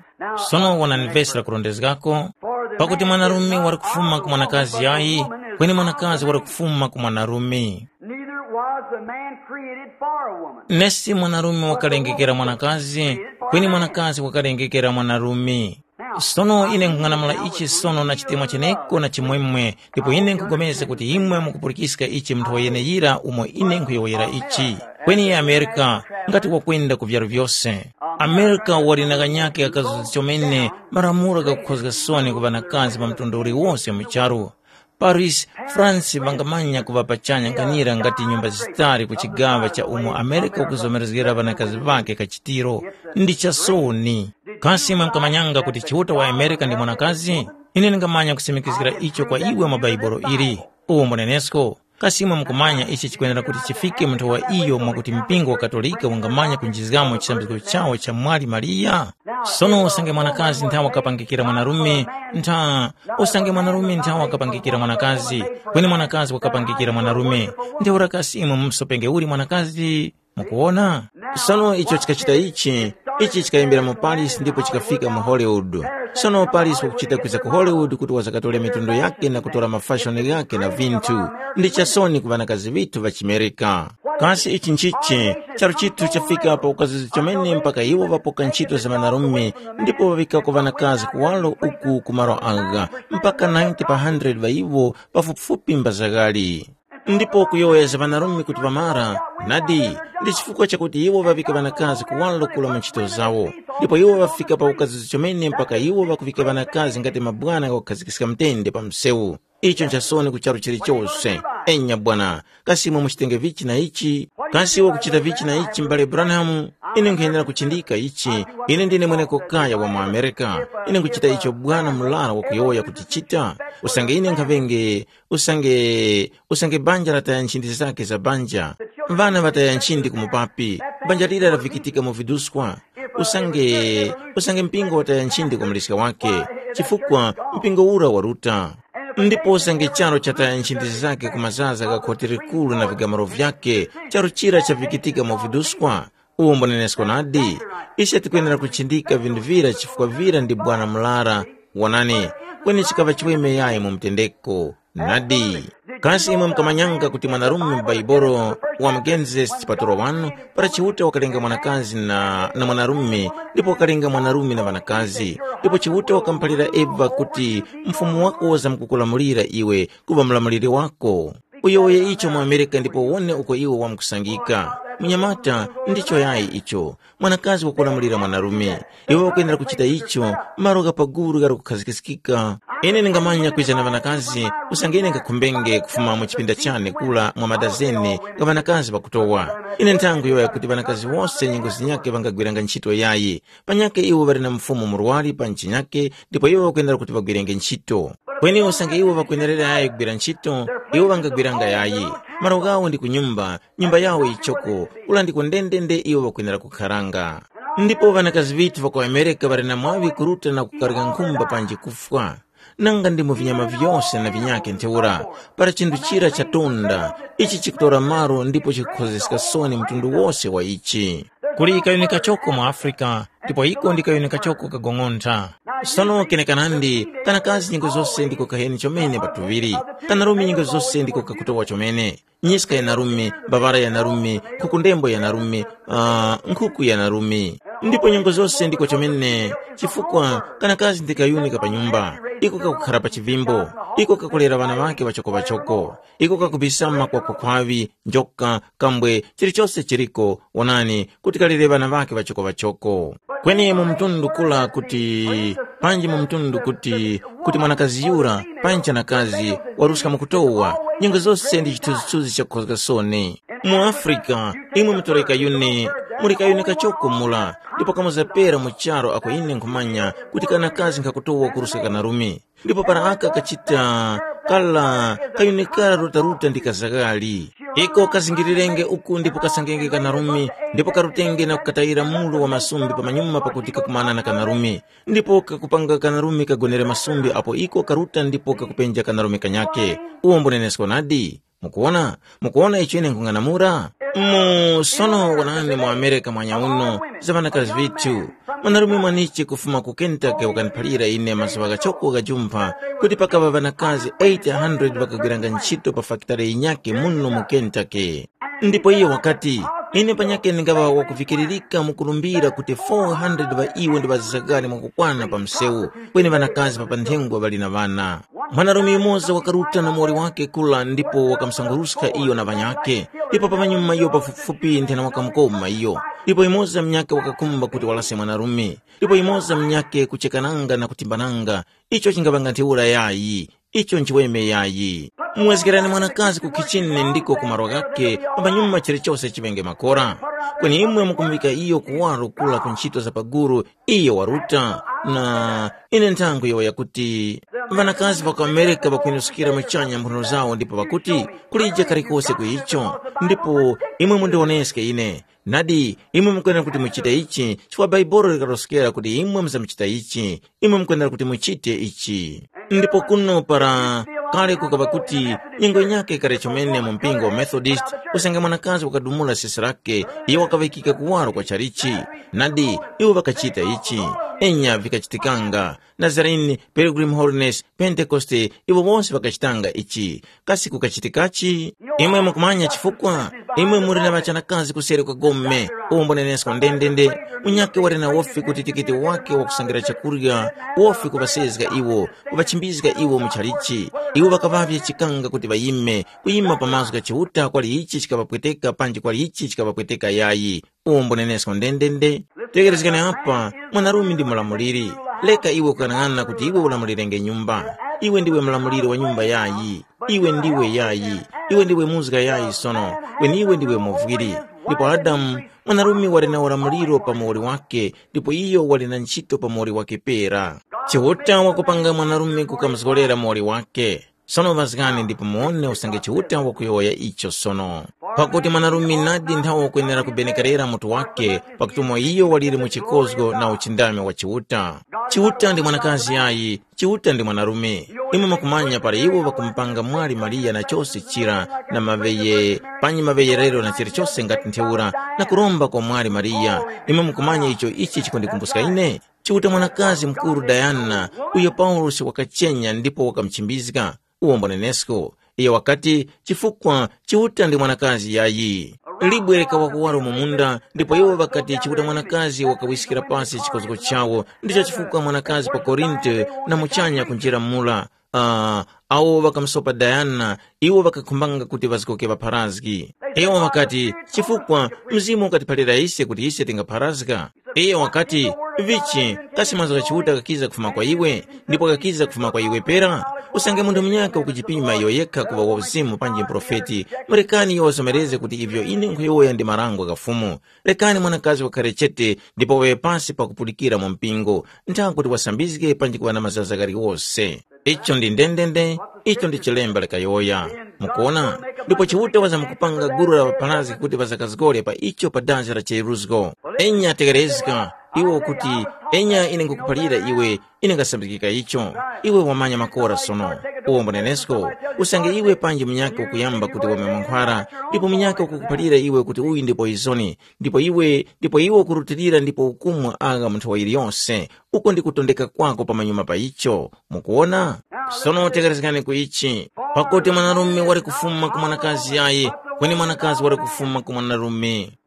Sono wonani vesi lakurondezgako, pakuti mwanarume wali kufuma ku mwanakazi yayi, kweni mwanakazi wali kufuma ku mwanarume. Neither was the man created for a woman. Nesi mwanarume wakalengekera mwanakazi, kweni mwanakazi wakalengekera mwanarume. Sono ine nkhung'anamula ichi sono na chitemwa cheneko na chimwemwe, ndipo ine nkhugomeza kuti imwe mukupulikiska ichi mu nthowa yeneyira umo ine nkhuyowoyera ichi. Kweni Amerika, ngati wakwenda ku vyaru vyose. Amerika wali na kanyake kakazuzi chomene malamulo ghakukhozga soni ku ŵanakazi pa mtundu uliwonse mu charu. Paris, France ŵangamanya kuŵa pachanya nkhanira ngati nyumba zitali ku chigaŵa cha umo Amerika ukuzomerezgera ŵanakazi ŵakhe kachitiro. Ndi chasoni. Kasi imwe mukamanyanga kuti Chiuta wa Amerika ndi mwanakazi? Ine ndingamanya kusimikizgira icho kwa iwe mu Baibolo ili. Uwombo nenesko. Kasi imwe mukumanya ichi chikwenera kuti chifike mu nthowa iyo mwakuti mpingo wa Katolika ungamanya kunjizgamo chisambizgo chawo cha Mwali Mariya? Sono usange mwanakazi nthawe wakapangikira mwanarume, ntha usange mwanarume nthawe wakapangikira mwanakazi, kweni mwanakazi wakapangikira mwanarume, ntheura kasi imwe mumusopenge uli mwanakazi? Mukuwona? Sono icho chikachita ichi, ichi chikayimbira mu Paris ndipo chikafika mu Hollywood. Sono Paris wakuchita kwiza ku Hollywood kuti wazakatore mitundu yake na kutora mafashoni ghake na vinthu. Ndi chasoni ku ŵanakazi ŵithu ŵa chimerika. Kasi ichi nchichi? Charu chithu chafika pa ukazizi chomene mpaka iwo ŵapoka ntchito za ŵanarume ndipo ŵaŵikako ŵanakazi kuwalo uku ku malo agha, mpaka ninety pa hundred ŵa iwo pafupifupi mbazaghali. Ndipo kuyowoya za ŵanarume kuti ŵamara, nadi, ndi chifukwa chakuti iwo ŵaŵika ŵanakazi kuwalo kula mu ntchito zawo. Ndipo iwo ŵafika pa ukazizi chomene mpaka iwo ŵakuŵika ŵanakazi ngati mabwana ghakukhazikika mtende pa msewu. Icho nchasoni ku charu chilichose. Enya bwana, kasi imwe muchitenge vichi na ichi? Kasi iwe ukuchita vichi na ichi, m'bale Branham? Ine nkhuyenera kuchindika ichi. Ine ndine mweneko kaya wa mu Amerika. Ine nkuchita icho bwana murara wakuyowoya kuti chita. Usange ine nkhaŵenge, usange, usange banja lataya nchindi zake za banja. Vana vataya nchindi ku mupapi. Banja lira lavikitika mu viduskwa. Usange, usange mpingo wataya nchindi kwa muliska wake, chifukwa mpingo ura waruta. Ndipo usange charo chataya nchindi zake ku mazaza gha khoti likuru na vigamaro vyake, charo chira chavikitika mu viduskwa. Uwo mbunenesko nadi. Ise tikwenera kuchindika vinthu vira chifukwa vira ndi bwana murara. Wonani, kweni chikaŵa chiweme yayi mu mtendeko. Nadi. Kasi imwe mukamanyanga kuti mwanarume mu Baibolo wa mu Genesis chipatulo wanu, para Chiuta wakalenga mwanakazi na, na mwanarume, ndipo wakalenga mwanarume na ŵanakazi, ndipo Chiuta wakamuphalira Eva kuti, mfumu wako wazamkukulamulira iwe kuŵa mulamuliri wako. Uyowoye icho mu Amerika ndipo uwone uko iwe wamkusangika. Munyamata, ndicho yayi icho. Mwanakazi wakulamulira mwanarume. Iwe ukwenera kuchita icho, malo gha paguru ghali kukhazikiskika. Ine ndingamanya kwiza na ŵanakazi, usange ine ngakhumbenge kufuma mu chipinda chane kula mwa madazeni gha ŵanakazi ŵakutowa. Ine nthangu yoya kuti ŵanakazi wose nyengo zinyakhe ŵangagwiranga ntchito yayi. Panyakhe iwo ŵali na mfumu murwari pa nchinyakhe ndipo iwo ŵakwenera kuti ŵagwirenge ntchito. Kweni usange iwo ŵakwenerera yayi kugwira ntchito, iwo ŵangagwiranga yayi. Malo ghawo ndi ku nyumba, nyumba yawo yichoko, ulandiko ndendende iwo ŵakwenera kukharanga. Ndipo ŵanakazi ŵithu ŵa ku Amerika ŵali na mwaŵi kuruta na kukarika nkhumba panji kufwa. Nanga ndi mu vinyama vyose na vinyakhe ntheura, para chinthu chira chatunda, ichi chikutora malo ndipo chikukhozeska soni mtundu wose wa ichi. Kuli kayuni kachoko mu Afrika, ndipo iko ndi kayuni kachoko kagong'ontha. Sono kenekanandi, kanakazi nyengo zose ndiko kaheni chomene pa tuŵiri, kanarume nyengo zose ndiko kakutowa chomene. Nyiska yanarume, mbabara yanarume, nkhukundembo yanarume, uh, nkhuku yanarume. Ndipo nyengo zose ndiko chomene, chifukwa kanakazi ndi kayuni ka pa nyumba, iko kakukhara pa chivimbo, iko kakulera ŵana ŵake ŵachoko-ŵachoko, iko kakubisama kwa kukhwaŵi, njoka, kambwe, chilichose chiliko, wonani, kuti kalere ŵana ŵake ŵachoko-ŵachoko. Kweni mu mtundu kula kuti, panji mu mtundu kuti, kuti mwanakazi yura, panji chanakazi, waruska mukutowa, nyengo zose ndi chithunzithunzi chakukhozga soni. Mu Afrika, imwe mutoreka yuni, muli kayuni kachoko mula, ndipo kamuzapera mu charo ako ine nkhumanya kuti kanakazi nkhakutowa kuruska kanarume. Ndipo para aka kachita kala kayuni kara rutaruta ndi kazakali. Iko kazingirirenge uku ndipo kasangenge kanarume, ndipo karutenge na kukatayira mulu wa masumbi pamanyuma pakuti kakumana na kanarume. Ndipo kakupanga kanarume kagonere masumbi apo iko karuta ndipo kakupenja kanarume kanyakhe. Uwo mbunenesko nadi. Mukuwona? Mukuwona icho ine nkhung'anamula? Mu sono wonani mu Amerika mwanya uno, za ŵanakazi vithu. Mwanarume mwanichi kufuma ku Kentucky wakaniphalira ine mazuŵa ghachoko ghajumpha kuti pakaŵa ŵanakazi eight hundred ŵakagwiranga ntchito pa fakitare yinyakhe muno mu Kentucky. Ndipo iyo wakati, ine panyakhe ndingaŵa wakuvikiririka mu kulumbira kuti four hundred ŵa iwo ndi ŵazagani mwakukwana pa msewu, kweni ŵanakazi pa panthengwa ŵali na ŵana. Mwanarume yumoza wakaruta na muwoli wake kula ndipo wakamusanguruska iyo na ŵanyakhe, ndipo pamanyuma iyo pafupifupi nthena wakamukoma iyo. Ndipo yumoza munyakhe wakakhumba kuti walase mwanarume, ndipo yumoza munyakhe kuchekananga na kutimbananga. Icho chingaŵanga ntheura yayi. Icho nchiweme yayi. Muwezgerani mwanakazi ku khichini ndiko ku malo ghakhe, pamanyuma chilichose chiŵenge makora. Kweni imwe mukumuŵika iyo kuwaro kula ku nchito za paguru, iyo waruta. Na ine nthango yowoya kuti ŵanakazi ŵa ku Amerika ŵakunuskira muchanya mphuno zawo ndipo ŵakuti, kulije kalikose ku icho. Ndipo imwe mundiwoneske ine. Nadi, imwe mukwenera kuti muchite ichi, chifukwa Baibolo likaroskera kuti imwe muzamuchita ichi, imwe mukwenera kuti muchite ichi. Ndipo kuno para kale kukaŵa kuti nyengo yinyakhe kale chomene mu mpingo wa Methodist, usange mwanakazi wakadumula sisi lake, iyo wakaŵikika kuwaro kwa chalichi. Nadi, iwo ŵakachita ichi. Enya vikachitikanga. Nazarene, Pilgrim Holiness, Pentekoste, iwo wose ŵakachitanga ichi. Kasi kukachitikachi? Imwe mukumanya chifukwa? Imwe muli na ŵachanakazi kuseri kwa gome, umo mbunenesko ndendende. Munyakhe wali na wofi kuti tikiti wake wakusangira chakurya, wofi kuŵasezga iwo, kuŵachimbizga iwo mu chalichi. Iwo ŵakaŵavye chikanga kuti ŵayime, kuyima pa mazgu gha Chiuta kwali ichi chikaŵapweteka panji kwali ichi chikaŵapweteka yayi. Umo mbunenesko ndendende. Tekerezgani apa, mwanarume ndi mulamuliri. Leka iwe kukang'ana kuti iwe ulamulirenge nyumba. Iwe ndiwe mulamuliri wa nyumba yayi. Iwe ndiwe yayi. Iwe ndiwe muzga yayi sono. Kweni iwe ndiwe muvwiri. Ndipo Adamu, mwanarume wali na ulamuliro pa muwoli wake, ndipo iyo wali na ntchito pa muwoli wake pera. Chiuta wakupanga mwanarume kukamuzgorera muwoli wake. Sono ŵazgani ndipo muwone usange Chiuta wakuyowoya icho sono. Pakuti mwanarume nadi nthawe wakwenera kubenekerera mutu wake, pakuti umo iyo waliri mu chikozgo na uchindami wa Chiuta. Chiuta ndi mwanakazi yayi, Chiuta ndi mwanarume. Imwe mukumanya para iwo ŵakumupanga mwali Mariya na chose chira na maŵeye, panyi maŵeyerero na chilichose ngati ntheura, na kuromba kwa mwali Mariya. Imwe mukumanya icho ichi chikundikumbuska ine? Chiuta mwanakazi mukuru Dayana, uyo Paulosi wakachenya ndipo wakamuchimbizga, uwo mbonenesko. Iyo wakati, chifukwa Chiuta ndi mwanakazi yayi. Libwe likawa kuwaro mu munda, ndipo iwo ŵakati Chiuta mwanakazi wakawiskira pasi chikozgo chawo, ndicho chifukwa mwanakazi pa Korinto na muchanya kunjira mula. Ah, awo ŵakamusopa Dayana, iwo ŵakakhumbanga kuti ŵazgoke ŵapharazgi. Iwo ŵakati, chifukwa Mzimu ukatiphalira ise kuti ise tingapharazga. Iyo wakati, vichi, kasi mazgu gha Chiuta ghakiza kufuma kwa iwe, ndipo ghakiza kufuma kwa iwe pera? Usange munthu munyakhe ukujipima iyo yekha kuŵa wa uzimu panji muprofeti, murekani iyo wazomerezge kuti ivyo ine nkhuyowoya ndi marango gha Fumu. Rekani mwanakazi wakhare chete ndipo waŵe pasi pakupulikira mu mpingo, ntha kuti wasambizge panji kuŵa na mazaza ghaliwose. Icho ndi ndendende, icho ndi chilemba likayowoya. Mukuona? Ndipo Chiuta wazamkupanga gulu la ŵapharazgi kuti ŵazakazgore pa icho pa dazi la chiyeruzgo. Enya tekerezga, iwo kuti, enya ine nkukuphalira iwe, ine ngasambikika icho. Iwe wamanya makora sono. Uwo mbonenesko, usange iwe panji munyakhe ukuyamba kuti wamwe mankhwara, ndipo munyakhe ukukuphalira iwe kuti uyu ndi poizoni, ndipo iwe, ndipo iwe ukurutilira ndipo ukumwa agha mu nthowa yiliyonse, uko ndi kutondeka kwako pamanyuma pa icho. Mukuwona? Sono tekerezgani ku ichi, pakuti mwanarume wali kufuma ku mwanakazi yayi, kweni mwanakazi wali kufuma ku mwanarume.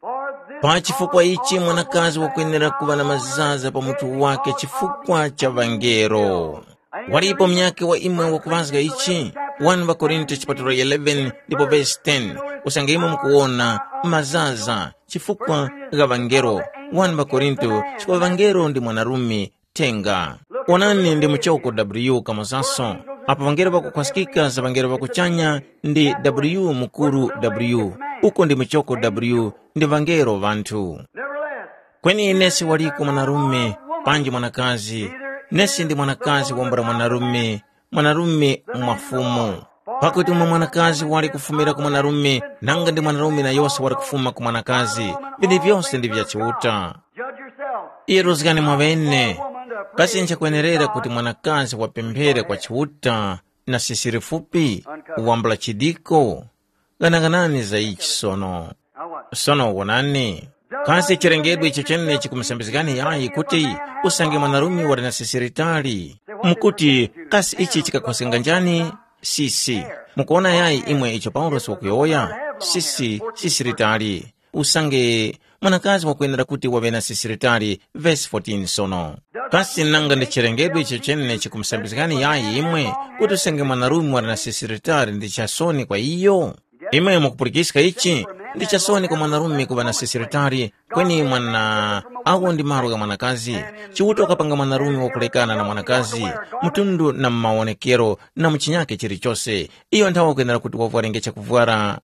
Pa chifukwa ichi mwanakazi wakwenera kuŵa na mazaza pa mutu wake chifukwa cha ŵangelo. Walipo munyakhe wa imwe wakuŵazga ichi, wani ŵakorinto chipatulo eleven ndipo vesi ten, usange imwe mukuwona, mazaza chifukwa gha ŵangelo, wani ŵakorinto chifukwa ŵangelo ndi mwanarume, thenga. Onani ndi muchoko w kamuzaso, apo ŵangelo ŵakukhwaskika za ŵangelo ŵakuchanya ndi w mukuru w, uko ndi muchoko w ndi ŵangelo ŵanthu. Kweni nesi waliko mwanarume, panji mwanakazi, nesi ndi mwanakazi wambula mwanarume, mwanarume mwa Fumu. Pakuti umo mwanakazi wali kufumira ku mwanarume, nanga ndi mwanarume na yose wali kufuma ku mwanakazi, vini vyose ndi vya Chiuta. Yeruzgani mwaŵene, kasi nchakwenerera kuti mwanakazi wapemphere kwa Chiuta na sisi lifupi, wambula chidiko? Ghanaghanani za ichi sono. Sono wonani, kasi chilengedwe icho chene chikumusambizgani yayi kuti usange mwanarume wali na sisi litali? Mukuti, kasi ichi chikakhwaskanga njani? Sisi. Mukuona yayi imwe icho Paulosi wakuyowoya? Sisi, sisi litali. Usange mwanakazi wakwenera kuti waŵe na sisi litali, vesi fourteen sono. Kasi nanga ndi chilengedwe icho chene chikumusambizgani yayi imwe kuti usange mwanarume wali na sisi litali ndi chasoni kwa iyo? Imwe mukupulikiska ichi? Ndi chasoni kwa mwanarume kuŵa na sisiritari, kweni mwana awo ndi malo gha mwanakazi. Chiuta wakapanga mwanarume wakulekana na mwanakazi, mtundu na mumawonekero na muchinyake chilichose. Iyo nthawe wakwenera kuti wavwarenge chakuvwara.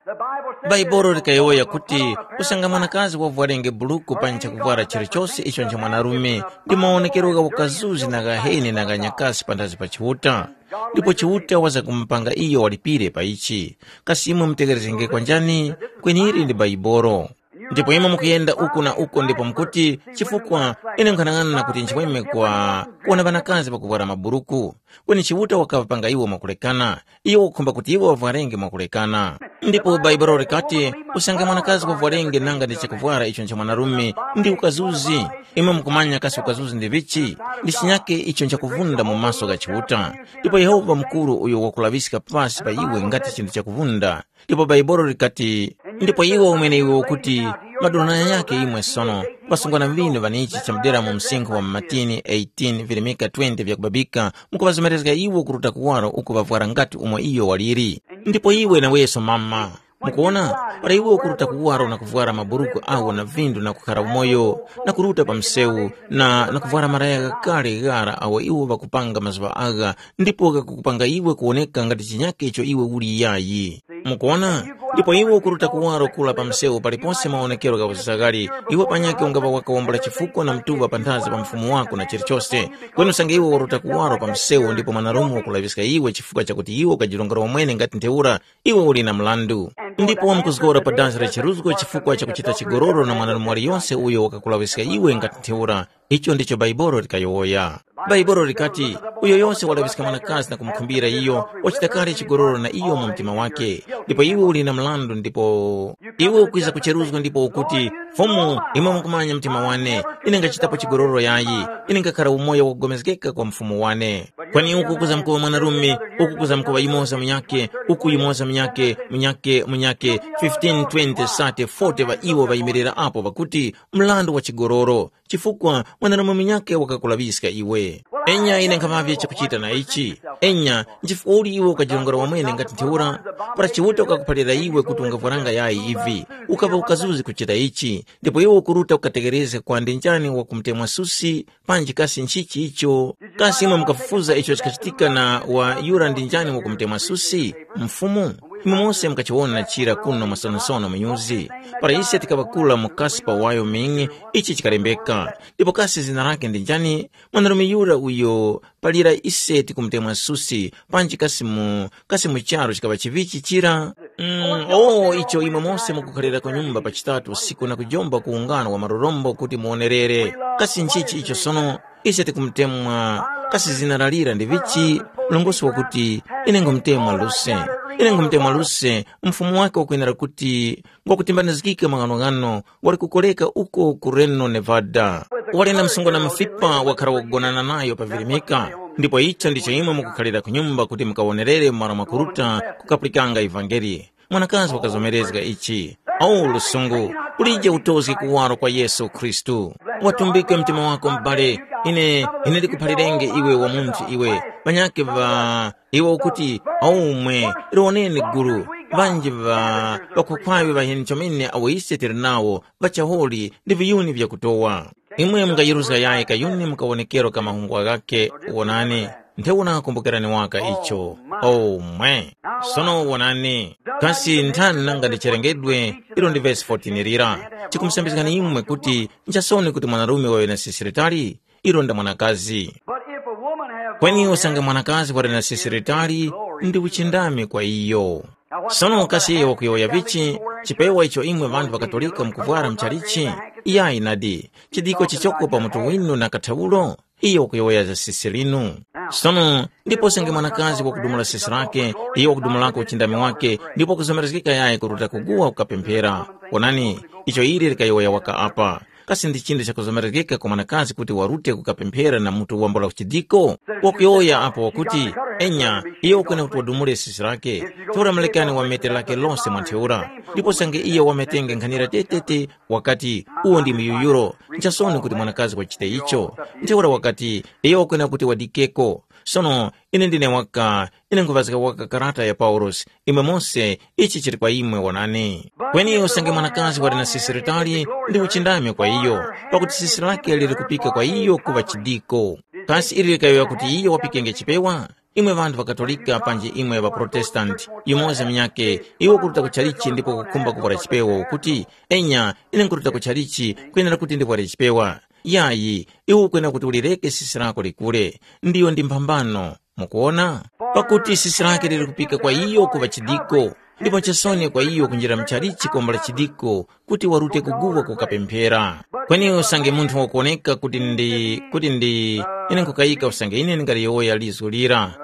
Baibolo likayowoya kuti, usanga mwanakazi wavwarenge buluku panyi chakuvwara chilichose icho ncha mwanarume, ndi mawonekero gha ukazuzi na ghaheni na ghanyakasi panthazi pa Chiuta. Ndipo Chiuta waza kumupanga iyo walipire pa ichi. Kasi imwe mutegerezgenge kwanjani? Kweni ili ndi Baibolo. Ndipo imwe mukuyenda uku na uko ndipo mukuti, chifukwa ine nkhanang'ana kuti nchimweme kwa kuwona ŵanakazi pakuvwara maburuku. Kweni Chiuta wakaŵapanga iwo mwakulekana. Iwo wakukhumba kuti iwo ŵavwarenge mwakulekana. Ndipo Baibolo likati, usange mwanakazi wavwarenge nanga ndi chakuvwara icho ncha mwanarume ndi ukazuzi. Imwe mukumanya kasi ukazuzi ndi vichi? Ndi chinyake icho nchakuvunda mu maso gha Chiuta. Ndipo Yehova mukuru uyo wakulaŵiska pasi pa iwe ngati chinthu chakuvunda. Ndipo Baibolo likati, ndipo iwe umwene iwe ukuti, madonanya yake imwe sono, pasungwana vinu vanichi chamudera mu msinkhu wa matini eighteen virimika twenty vyakubabika, mukuŵazomerezga iwo kuruta kuwaro uku ŵavwara ngati umo iyo waliri. Ndipo iwe naweso mama, mukuona, para iwe ukuruta kuwaro na kuvwara maburuku awo na vindu na kukhara umoyo, na kuruta pa msewu, na, na kuvwara maraya ghakale ghara awo iwo ŵakupanga mazuŵa agha, ndipo ghakukupanga iwe kuwoneka ngati chinyake icho iwe uli yayi. Mukuona? Ndipo iwe ukuruta kuwaro kula pa msewu palipose mawonekero gha uzagali, iwe panyakhe ungaŵa wakawombola chifukwa na mtuŵa panthazi pa mfumu wako na chilichose. Kweni usange iwe waruta kuwaro pa msewu ndipo mwanarume wakulaŵiska iwe chifukwa chakuti iwe ukajirongora wamwene ngati ntheura, iwe uli na mrandu. Ndipo wamkuzgora pa dansi la chiruzgo chifukwa cha kuchita chigololo na mwanarume waliyonse uyo wakakulaŵiska iwe ngati ntheura. Icho ndicho Baibolo likayowoya. Baibolo likati, uyo yose walaŵiska mwanakazi na kumukhumbira iyo, wachita kale chigololo na iyo mu mtima wake. Ndipo iwe uli na mlandu ndipo iwe ukwiza kucheruzga ndipo ukuti, Fumu, imwe mukumanya mtima wane, ine ngachitapo chigololo yayi, ine ngakhara umoyo wakupulikana kwa mfumu wane. Kweni uku kuzamkuŵa mwanarume, uku kuzamkuŵa yumoza munyakhe, uku yumoza munyakhe, munyakhe, munyakhe, fifteen, twenty, thirty, forty ŵa iwo ŵayimirira apo ŵakuti, mrandu wa chigololo. Chifukwa mwanarume munyakhe wakakulaŵiska iwe. Enya ine nkhamavye chakuchita na ichi. Enya, nchifukwa uli iwe ukajirongora wamwene ngati ntheura? Para Chiuta wakakuphalira iwe kuti ungavwaranga yayi ivi, ukaŵa ukazuzi kuchita ichi, ndipo iwe ukuruta ukatekerezge kwa ndi njani wakumutemwa susi, panji kasi nchichi icho? Kasi imwe mukafufuza icho chikachitika na wa yura ndi njani wakumutemwa susi? Mfumu? Imwe mose mukachiwona chira kuno masonosono mu nyuzi. Para ise tikaŵa kula mu Casper, Wyoming, ichi chikalembeka. Ndipo kasi zina lake ndi njani? Mwanarume yura uyo palira ise tikumutemwa susi, panji kasi mu, kasi mu charu chikaŵa chivichi chira? Mm, oh, icho imwe mose mukukhalira ku nyumba pa chitatu usiku na kujomba ku ungano wa marorombo kuti muwonerere. Kasi nchichi icho sono? Ise tikumutemwa, kasi zina lalira ndi vichi? Mlongosi wakuti, ine ngumutemwa Luse. Ine ngumutemwa Luse, mfumu wake wakwenera kuti ngwakutimbanizgika maghanoghano wali kukoreka uko ku Reno, Nevada. Wali na msungwana mufipa wakhara wakugonana nayo pa virimika. Ndipo icho ndicho imwe mukukhalira ku nyumba kuti mukawonerere malo mwakuruta kukapulikanga ivangeli. Mwanakazi wakazomerezga ichi. O lusungu, ulije utozge kuwaro kwa Yesu Khristu. Watumbike mtima wako m'bale, ine, ine ndikuphalirenge iwe wa munthu iwe. Ŵanyakhe ŵa iwe ukuti, aumwe, liwoneni gulu, ŵanji ŵa ŵakhukhwaŵe ŵaheni chomene awo ise tili nawo, ŵachaholi ndi viyuni vyakutowa. Imwe mungayeruzga yayi kayuni mu kawonekero ka mahungwa ghakhe, wonani, ntheura kumbukerani waka icho. O mwe! Sono wonani, kasi nthani nanga ndi cherengedwe ilo ndi vesi fourteen lira, chikumusambizgani imwe kuti nchisoni kuti mwanarume waŵe na sisi litali? Ilo nda mwanakazi. But if a woman have Kweni usange mwanakazi wali na sisi litali, ndi uchindami kwa iyo. Sono kasi iyo wakuyowoya vichi? Chipewa icho imwe ŵanthu ŵakatolika mukuvwara mchalichi? Iyayi nadi, chidiko chichoko pa mutu winu na kathawulo? Iyo wakuyowoya za sisi linu. Sono, ndipo usange mwanakazi wakudumula sisi lake, iyo wakudumulako uchindami wake, ndipo wakuzomerezgeka yayi kuruta kuguwa kukapemphera. Onani, icho ili likayowoya waka apa. Kasi ndi chinthu chakuzomerezgeka kwa mwanakazi kuti warute kukapemphera na mutu wambula chidiko? Wakuyowoya apo wakuti, enya, iyo ukwena kuti wadumule sisi lake, ntheura mulekani wamete lake lose mwa ntheura. Ndipo usange iyo wametenge nkhanira tetete, wakati, uwo ndi muyuyuro, nchasoni kuti mwanakazi wachite icho. Ntheura wakati, iyo ukwena kuti wadikeko. Sono ine ndine waka, ine nkhuvazga waka karata ya Paulosi, imwe mose, ichi chili kwa imwe wonani. Kweni usange mwanakazi wali na sisi litali, ndi uchindami kwa iyo, pakuti sisi lake lili kupika kwa iyo kuŵa chidiko. Kasi ili likayowoya kuti iyo wapikenge chipewa? Imwe ŵanthu ŵa Katolika panji imwe ŵa Protestanti, yumoza munyakhe, iwe ukuruta ku chalichi ndipo ukukhumba kuvwara chipewa ukuti, enya, ine nkuruta ku chalichi kwenera kuti ndivware chipewa. Yayi, iwe ukwenera kuti ulireke sisi lako likule, ndiyo ndi mphambano. Mukuona? Pakuti sisi lake lili kupika kwa iyo kuŵa chidiko, ndipo nchisoni kwa iyo kunjira mchalichi kombola chidiko kuti warute kuguwa kukapemphera. Kweni usange munthu wakuwoneka kuti ndi kuti ndi ine nkukayika usange ine ndingaliyowoya lizgu lira,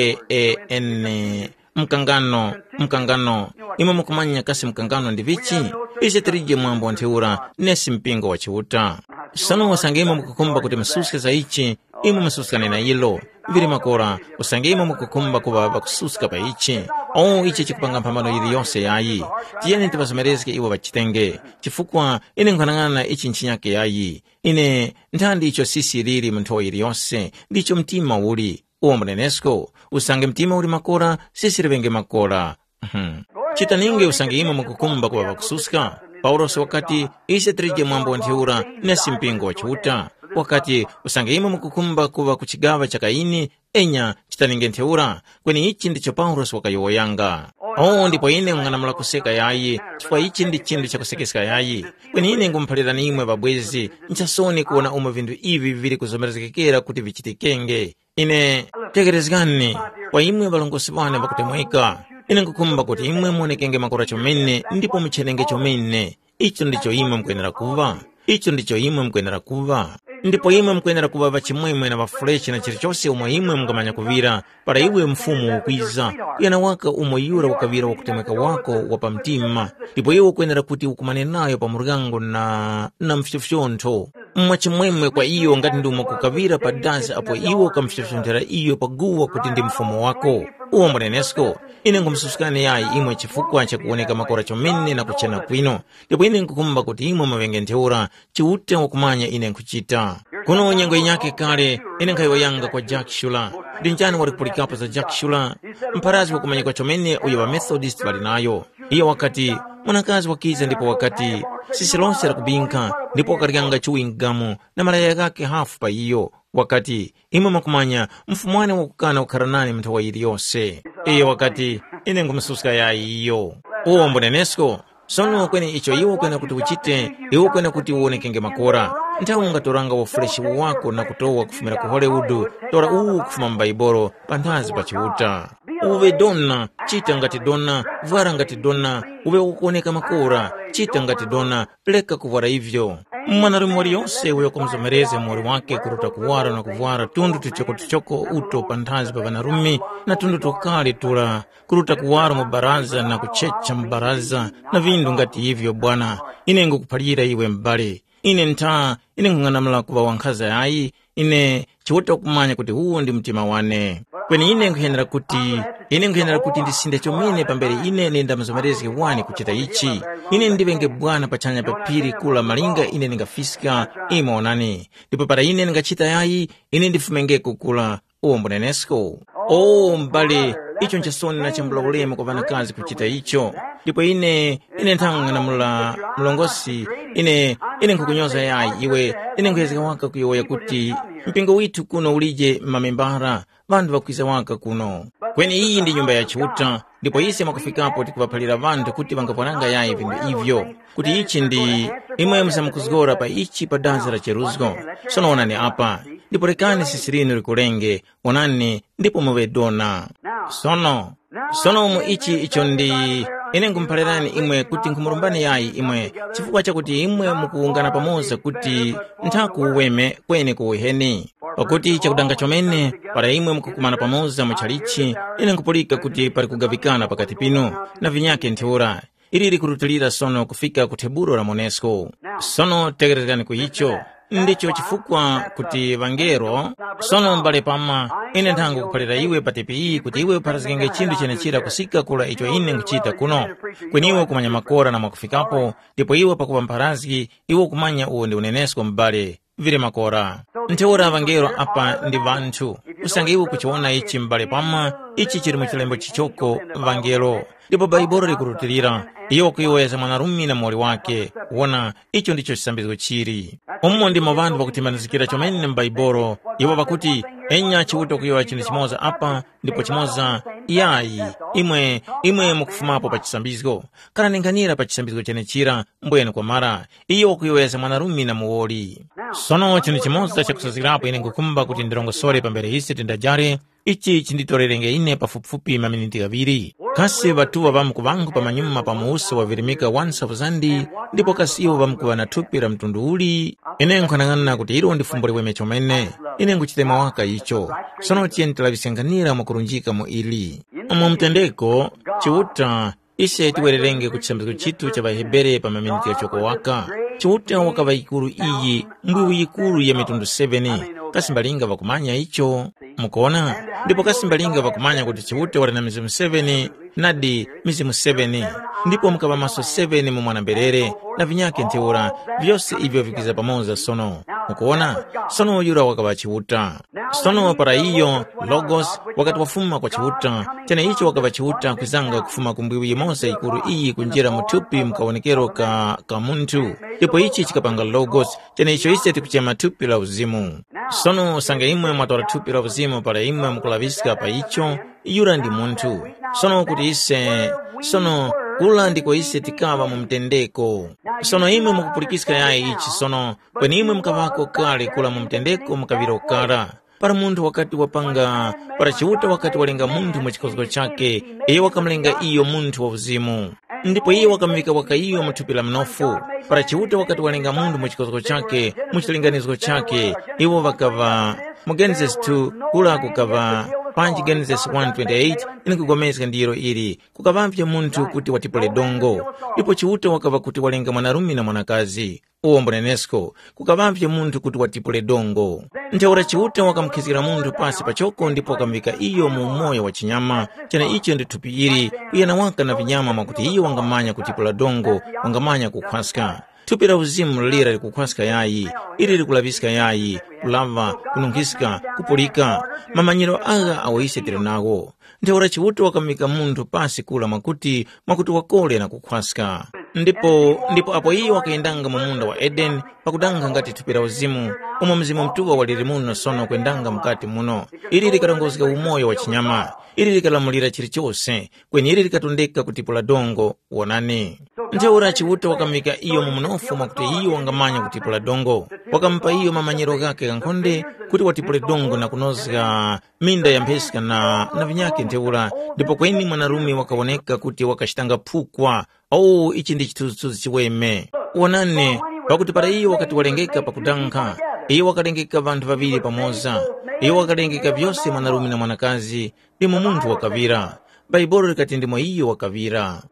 mukane, mkangano, mkangano. Imwe mukumanya kasi mkangano ndi vichi? Ise tilije mwambo ntheura nesi mpingo wa Chiuta. Sono usange imwe mukukhumba kuti mususke za ichi, imwe mususkane na ilo. Vili makora, usange imwe mukukhumba kuŵa ŵakususka pa ichi, o ichi chikupanga mphambano yiliyose yayi. Tiyeni tiŵazomerezge iwo ŵachitenge, chifukwa ine nkhanang'ana ichi nchinyake yayi. Ine nthandi icho sisi lili mu nthowa yiliyose, ndicho mtima uli. Uwo mbunenesko, usange mtima uli makora, sisi liŵenge makora. Mhm. Chitaninge usange imwe mukukhumba kuŵa ŵakususka. Paulosi wakati, ise tilije mwambo wa ntheura nesi mpingo wa Chiuta. Wakati, usange imwe mukukhumba kuŵa ku chigaŵa cha Kaini, enya, chitaninge ntheura, kweni ichi ndicho Paulosi wakayowoyanga. O, ndipo ine nkung'anamula kuseka yayi, chifukwa ichi ndi chinthu chakusekeska yayi. Kweni ine ngumuphalirani imwe ŵabwezi, nchasoni kuwona umo vinthu ivi vili kuzomerezgekera kuti vichitikenge. Ine, tekerezgani, kwa imwe ŵalongosi ŵane ŵakutemweka, ine nkukhumba kuti imwe muwonekenge makora chomene ndipo muchenenge chomene. Icho ndicho imwe mukwenera kuŵa. Icho ndicho imwe mukwenera kuŵa. Ndipo imwe mukwenera kuŵa ŵachimwemwe na ŵafulechi na chilichose umo imwe mungamanya kuŵira, para iwe Mfumu ukwiza, kuyana waka umo yura wakaŵira wakutemweka wako wa pa mtima, ndipo iwe ukwenera kuti ukumane nayo pa muryango na, na mfyofyontho. Mwachimwemwe kwa iyo ngati ndi umo kukaŵira pa dazi apo iwe ukamufyofyonthera iyo pa guwa kuti ndi Mfumu wako. Uwo mbunenesko, ine nkhumususkani yayi imwe chifukwa chakuwoneka makora chomene na kuchena kwino. Ndipo ine nkukhumba kuti imwe muŵenge ntheura, Chiuta wakumanya ine nkhuchita. Kuno nyengo yinyakhe kale, ine nkhayowoyanga kwa Jack Shula. Ndi njani wali kupulikapo za Jack Shula? Mpharazgi wakumanyika chomene uyo ŵaMethodist ŵali nayo. Iyo wakati, mwanakazi wakiza ndipo wakati, sisi lose lakubinkha, ndipo wakaryanga chuwingamu na malaya ghakhe hafu pa iyo. Wakati, imwe mwakumanya, mfumwane wakukana kukhara nane mu nthawa yiliyose. Iyo wakati, ine nkhumususka yayi iyo. Uwo mbunenesko. Sono kweni icho iwe ukwena kuti uchite, iwe ukwena kuti uwonekenge makora. Nthawi ungatoranga ufuleshi wako na kutowa kufumira ku Hollywood, tora uwu kufuma mu Baibolo, panthazi pa Chiuta. Uŵe dona, chita ngati dona, vwara ngati dona, uŵe ukuwoneka makora, chita ngati dona, reka kuvwara ivyo. Mwanarume waliyose uyo wakumzomerezga muwoli wake kuruta kuwara na kuvwara tundu tuchokotuchoko uto panthazi pa ŵanarume na tundu twakale tura, kuruta kuwara mu baraza na kuchecha mu baraza na vindu ngati ivyo bwana, ine ngukuphalira iwe m'bale. Ine ntha, ine nkhung'anamula kuŵa wankhaza yayi, ine Chiuta wakumanya kuti uwu ndi mtima wane. Kweni ine nkhuyenera kuti, ine nkhuyenera kuti ndisinde chomene pambere ine ndindamuzomerezge wani kuchita ichi. Ine ndiŵenge bwana pachanya pa phiri kula malinga ine ndingafiska, imwe onani. Ndipo para ine ndingachita yayi, ine ndifumengeko kula. Uwo mbunenesko. O m'bale, icho nchisoni na chambula ulemu kwa ŵanakazi kuchita icho. Ndipo ine, ine nthang'anamula mlongosi, ine, ine nkhukunyoza yayi iwe, ine nkhuyezeka waka kuyowoya kuti mpingo withu kuno ulije mamembara, ŵanthu ŵakwiza waka kuno. Kweni iyi ndi nyumba ya Chiuta, ndipo ise mwakufikapo tikuŵaphalira ŵanthu kuti ŵangapwananga yayi vinthu ivyo, kuti ichi ndi imwe musamukuzgora pa ichi pa dazi la cheruzgo. Sono onani apa, ndipo rekani sisi linu likulenge, onani, ndipo muŵe dona. Sono, sono mu ichi icho ndi, ine nkhumuphalirani imwe kuti nkhumulumbani yayi imwe, chifukwa chakuti imwe mukuwungana pamoza kuti nthaku uweme kweni ku uheni. Pakuti chakudanga chomene, para imwe mukukumana pamoza mu chalichi, ine nkupulika kuti pali kugaŵikana pakati pinu, na vinyakhe ntheura. Ili likurutilira sono kufika ku thebulo la monesko. Sono tekererani ku icho. Ndicho chifukwa kuti ŵangelo, sono m'bale pama, ine nthango kuphalira iwe pa tepi iyi kuti iwe upharazgenge chinthu chenechira kusika kula icho ine nkuchita kuno. Kweni iwe ukumanya makora na mwakufikapo, ndipo iwe pakuŵa mpharazgi, iwe ukumanya uwo ndi unenesko m'bale. Vili makora. Ntheura ŵangelo apa ndi ŵanthu. Usange iwe ukuchiwona ichi m'bale pama, ichi chili mu chilembo chichoko, vangelo. Ndipo Baibolo likurutilira, iyo wakuyowoyezga mwanarume na muwoli wake. Wona, icho ndicho chisambizgo chili. Umo ndimo ŵanthu ŵakutimbanizikira chomene mu Baibolo, iwo ŵakuti, enya Chiuta kuyowoya chinthu chimoza apa, ndipo chimoza, yayi, imwe, imwe mukufumapo pa chisambizgo. Kalaninganira pa chisambizgo chenechira, mbwene kwamara, iyo wakuyowoyezga mwanarume na muwoli. Sono chinthu chimoza chakusazgirapo ine nkukhumba kuti ndirongosore pambere ise tindajare, ichi chinditorerenge ine pafupifupi maminiti ghaŵiri. Kasi ŵatuŵa ŵamkuŵangu pamanyuma pa muwuso wavirimika wansapu zandi, ndipo kasi iwo ŵamkuŵa na thupi la mtundu uli? Ine nkhanang'ana kuti ilo ndi fumbo liweme chomene. Ine nguchitema waka icho. Sono tiyeni tilaŵiske nkhanira mwakurunjika mu ili. Mu mtendeko, Chiuta, ise tiwererenge ku chisambizgo chitu cha ŵaHebere pa maminiti ghachoko waka. Chiuta wakaŵa yikuru iyi, mbwiwu yikuru ya mitundu seven. Kasi mbalinga ŵakumanya icho? Mukuona? Ndipo kasi mbalinga ŵakumanya kuti Chiuta wali na mizimu seven, nadi mizimu seven, ndipo mukaŵa maso seven mu mwana-mberere, na vinyakhe ntheura, vyose ivyo vikiza pamoza sono. Mukuona? Sono yura wakaŵa Chiuta. Sono para iyo, Logos, wakati wafuma kwa Chiuta, cheneicho wakaŵa Chiuta kwizanga kufuma ku mbwiwu yimoza yikuru iyi kunjira mu thupi mu kawonekero ka, ka munthu. Ndipo ichi chikapanga Logos, cheneicho ise tikuchema thupi la uzimu. Sono usange imwe mwatora thupi la uzimu para imwe mukulaŵiska pa icho, yura ndi munthu. Sono kuti ise, sono kula ndiko ise tikaŵa mu mtendeko. Sono imwe mukupulikiska yayi ichi sono, kweni imwe mukaŵako kale kula mu mtendeko mukaŵiro kara. Para munthu wakati wapanga, para Chiuta wakati walenga munthu mu chikozgo chakhe, iyo wakamulenga iyo munthu wa uzimu. Ndipo iye wakamuŵika waka iyo mu thupi la mnofu. Para Chiuta wakati walenga munthu mu chikozgo chakhe, mu chilinganizo chakhe, iwo ŵakaŵa mu Genesis two, kula kukaŵa, panji Genesis one twenty-eight, ine nkupulikana ndiro ili, kukaŵavye munthu kuti watipule dongo. Ndipo Chiuta wakaŵa kuti walenga mwanarume na mwanakazi. Uwo mbunenesko, kukaŵavye munthu kuti watipule dongo. Ntheura Chiuta wakamukhizgira munthu pasi pachoko ndipo wakamuŵika iyo mu umoyo wa chinyama, cheneicho ndi thupi ili, kuyana waka na vinyama mwakuti iyo wangamanya kutipula dongo, wangamanya kukhwaska. Thupi la uzimu lira likukhwaska yayi, ili likulaŵiska yayi, kulaŵa, kununkhiska, kupulika. Mamanyiro agha awo ise tili nawo. Ntheura Chiuta wakamuŵika munthu pasi kula mwakuti, mwakuti wakole na kukhwaska. Ndipo, ndipo apo iyo wakayendanga mu munda wa Edeni, pakudanga ngati thupi la uzimu, umo Mzimu Mutuŵa waliri muno sono kwendanga mukati muno, ili likarongozga umoyo wa chinyama, ili likalamulira chilichose, kweni ili likatondeka kutipula dongo. Wonani. Ntheura Chiuta wakamuŵika iyo mu mnofu mwakuti iyo wangamanya kutipula dongo. Wakamupa iyo mamanyiro ghakhe ghankhonde kuti watipule dongo na kunozga minda ya mpheska na, na vinyakhe ntheura, ndipo kweni mwanarume wakawoneka kuti wakachitanga phukwa. Oh, ichi ndi chithunzithunzi chiweme. Wonani, pakuti para iyo wakati walengeka pakudankha, iyo wakalengeka ŵanthu ŵaŵiri pamoza. Iyo wakalengeka vyose mwanarume na mwanakazi, ndimo munthu wakaŵira. Bhaibuli likati ndimo iyo wakaŵira.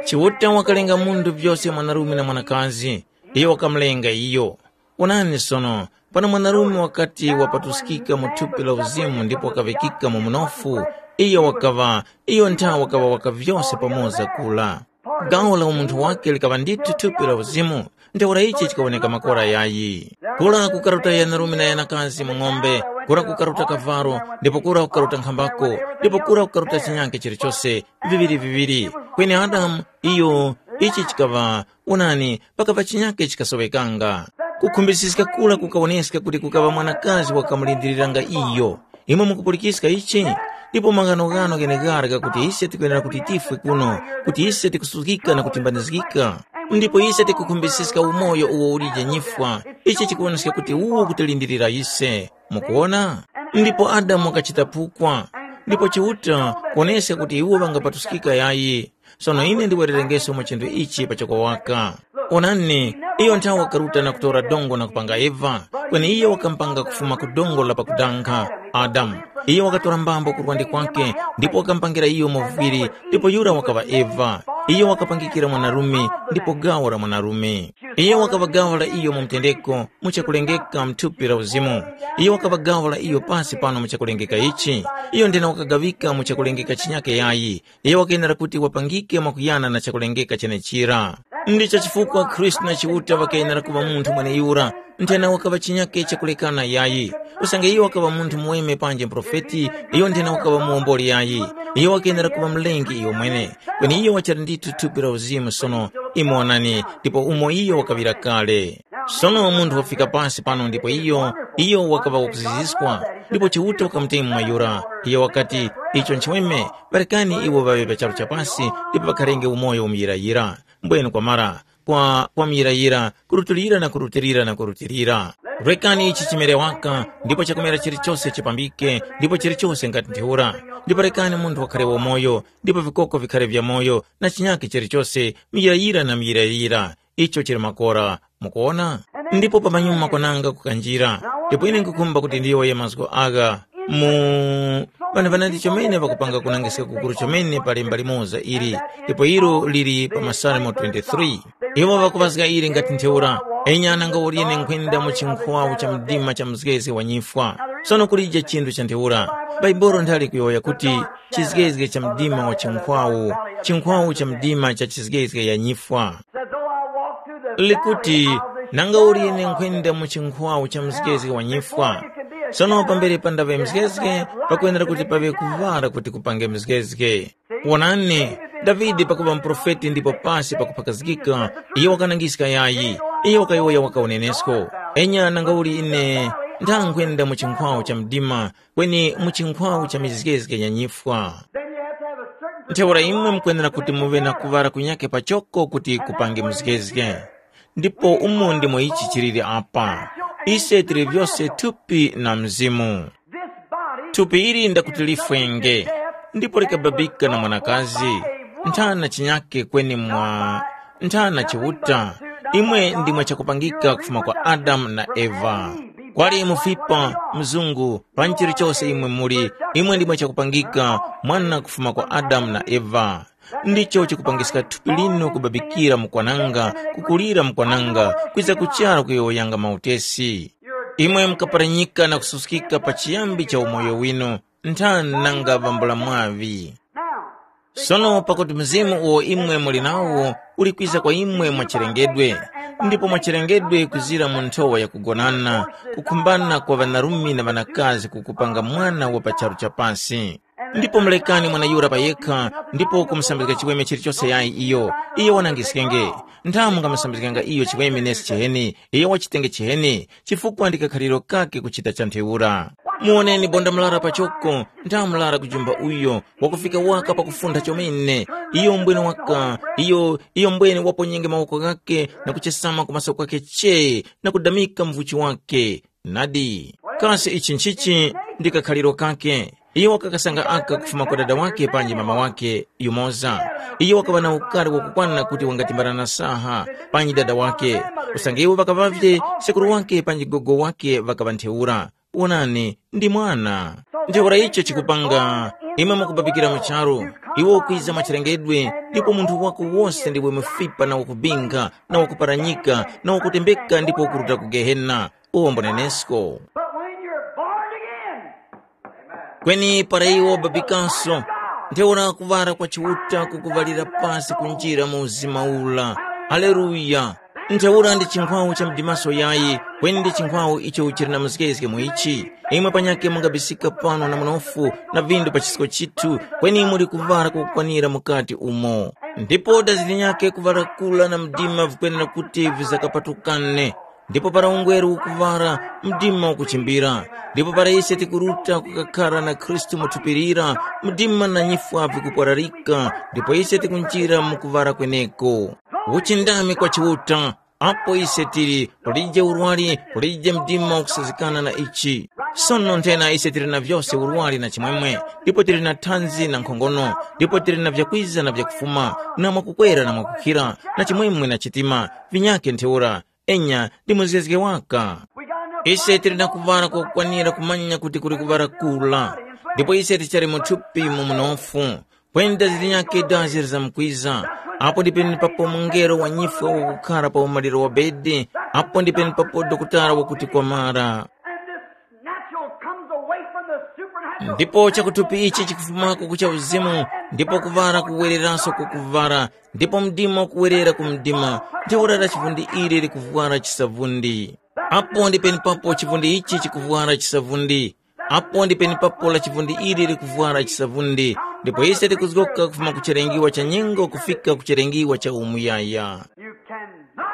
Chiuta wakalenga munthu vyose mwanarume na mwanakazi, iyo wakamulenga iyo. Wonani sono, pano mwanarume wakati wapatuskika mu thupi la uzimu ndipo wakaŵikika mu mnofu, iyo wakaŵa, iyo nthawe wakaŵa waka vyose pamoza kula. Gawo la umunthu wake likaŵa ndithu thupi la uzimu, ntheura ichi chikawoneka makora yayi. Kura kukaruta yanarume na yanakazi mu ng'ombe, kura kukaruta kavalo, ndipo kura kukaruta nkhambako, ndipo kura kukaruta chinyake chilichose, viŵiri-viŵiri. Kweni Adamu, iyo, ichi chikaŵa, wonani, pakava chinyake chikasowekanga. Kukhumbisiska kura kukawoneska kuti kukaŵa mwanakazi wakamulindiriranga iyo. Imwe mukupulikiska ichi? Ndipo maghanoghano gheneghara ghakuti ise tikwenera kuti tifwe kuno, kuti ise tikusuzgika na kutimbanizgika. Ndipo ise tikukhumbisiska umoyo uwo ulije nyifwa, ichi chikuwoneska kuti uwo ukutilindilira ise. Mukuwona? Ndipo Adamu wakachita phukwa. Ndipo Chiuta kuwoneska kuti iwo ŵangapatuskika yayi. Sono ine ndiwererengeso mu chinthu ichi pachoko waka. Onani, iyo nthawe wakaruta na kutora dongo na kupanga Eva, kweni iyo wakamupanga kufuma ku dongo la pakudankha, Adamu. Iyo wakatora mbambo ku lwande kwake, ndipo wakamupangira iyo muvwiri, ndipo yura wakaŵa Eva. Iyo wakapangikira mwanarume, ndipo gawo la mwanarume. Iyo wakaŵa gawo la iyo mu mtendeko, mu chakulengeka mu thupi la uzimu. Iyo wakaŵa gawo la iyo pasi pano mu chakulengeka ichi. Iyo ndena wakagawika mu chakulengeka chinyake yayi. Iyo wakayenera kuti wapangike mwakuyana na chakulengeka chenechira. Ndicho chifukwa Khristu na Chiuta ŵakayenera kuŵa munthu mweneyura, nthena wakaŵa chinyake chakulekana yayi. Usange iyo wakaŵa munthu muweme panji muprofeti, iyo nthena wakaŵa muwomboli yayi. Iyo wakenera kuŵa mlengi iyo mwene. Kweni iyo wachali ndithu thupi la uzimu sono. Imwe wonani, ndipo umo iyo wakaŵira kale. Sono munthu wafika pasi pano ndipo iyo, iyo wakaŵa wakuziziskwa, ndipo Chiuta wakamutema mwayura. Iyo wakati, icho nchiweme, ŵarekani iwo ŵaŵe pa charu cha pasi, ndipo ŵakharenge umoyo umuyirayira. Mbwenu kwamara, kwa, kwa muyirayira, kurutilira na kurutilira na kurutilira. Rekani ichi chimere waka, ndipo chakumera chilichose chipambike, ndipo chilichose ngati ntheura. Ndipo rekani munthu wakhare wamoyo, ndipo vikoko vikhare vya moyo, na chinyakhe chilichose, muyirayira na muyirayira. Icho chili makora. Mukuona? Ndipo pamanyuma kwananga kukanjira. Ndipo ine nkukhumba kuti ndiyowoye mazgu agha mu ŵana ŵanandi chomene ŵakupanga kunangiska kukuru chomene pa lemba limoza ili, ndipo ilo lili pa Masalmo twenty-three. Iwo ŵakuŵazga ili ngati ntheura, enya nanga ulyene nkhwenda mu chinkhwawu cha mdima cha mzgezge wa nyifwa. Sono kulije chinthu cha ntheura. Bhaibuli nthali kuyowoya kuti chizgezge cha mdima wa chinkhwawu, chinkhwawu cha mdima cha chizgezge ya nyifwa. Said, though I walk through the likuti valley of the nanga uli ine nkhwenda mu chinkhwawu cha mzgezge wa nyifwa. Sono pambere pandaŵe mzgezge, pakwenera kuti paŵe kuŵala kuti kupange mzgezge. Wonani, davide pakuŵa muprofeti ndipo pasi pakuphakazgika, iyo wakanangiska yayi. Iyo wakayowoya waka unenesko. Enya nanga uli ine, nthankhwenda mu chinkhwawu cha mdima, kweni mu chinkhwawu cha mizgezge ya nyifwa. Then you have to have a certain ntheura imwe mukwenera kuti muŵe na kuŵala kunyake pachoko kuti kupange mzgezge. Ndipo umo ndimo ichi chiliri apa. Ise tili vyose thupi na mzimu. This body thupi ili ndakuti lifwenge, ndipo likababika na mwanakazi. Nthana chinyake kweni mwa nthana chiuta. Imwe ndimwe chakupangika kufuma kwa adamu na eva. Kwali mufipa, mzungu, panji chilichose imwe muli, imwe ndimwe chakupangika mwana kufuma kwa adamu na eva. Ndicho chikupangiska thupi linu kubabikira mukwananga, kukulira mukwananga, kwiza kuchara kuyowoyanga mautesi. Imwe mukaparanyika na kususkika pa chiyambi cha umoyo winu, nthani nanga vambula mwaŵi. Sono pakuti mzimu uwo imwe muli nawo uli kwiza kwa imwe mwachilengedwe, ndipo mwachilengedwe kuzira mu nthowa yakugonana, kukhumbana kwa ŵanarume na ŵanakazi kukupanga mwana wa pa charu cha pasi. Ndipo mulekani mwana yura pa yekha, ndipo kumusambizga chiweme chilichose yayi iyo, iyo wanangiskenge. Nthamu ngamusambizganga iyo chiweme nesi chiheni, iyo wachitenge chiheni, chifukwa ndi kakhaliro kake kuchita cha ntheura. Muwoneni bonda mlara pachoko, nthamu mlara kujumba uyo, wakufika waka pakufuntha chomene. Iyo mbwene waka, iyo, iyo mbwene waponyenge mawoko ghake na kuchesama kumaso kwake chee, na kudamika mvuchi wake. Nadi, kasi ichi nchichi ndi kakhaliro kake? Iyo wakakasanga aka kufuma kwa dada wake panji mama wake yumoza. Iyo wakaŵa na ukari wakukwana kuti wangatimbarana saha panji dada wake. Usange iwo ŵakaŵavye, sekuru wake panji gogo wake ŵakaŵa ntheura. Wonani, ndi mwana. Ntheura icho chikupanga, imwe mukubabikira mu charu, iwo ukwiza mwachilengedwe, ndipo munthu wako wose ndiwe mufipa na wakubinga na wakuparanyika na wakutembeka ndipo ukuruta ku gehena. Uwombo nenesko. But when you're born again, kweni para iwo babikanso, ntheura kuŵala kwa Chiuta kukuŵalira pasi kunjira mu uzima ula. Haleluya. Ntheura ndi chinkhwawu cha mdimaso yayi, kweni ndi chinkhwawu icho chili na mzgezge mu ichi. Imwe panyakhe mungabisika pano na munofu na vindu pa chisko chithu, kweni muli kuŵala kwakukwanira mukati umo. Ndipo dazi linyakhe kuŵala kula na mdima vikwenera kuti vizakapatukane. Ndipo para ungweru ukuŵara, mdima ukuchimbira. Ndipo para ise tikuruta kukakhara na Khristu mu thupi lira, mdima na nyifwa vikupwararika, ndipo ise tikunjira mu kuŵara kweneko. Uchindami kwa Chiuta, apo ise tili, kulije urwari, kulije mdima ukusazikana na ichi. Sono nthena ise tili na vyose urwari na chimwemwe, ndipo tili na thanzi na nkhongono, ndipo tili na vyakwiza na vyakufuma, na mwakukwera na mwakukhira, na chimwemwe na chitima, vinyakhe ntheura, enya ndi muzgezge waka. Ise tili na kuŵala kwakukwanira kumanya kuti kuli kuŵala kula, ndipo ise tichali mu thupi mu munofu, kwenda zilinyakhe dazi lizamkwiza. Apo ndi penepapo mungelo wa nyifwa wakukhara pa umaliro wa bedi, apo ndi penepapo dokotala wakuti kwamara. And this natural comes away from the supernatural. Ndipo chakuthupi ichi chikufumako kucha uzimu, ndipo kuŵala kuwereranso ku kuŵala, ndipo mdima ukuwerera ku mdima, ntheura chivundi ili likuvwara chisavundi. Apo ndi penepapo chivundi ichi chikuvwara chisavundi. Apo ndi penepapo la chivundi ili likuvwara chisavundi. Ndipo ise tikuzgoka kufuma ku chilengiwa cha nyengo kufika ku chilengiwa cha umuyaya.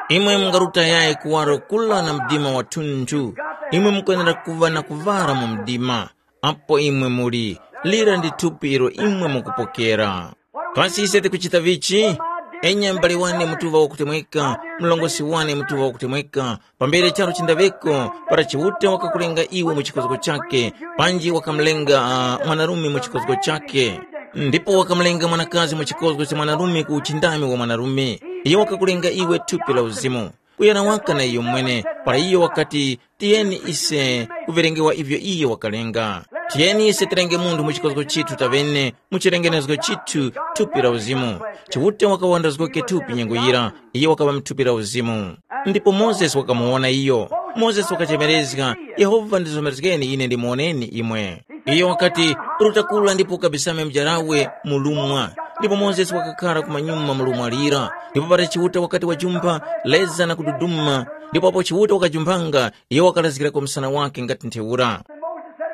Imwe mungarutayayi kuwaro kula na mdima wathunthu. Imwe mukwenera kuŵa na kuvara mu mdima. Apo imwe muli, lira ndi thupi ilo imwe mukupokera. Kasi ise tikuchita vichi? Enya m'bale wane mutuŵa wakutemweka, mlongosi wane mutuŵa wakutemweka, pambere charu chindaŵeko, para Chiuta wakakulenga iwe mu chikozgo chake, panji wakamulenga uh, mwanarume mu chikozgo chake, ndipo wakamulenga mwanakazi mu chikozgo cha mwanarume ku uchindami wa mwanarume, iyo wakakulenga iwe thupi la uzimu. Kuyana waka na iyo mwene, para iyo wakati, tiyeni ise kuverengewa ivyo iye wakalenga. Tiyeni ise tirenge munthu mu chikozgo chithu taŵene, mu chilengenezgo chithu thupi la uzimu. Chiuta wakawandazgoke thupi nyengo yira, iye wakaŵa mu thupi la uzimu. Ndipo Mozesi wakamuwona iyo. Mozesi wakachemerezga, Yehova ndizomerezgeni ine ndimuwoneni imwe. Iyo wakati, ruta kula ndipo ukabisame mjarawe mu lumwa. Ndipo Mozesi wakakhara kumanyuma mu lumwa lira. Ndipo para Chiuta wakati wajumpha, leza na kududuma. Ndipo apo Chiuta wakajumpanga, iyo wakalazgirako msana wake ngati ntheura.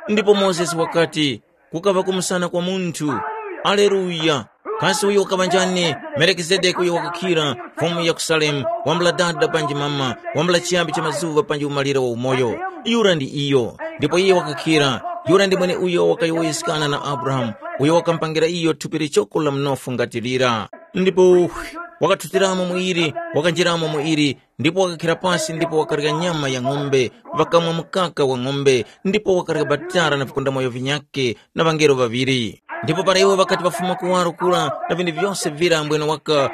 Ndipo Mozesi wakati, kukaŵa kumusana kwa munthu. Aleluya! Kasi uyo wakaŵa njani? Melikizedeki uyo wakakhira, mfumu ya ku Salemu, wambula dada panji mama, wambula chiyambi cha mazuŵa panji umaliro wa umoyo. Yura ndi iyo. Ndipo iye wakakhira. Yura ndi mweneuyo wakayowoyeskana na Abrahamu, uyo wakamupangira iyo thupi lichoko la mnofu ngati lira. Ndipo wakathutiramo mu ili, wakanjiramo mu ili, ndipo wakakhira pasi ndipo wakarya nyama ya ng'ombe, ŵakamwa mukaka wa ng'ombe, ndipo wakarya batara na vikundamoyo vinyakhe na ŵangelo ŵaŵiri. Ndipo para iwo ŵakati ŵafuma kuwaro kura na vinthu vyose vira ambwene waka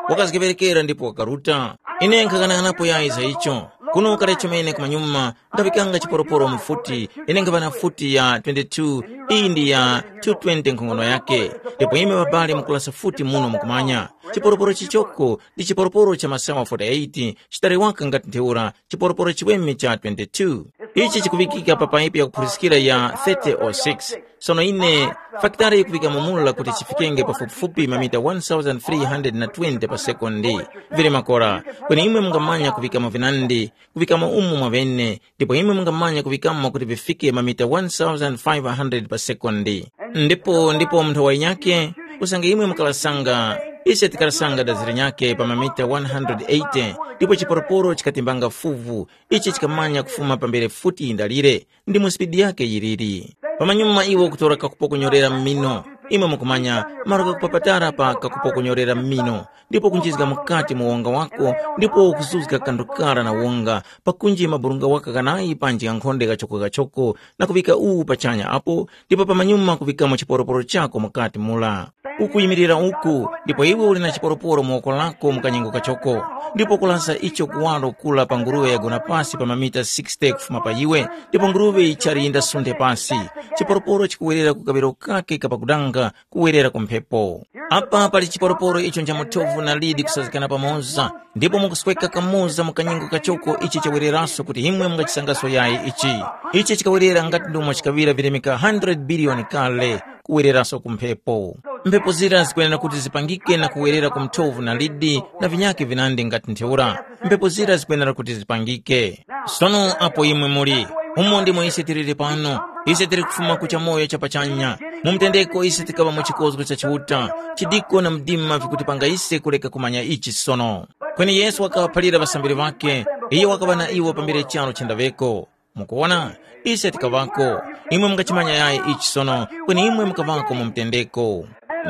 wakazgeŵerekera ndipo wakaruta. Ine nkhaghanaghanapo yayi za icho. Kuno kale chomene kumanyuma ndaŵikanga chiporoporo mu futi, ine nkhaŵa na futi ya twenty-two, iyi ndi ya two twenty nkhongono yake. Ndipo imwe ŵabale mukulasa futi muno mukumanya. Chiporoporo chichoko ndi chiporoporo cha masawa forty-eight, chitali waka ngati ntheura chiporoporo chiweme cha twenty-two. Ichi chikuŵikika pa paipi yakuphuriskira ya thirty oh six. Sono ine, fakitale yikuŵikamo mula kuti chifikenge pafupifupi mamita one thousand three hundred na twenty pa sekondi. Vili makora, kweni imwe mungamanya kuŵikamo vinandi, kuŵikamo umo mwavene, ndipo imwe mungamanya kuŵikamo kuti vifike mamita one thousand five hundred pa sekondi. Ndipo ndipo munthu wa inyake, usange imwe mukalasanga, ise tikalasanga dazi linyakhe pa mamita one hundred eighty, ndipo chiporoporo chikatimbanga fuvu, ichi chikamanya kufuma pambere futi yindalire, ndimo spidi yake yiliri. Pamanyuma iwe ukutora kakupokonyorera mmino, imwe mukumanya, malo kakupapatara pa kakupokonyorera mmino, ndipo kunjizga mukati mu wonga wako, ndipo ukuzuzga kanthu kara na wonga, pakunji maburunga waka kanayi panji ghankhonde ghachoko-ghachoko, na kuŵika uwu pachanya apo, ndipo pamanyuma kuŵikamo chiporoporo chako mukati mula. Ukuyimirira uku, ndipo iwe uli na chiporoporo mu woko lako mu kanyengo kachoko, ndipo kulasa icho kuwaro kula pa nguruwe yagona pasi pa mamita sixty kufuma pa iwe, ndipo nguruwe yichali yindasunthe pasi. Chiporoporo chikuwerera ku kaŵiro kake kapakudanga, kuwerera ku mphepo. Apa pali chiporoporo icho nchamuthovu na lidi kusazikana pamoza, ndipo mukusweka kamoza mu kanyengo kachoko ichi chawereraso kuti imwe mungachisangaso yayi ichi. Ichi chikawerera ngati ndomwe chikaŵira vilemeka one hundred biliyoni kale, kuwereraso ku mphepo. Mphepo zira zikwenera kuti zipangike na kuwerera ku mthovu na lidi na vinyakhe vinandi ngati ntheura. Mphepo zira zikwenera kuti zipangike. Sono apo imwe muli, umo ndimo ise tiliri pano. Ise tili kufuma ku chamoyo chapachanya. Mu mtendeko ise tikaŵa mu chikozgo cha Chiuta. Chidiko na mdima vikutipanga ise kureka kumanya ichi sono. Kweni Yesu wakaŵaphalira ŵasambiri ŵakhe, iyo wakaŵa na iwo pambere charo chendaŵeko. Mukuwona, ise tikaŵako. Imwe mungachimanya yayi ichi sono, kweni imwe mukaŵako mu mtendeko.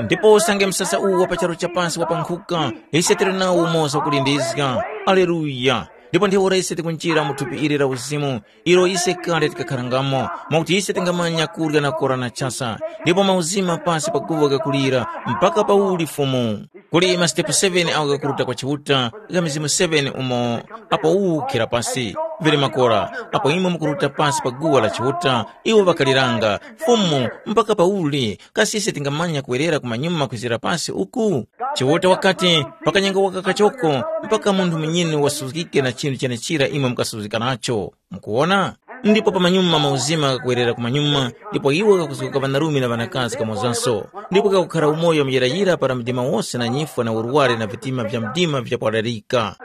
Ndipo usange msasa uwu wa pa charu cha pansi wapankhuka, ise tili nawo umoza wakulindizga. Aleluya! Ndipo ntheura ise tikunjira mu thupi ili la uzimu, ilo ise kale tikakharangamo, mwakuti ise tingamanya kurya na kora na chasa, ndipo mauzima pasi pa guwa ghakulira, mpaka pauli Fumu. Kuli masitepu seven agho ghakuruta kwa Chiuta, gha mizimu seven umo apo uwu ukhera pasi. Vili makora, apo imwe mukuruta pasi pa guwa la Chiuta, iwo ŵakaliranga, Fumu, mpaka pauli, kasi ise tingamanya kuwerera kumanyuma kwizira pasi uku? Chiuta wakati, pakanyengo waka kachoko, mpaka munthu munyini wasuzgike na chinthu chenechira imwe mukasuzgika nacho. Mukuwona? Ndipo pamanyuma mauzima ghakuwerera kumanyuma, ndipo iwo ghakuzgoka ŵanarume na ŵanakazi kamozanso, ndipo ghakukhara umoyo muyirayira para mdima wose na nyifwa na urwari na vitima vya mdima vyapararika.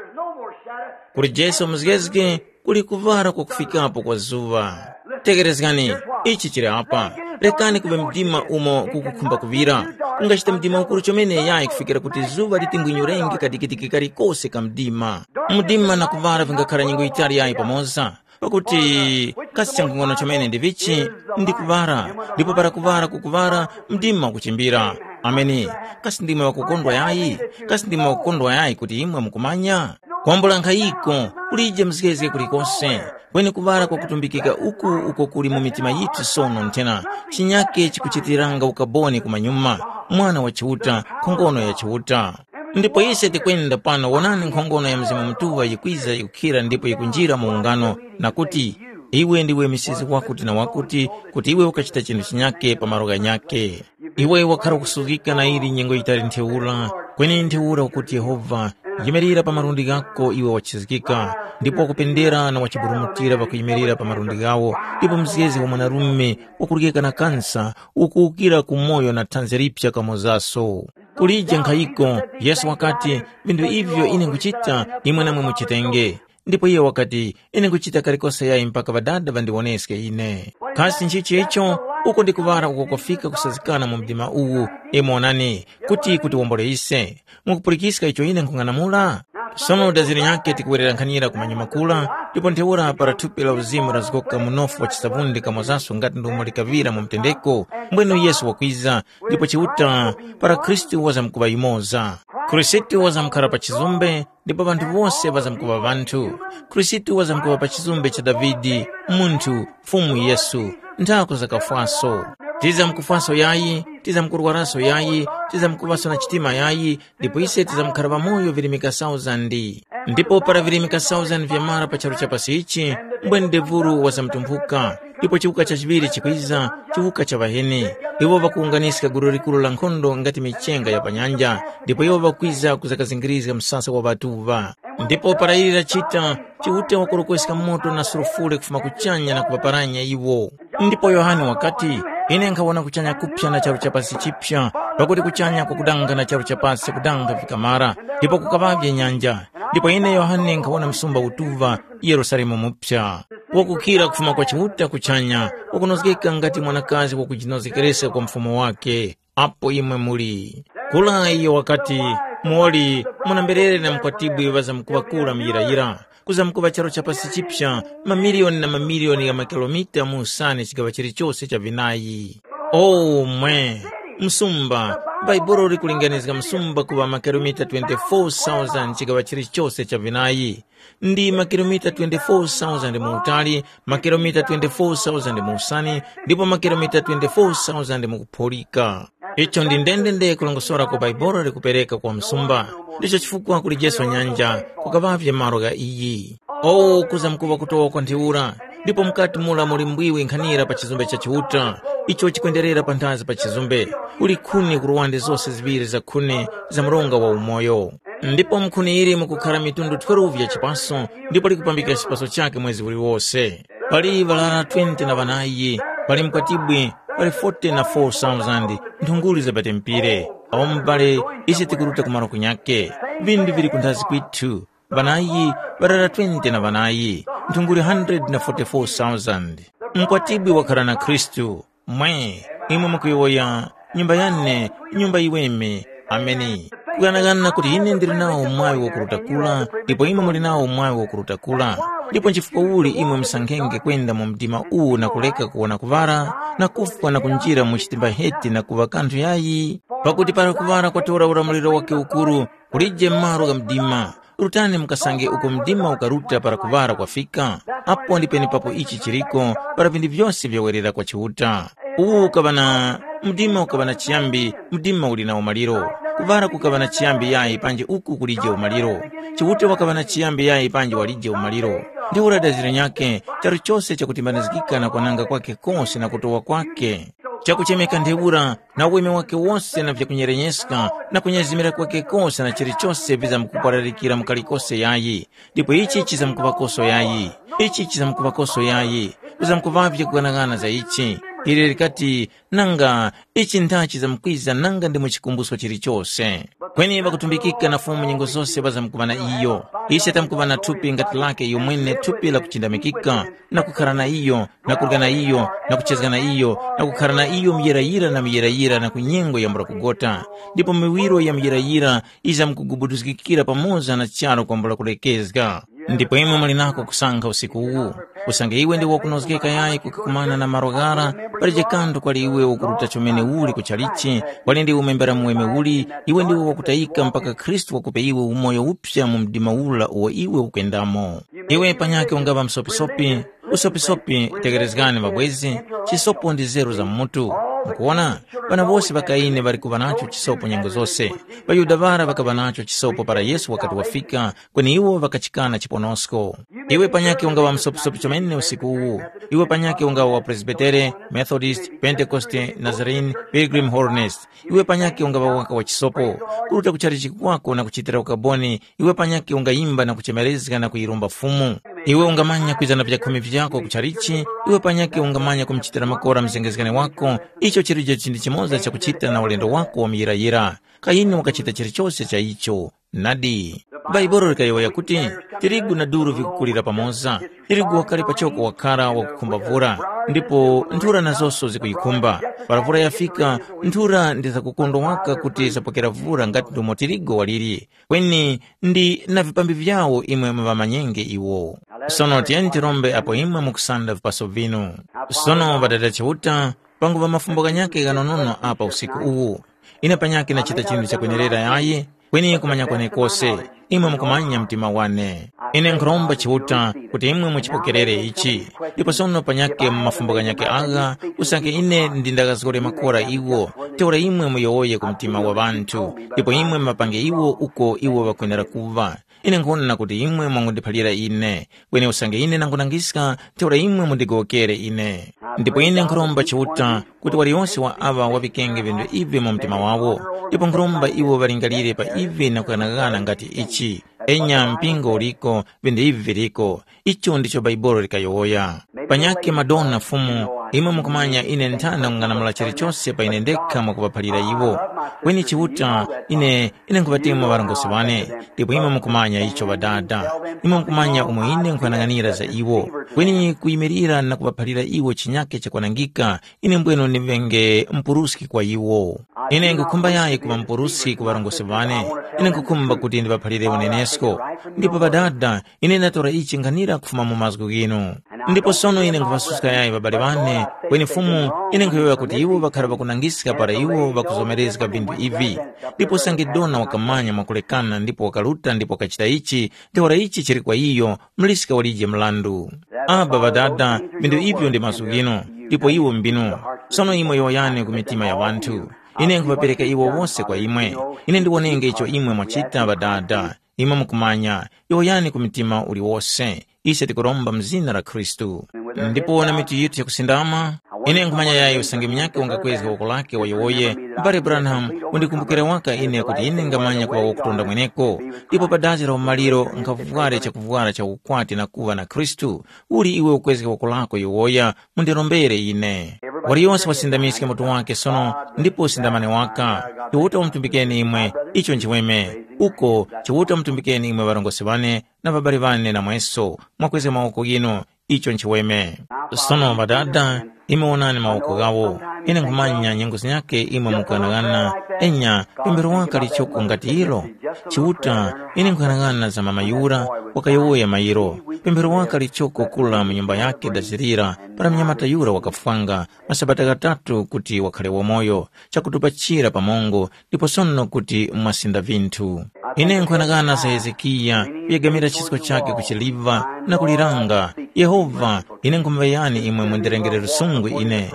Kuli Jesu muzgezge, kuli kuŵala kwakufikapo kwa zuŵa. Tekerezgani, ichi chili apa. Rekani kuŵa mdima umo kukukhumba kuŵira. Ungachita mdima ukuru chomene yayi kufikira kuti zuŵa litingwinyurenge kadikidiki kalikose ka mdima. Mdima na kuŵala vingakhara nyengo yitali yayi pamoza. Pakuti kasi changung'ono chomene ndi vichi? Ndi kuŵala, ndipo para kuŵala kukuŵala, mdima ukuchimbira. Ameni. Kasi ndimwe ŵakukondwa yayi? Kasi ndimwe ŵakukondwa yayi kuti imwe mukumanya? Kwambula nkhayiko, kulije mzgezge kulikose, kweni kuŵala kwakutumbikika uku uko kuli mu mitima yithu sono nthena, chinyake chikuchitiranga ukaboni kumanyuma, Mwana wa Chiuta, nkhongono ya Chiuta. Ndipo ise tikwenda pano wonani nkhongono ya Mzimu Mutuŵa yikwiza yikukhira ndipo yikunjira mu ungano, na kuti, iwe ndiwe misizi wakuti na wakuti, kuti iwe ukachita chinthu chinyake pa malo ghanyake. Iwe wakhara kusuzgika na ili nyengo yitali ntheura, kweni ntheura ukuti Yehova, yimirira pa malundi ghako iwe wachizgika, ndipo wakupendera na wachiburumutira pakuyimirira pa malundi ghawo, ndipo mzgezi wa mwanarume wakuryeka na kansa ukuwukira ku moyo na thanzi liphya kamozaso. Kulije nkhayiko, Yesu wakati, vinthu ivyo ine nkuchita, imwe namwe muchitenge. Ndipo iye wakati, ine nkuchita kalikose yayi mpaka Ŵadada ŵandiwoneske ine. Kasi nchichi icho? Uko ndi kuŵala uko kwafika kusazikana mu mdima uwu, imwe onani, kuti kutiwombole ise. Mukupulikiska icho ine nkhung'anamula? Sono daziri nyakhe tikuwerera nkhanira ku manyuma kula, ndipo ntheura para thupi la uzimu lazgoka munofu wa chisavundi kamozaso ngati ndomwe likaŵira mu mtendeko, mbwenu Yesu wakwiza, ndipo Chiuta para Khristu wazamkuŵa yumoza. Khristu wazamkhala pa chizumbe, ndipo ŵanthu wose ŵazamkuŵa ŵanthu. Khristu wazamkuŵa pa chizumbe cha Davide, munthu, Fumu Yesu, nthako zakafwaso. Tizamkufwaso yayi, tizamkurwaraso yayi, tizamkuŵaso na chitima yayi, ndipo ise tizamkhara ŵamoyo virimika sauzandi. Ndipo para virimika sauzandi vyamara pa charu cha pasi ichi, mbwene ndevuru wazamtumphuka, ndipo chiwuka cha chiŵiri chikwiza, chiwuka cha ŵaheni. Iwo ŵakuwunganiska gulu likuru la nkhondo ngati michenga ya pa nyanja, ndipo iwo ŵakwiza kuzakazingirizga msasa wa ŵatuŵa. Ndipo para ili lachita, Chiuta wakorokweska moto na sulufure kufuma kuchanya na kuŵaparanya iwo. Ndipo Yohane wakati, ine nkhawona kuchanya kuphya na charu cha pasi chiphya, pakuti kuchanya kwakudanga na charu cha pasi kudanga vikamara, ndipo kukaŵavye nyanja. Ndipo ine Yohane nkhawona msumba utuŵa, Yerusalemu muphya, wakukhira kufuma kwa Chiuta kuchanya, wakunozgeka ngati mwanakazi wakujinozgekereska kwa mfumu wake. Apo imwe muli. Kula iyo wakati, muwoli, munamberere na mukwatibwi ŵazamkuŵa kula muyirayira, kuzamkuŵa charu cha pasi chipsa, mamiliyoni na mamiliyoni gha makilomita mu usani chigaŵa chilichose cha vinayi. O mwe! Msumba, Bhaibuli likulinganizga msumba kuŵa makilomita twenty-four thousand chigaŵa chilichose cha vinayi. Ndi makilomita twenty-four thousand mu utali, makilomita twenty-four thousand mu usani, ndipo makilomita twenty-four thousand mu kuphulika. Icho ndi ndendende kulongosora kwa Bhaibuli likupereka kwa msumba. Ndicho chifukwa kuli Jesu nyanja, kukaŵavye malo gha iyi. O, kuzamkuŵa kutowa kwa ntheura, ndipo mukati mura muli mbwiwi nkhanira pa chizumbe cha Chiuta, icho chikwenderera panthazi pa chizumbe, kuli khuni ku luwande zose ziŵiri za khuni za mronga wa umoyo. Ndipo mu khuni ili mukukhara mitundu twelve ya chipaso, ndipo likupambika chipaso chakhe mwezi uliwose. Pali ŵarara twenty na ŵanayi, pali mkwatibwi, pali forty na four thousand nthunguli za batempire. Awo mubale, ise tikuruta ku malo kunyakhe. Vinthu vili kunthazi kwithu. Ŵanayi, ŵarara twenty na ŵanayi, nthunguli hundred na forty-four thousand. Mkwatibwi wakhara na Khristu. Mwe, imwe mukuyowoya, nyumba yane, nyumba yiweme. Ameni. Kughanaghana kuti ine ndili nawo mwaŵi wakuruta kula, ndipo imwe muli nawo mwaŵi wakuruta kula. Ndipo nchifukwa uli imwe musankhenge kwenda mu mdima uwu na kuleka kuwona kuŵala, na kufwa na kunjira mu chitimba heti na kuŵa kanthu yayi? Pakuti para kuŵala kwatora ulamuliro wake ukuru, kulije malo gha mdima. Rutani mukasange uko mdima ukaruta para kuŵala kwafika, apo ndi penepapo ichi chiriko para vinthu vyose vyawerera kwa Chiuta. Uwu ukaŵa na, mdima ukaŵa na chiyambi, mdima uli na umaliro. Kuŵala kukaŵa na chiyambi yayi panji uku kulije umaliro. Chiuta wakaŵa na chiyambi yayi panji walije umaliro. Ntheura daziro nyakhe, charu chose chakutimbanizgika na kwananga kwakhe kose na kutowa kwakhe. Chakuchemeka ntheura, na uweme wakhe wose na vyakunyerenyeska, na kunyezimira kwakhe kose na chilichose vizamkupwararikira mu kalikose yayi, ndipo ichi chizamkuŵakoso yayi, ichi chizamkuŵakoso yayi, kuzamkuŵavye kughanaghana za ichi. Ili likati, nanga ichi nthachi zamkwiza nanga ndi mu chikumbuso chilichose. Kweni ŵakutumbikika na Fumu nyengo zose ŵazamkuŵa na iyo. Ise tamkuŵa na thupi ngati lake iyo mwene thupi la kuchindamikika, na kukhara na iyo, na kurya na iyo, na kuchezga na iyo, na kukhara na iyo muyirayira na muyirayira na ku nyengo yambula kugota. Ndipo miwiro ya muyirayira izamkugubuduzgikira pamoza na charu kwambula kulekezga. Ndipo imwe muli nako kusankha usiku uwu. Usange iwe ndi wakunozgeka yayi kukakumana na malo ghara, palije kanthu kwali iwe ukuruta chomene uli kuchalichi, kwali ndi umembera muweme uli, iwe ndiwe wakutayika mpaka Khristu wakupe iwe umoyo uphya mu mdima ula uwo iwe ukuyendamo. Iwe panyakhe ungaŵa msopisopi, usopisopi tekerezgani mabwezi, chisopo ndi zeru za mutu. Mukuwona, ŵana wose ŵa Kaini ŵali kuŵa nacho chisopo nyengo zose. ޣaYuda ŵara ŵakaŵa nacho chisopo para Yesu wakati wafika, kweni iwo ŵakachikana chiponosko. Iwe panyakhe ungaŵa msopisopi chomene usiku uwu. Iwe panyakhe ungaŵa wa Presbitere, Methodist, Pentekoste, Nazarene, Pilgrim Holiness. Iwe panyakhe ungaŵa waka wa chisopo. Kuruta kuchalichi kwako na kuchitira ukaboni, iwe panyakhe ungayimba na kuchemerezga na kuyiromba Fumu. Iwe ungamanya kwiza na vyakhumi vyako kuchalichi, iwe panyakhe ungamanya kumuchitira makora mzengezgani wako. Icho chilije chinthu chimoza chakuchita na ulendo wako wa muyirayira. Kaini wakachita chilichose cha icho. Nadi, Bhaibuli likayowoya kuti, tirigu na duru vikukulira pamoza. Tirigu wakali pachoko wakhara wakukhumba vura, ndipo nthura nazonso zikuyikhumba. Para vura yafika, nthura ndi zakukondwa waka kuti zapokera vura ngati ndomo tirigu waliri. Kweni ndi na vipambi vyawo imwe muŵamanyenge iwo. Sono tiyeni tirombe apo imwe mukusanda vipaso vinu. Sono Ŵadada Chiuta, panguŵa mafumbo ghanyakhe ghanonono apa usiku uwu. Ine panyakhe ndachita chinthu chakwenerera yayi, kweni kumanya kwenekose, imwe mukumanya mtima wane. Ine nkhuromba Chiuta kuti imwe muchipokerere ichi, ndipo sono panyakhe mu mafumbo ghanyakhe agha, usange ine ndi ndakazgore makora iwo, ntheura imwe muyowoye ku mtima wa ŵanthu, ndipo imwe muŵapange iwo uko iwo ŵakwenera kuŵa. Ine nkhwona kuti imwe mwangundiphalira ine, kweni usange ine nangunangiska, ntheura imwe mundigowokere ine. Ndipo ine nkhuromba Chiuta kuti waliyose wa aŵa waŵikenge vintu ivi mu mtima wawo, ndipo nkhuromba iwo ŵalingalire pa ivi na kughanaghana ngati ichi. Enya mpingo uliko, vintu ivi viliko. Icho ndicho Bhaibuli likayowoya. Panyakhe Madona Fumu, imwe mukumanya ine nthana kung'anamula chilichose pa ine ndekha mwakuŵaphalira iwo. Kweni Chiuta, ine ine nkhuŵatemwa ŵarongozgi ŵane, ndipo imwe mukumanya icho Ŵadada. Imwe mukumanya umo ine nkhwanang'anira za iwo. Kweni kuyimirira na kuŵaphalira iwo chinyakhe chakwanangika, ine mbwenu ndiŵenge mupuruski kwa iwo. Ine nkhukhumba yayi kuŵa mupuruski ku ŵarongozgi ŵane. Ine nkhukhumba kuti ndiŵaphalire unenesko. Ndipo Ŵadada, ine ndatora ichi nkhanira kufuma mu mazgu ghinu. Ndipo sono ine nkhuŵasuska yayi ŵabale ŵane, kweni Fumu, ine nkhuyowoya kuti iwo ŵakhara ŵakunangiska para iwo ŵakuzomerezga vinthu ivi. Ndipo usange Dona wakamanya mwakulekana ndipo wakaruta ndipo wakachita ichi, ntheura ichi chili kwa iyo, muliska walije mrandu. Aba Ŵadada, vinthu ivyo ndi mazgu ghinu, ndipo iwo mbinu. Sono imwe yowoyani ku mitima ya ŵanthu. Ine nkhuŵapereka iwo wose kwa imwe. Ine ndiwonenge icho imwe mwachita Ŵadada. Imwe mukumanya, yowoyani ku mtima uliwose. Ise tikuromba mu zina la Khristu. Ndipo na mitu yithu yakusindama, ine nkhumanya yayi usange munyakhe wangakwezga woko lake wayowoye, mbale Branham, undikumbukire waka ine kuti ine ngamanya kuŵa wakutonda mweneko. Ndipo pa dazi la umaliro nkhafware chakuvwara cha ukwati na kuŵa na Khristu. Uli iwe ukwezga woko lako yowoya, mundirombere ine. Waliyose wasindamiske mutu wake sono, ndipo usindamane waka. Chiuta wamutumbikeni imwe, icho nchiweme. Uko, Chiuta wamutumbikeni imwe ŵarongozgi ŵane, na ŵabali ŵane namweso, mwakwezga mawoko ghinu, icho nchiweme. Sono Ŵadada, imwe wonani mawoko ghawo. Ine nkhumanya nyengo zinyakhe imwe mukughanaghana, enya, pemphero waka lichoko ngati ilo. Chiuta, ine nkhughanaghana za mama yura, wakayowoya mairo. Pemphero waka lichoko kula mu nyumba yakhe dazirira, para mnyamata yura wakafwanga, masabata ghatatu kuti wakhale wamoyo, chakutupachira pamongo, ndipo sono kuti mwasinda vinthu. Ine nkhughanaghana za Hezekiya kuyegamira chisko chakhe ku chiliva na kuliranga, Yehova, ine nkhumuŵeyani imwe mundirengere lusungu ine.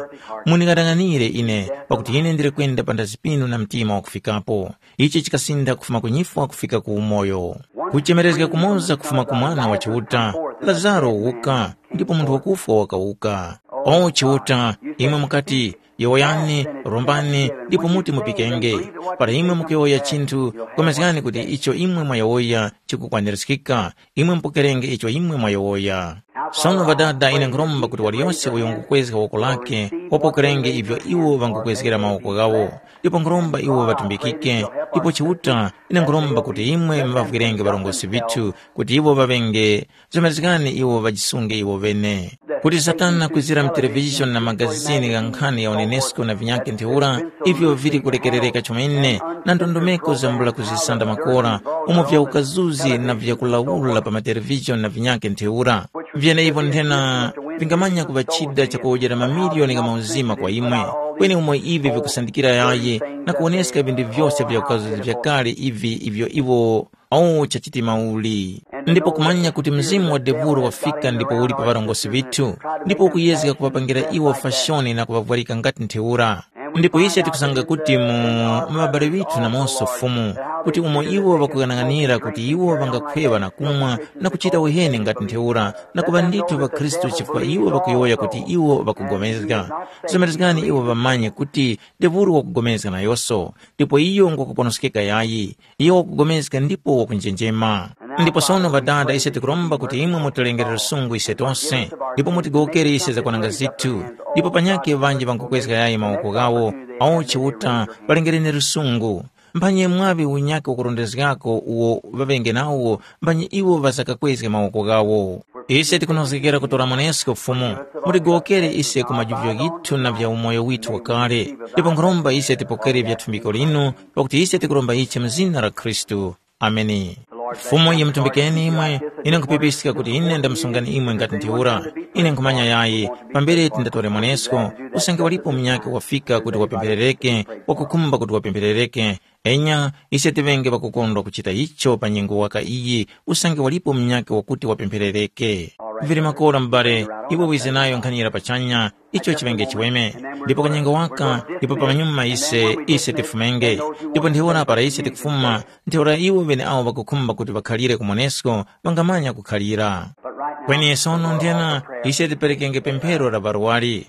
Muning'anang'anire ine, pakuti ine ndili kwenda panthazi pinu na mtima wakufikapo. Ichi chikasintha kufuma ku nyifwa kufika ku umoyo. Kuchemerezga kumoza kufuma ku Mwana wa Chiuta, Lazaro wuka, ndipo munthu wakufwa wakawuka. O Chiuta, imwe mukati, yowoyani, rombani, ndipo muti mupikenge. Para imwe mukuyowoya chinthu, pulikani kuti icho imwe mwayowoya chikukwanirizgika. Imwe mupokerenge icho imwe mwayowoya. Sono Ŵadada, ine nkhuromba kuti waliyose uyo wangukwezga woko lake wapokerenge ivyo iwo ŵangukwezgera mawoko ghawo, ndipo nkhuromba iwo ŵatumbikike, ndipo Chiuta, ine nkhuromba kuti imwe muŵavwirenge ŵarongozgi ŵithu kuti iwo ŵaŵenge, zomerezgani iwo ŵajisunge iwo ŵene. Kuti Satana kwizira mu televizhoni na magazini gha nkhani ya unenesko na vinyakhe ntheura, ivyo vili kulekerereka chomene na ndondomeko zambula kuzisanda makora, umo vya ukazuzi na vya kulawula pa matelevizhoni na vinyakhe ntheura. Vyeneivo nthena vingamanya kuŵa chida chakuwojera mamiliyoni gha mauzima kwa imwe, kweni umo ivi vikusandikira yayi na kuwoneska vinthu vyose vya ukazuzi vyakale ivi ivyo iwo awo chachitima uli. Ndipo kumanya kuti mzimu wa devuro wafika ndipo uli pa ŵarongozgi ŵithu, ndipo ukuyezga kuŵapangira iwo fashoni na kuŵavwarika ngati ntheura. Ndipo ise tikusanga kuti mu mu ŵabale ŵithu namonso Fumu, kuti umo iwo ŵakughanaghanira kuti iwo ŵangakhweŵa na kumwa na kuchita uheni ngati ntheura, na kuŵa ndithu ŵakhristu chifukwa iwo ŵakuyowoya kuti iwo ŵakupulikana. Zomerezgani iwo ŵamanye kuti devuro wakupulikana nayose, ndipo iyo ngwakuponoskeka yayi. Iyo wakupulikana ndipo wakunjenjema. Ndipo sono Ŵadada, ise tikuromba kuti imwe mutilengere lusungu ise tose, ndipo mutigowokere ise zakwananga zithu, ndipo panyakhe ŵanji ŵankukwezga yayi mawoko ghawo, awo Chiuta ŵalengereni lusungu. Mphanyi mwaŵe unyakhe wakurondezgako uwo ŵaŵenge nawo, mphanyi iwo ŵasakakwezge mawoko ghawo. Ise tikunozgekera kutora mwanesko Fumu, mutigowokere ise ku majuvyo ghithu na vya umoyo withu wakale, ndipo nkhuromba ise tipokere vya thumbiko linu, pakuti ise tikuromba ichi mu zina la Khristu. Ameni. Fumu yimutumbikeni imwe, ine nkhupipiska kuti ine ndamusungani imwe ngati ntheura. Ine nkhumanya yayi, pambere tindatore mwanesko, usange walipo munyakhe wafika kuti wapempherereke, wakukhumba kuti wapempherereke. Enya, ise tiŵenge ŵakukondwa kuchita icho pa nyengo waka iyi, usange walipo munyakhe wakuti wapempherereke. Vili makora mubale, iwe wize nayo nkhani yira pachanya, icho chiŵenge chiweme. Ndipo kanyengo waka, ndipo pamanyuma ise, ise tifumenge. Ndipo ntheura para ise tikufuma, ntheura iwo ŵeneawo ŵakukhumba kuti ŵakhalire ku monesko, ŵangamanya kukhalira. Kweni sono nthena, ise tiperekenge pemphero la ŵarwari.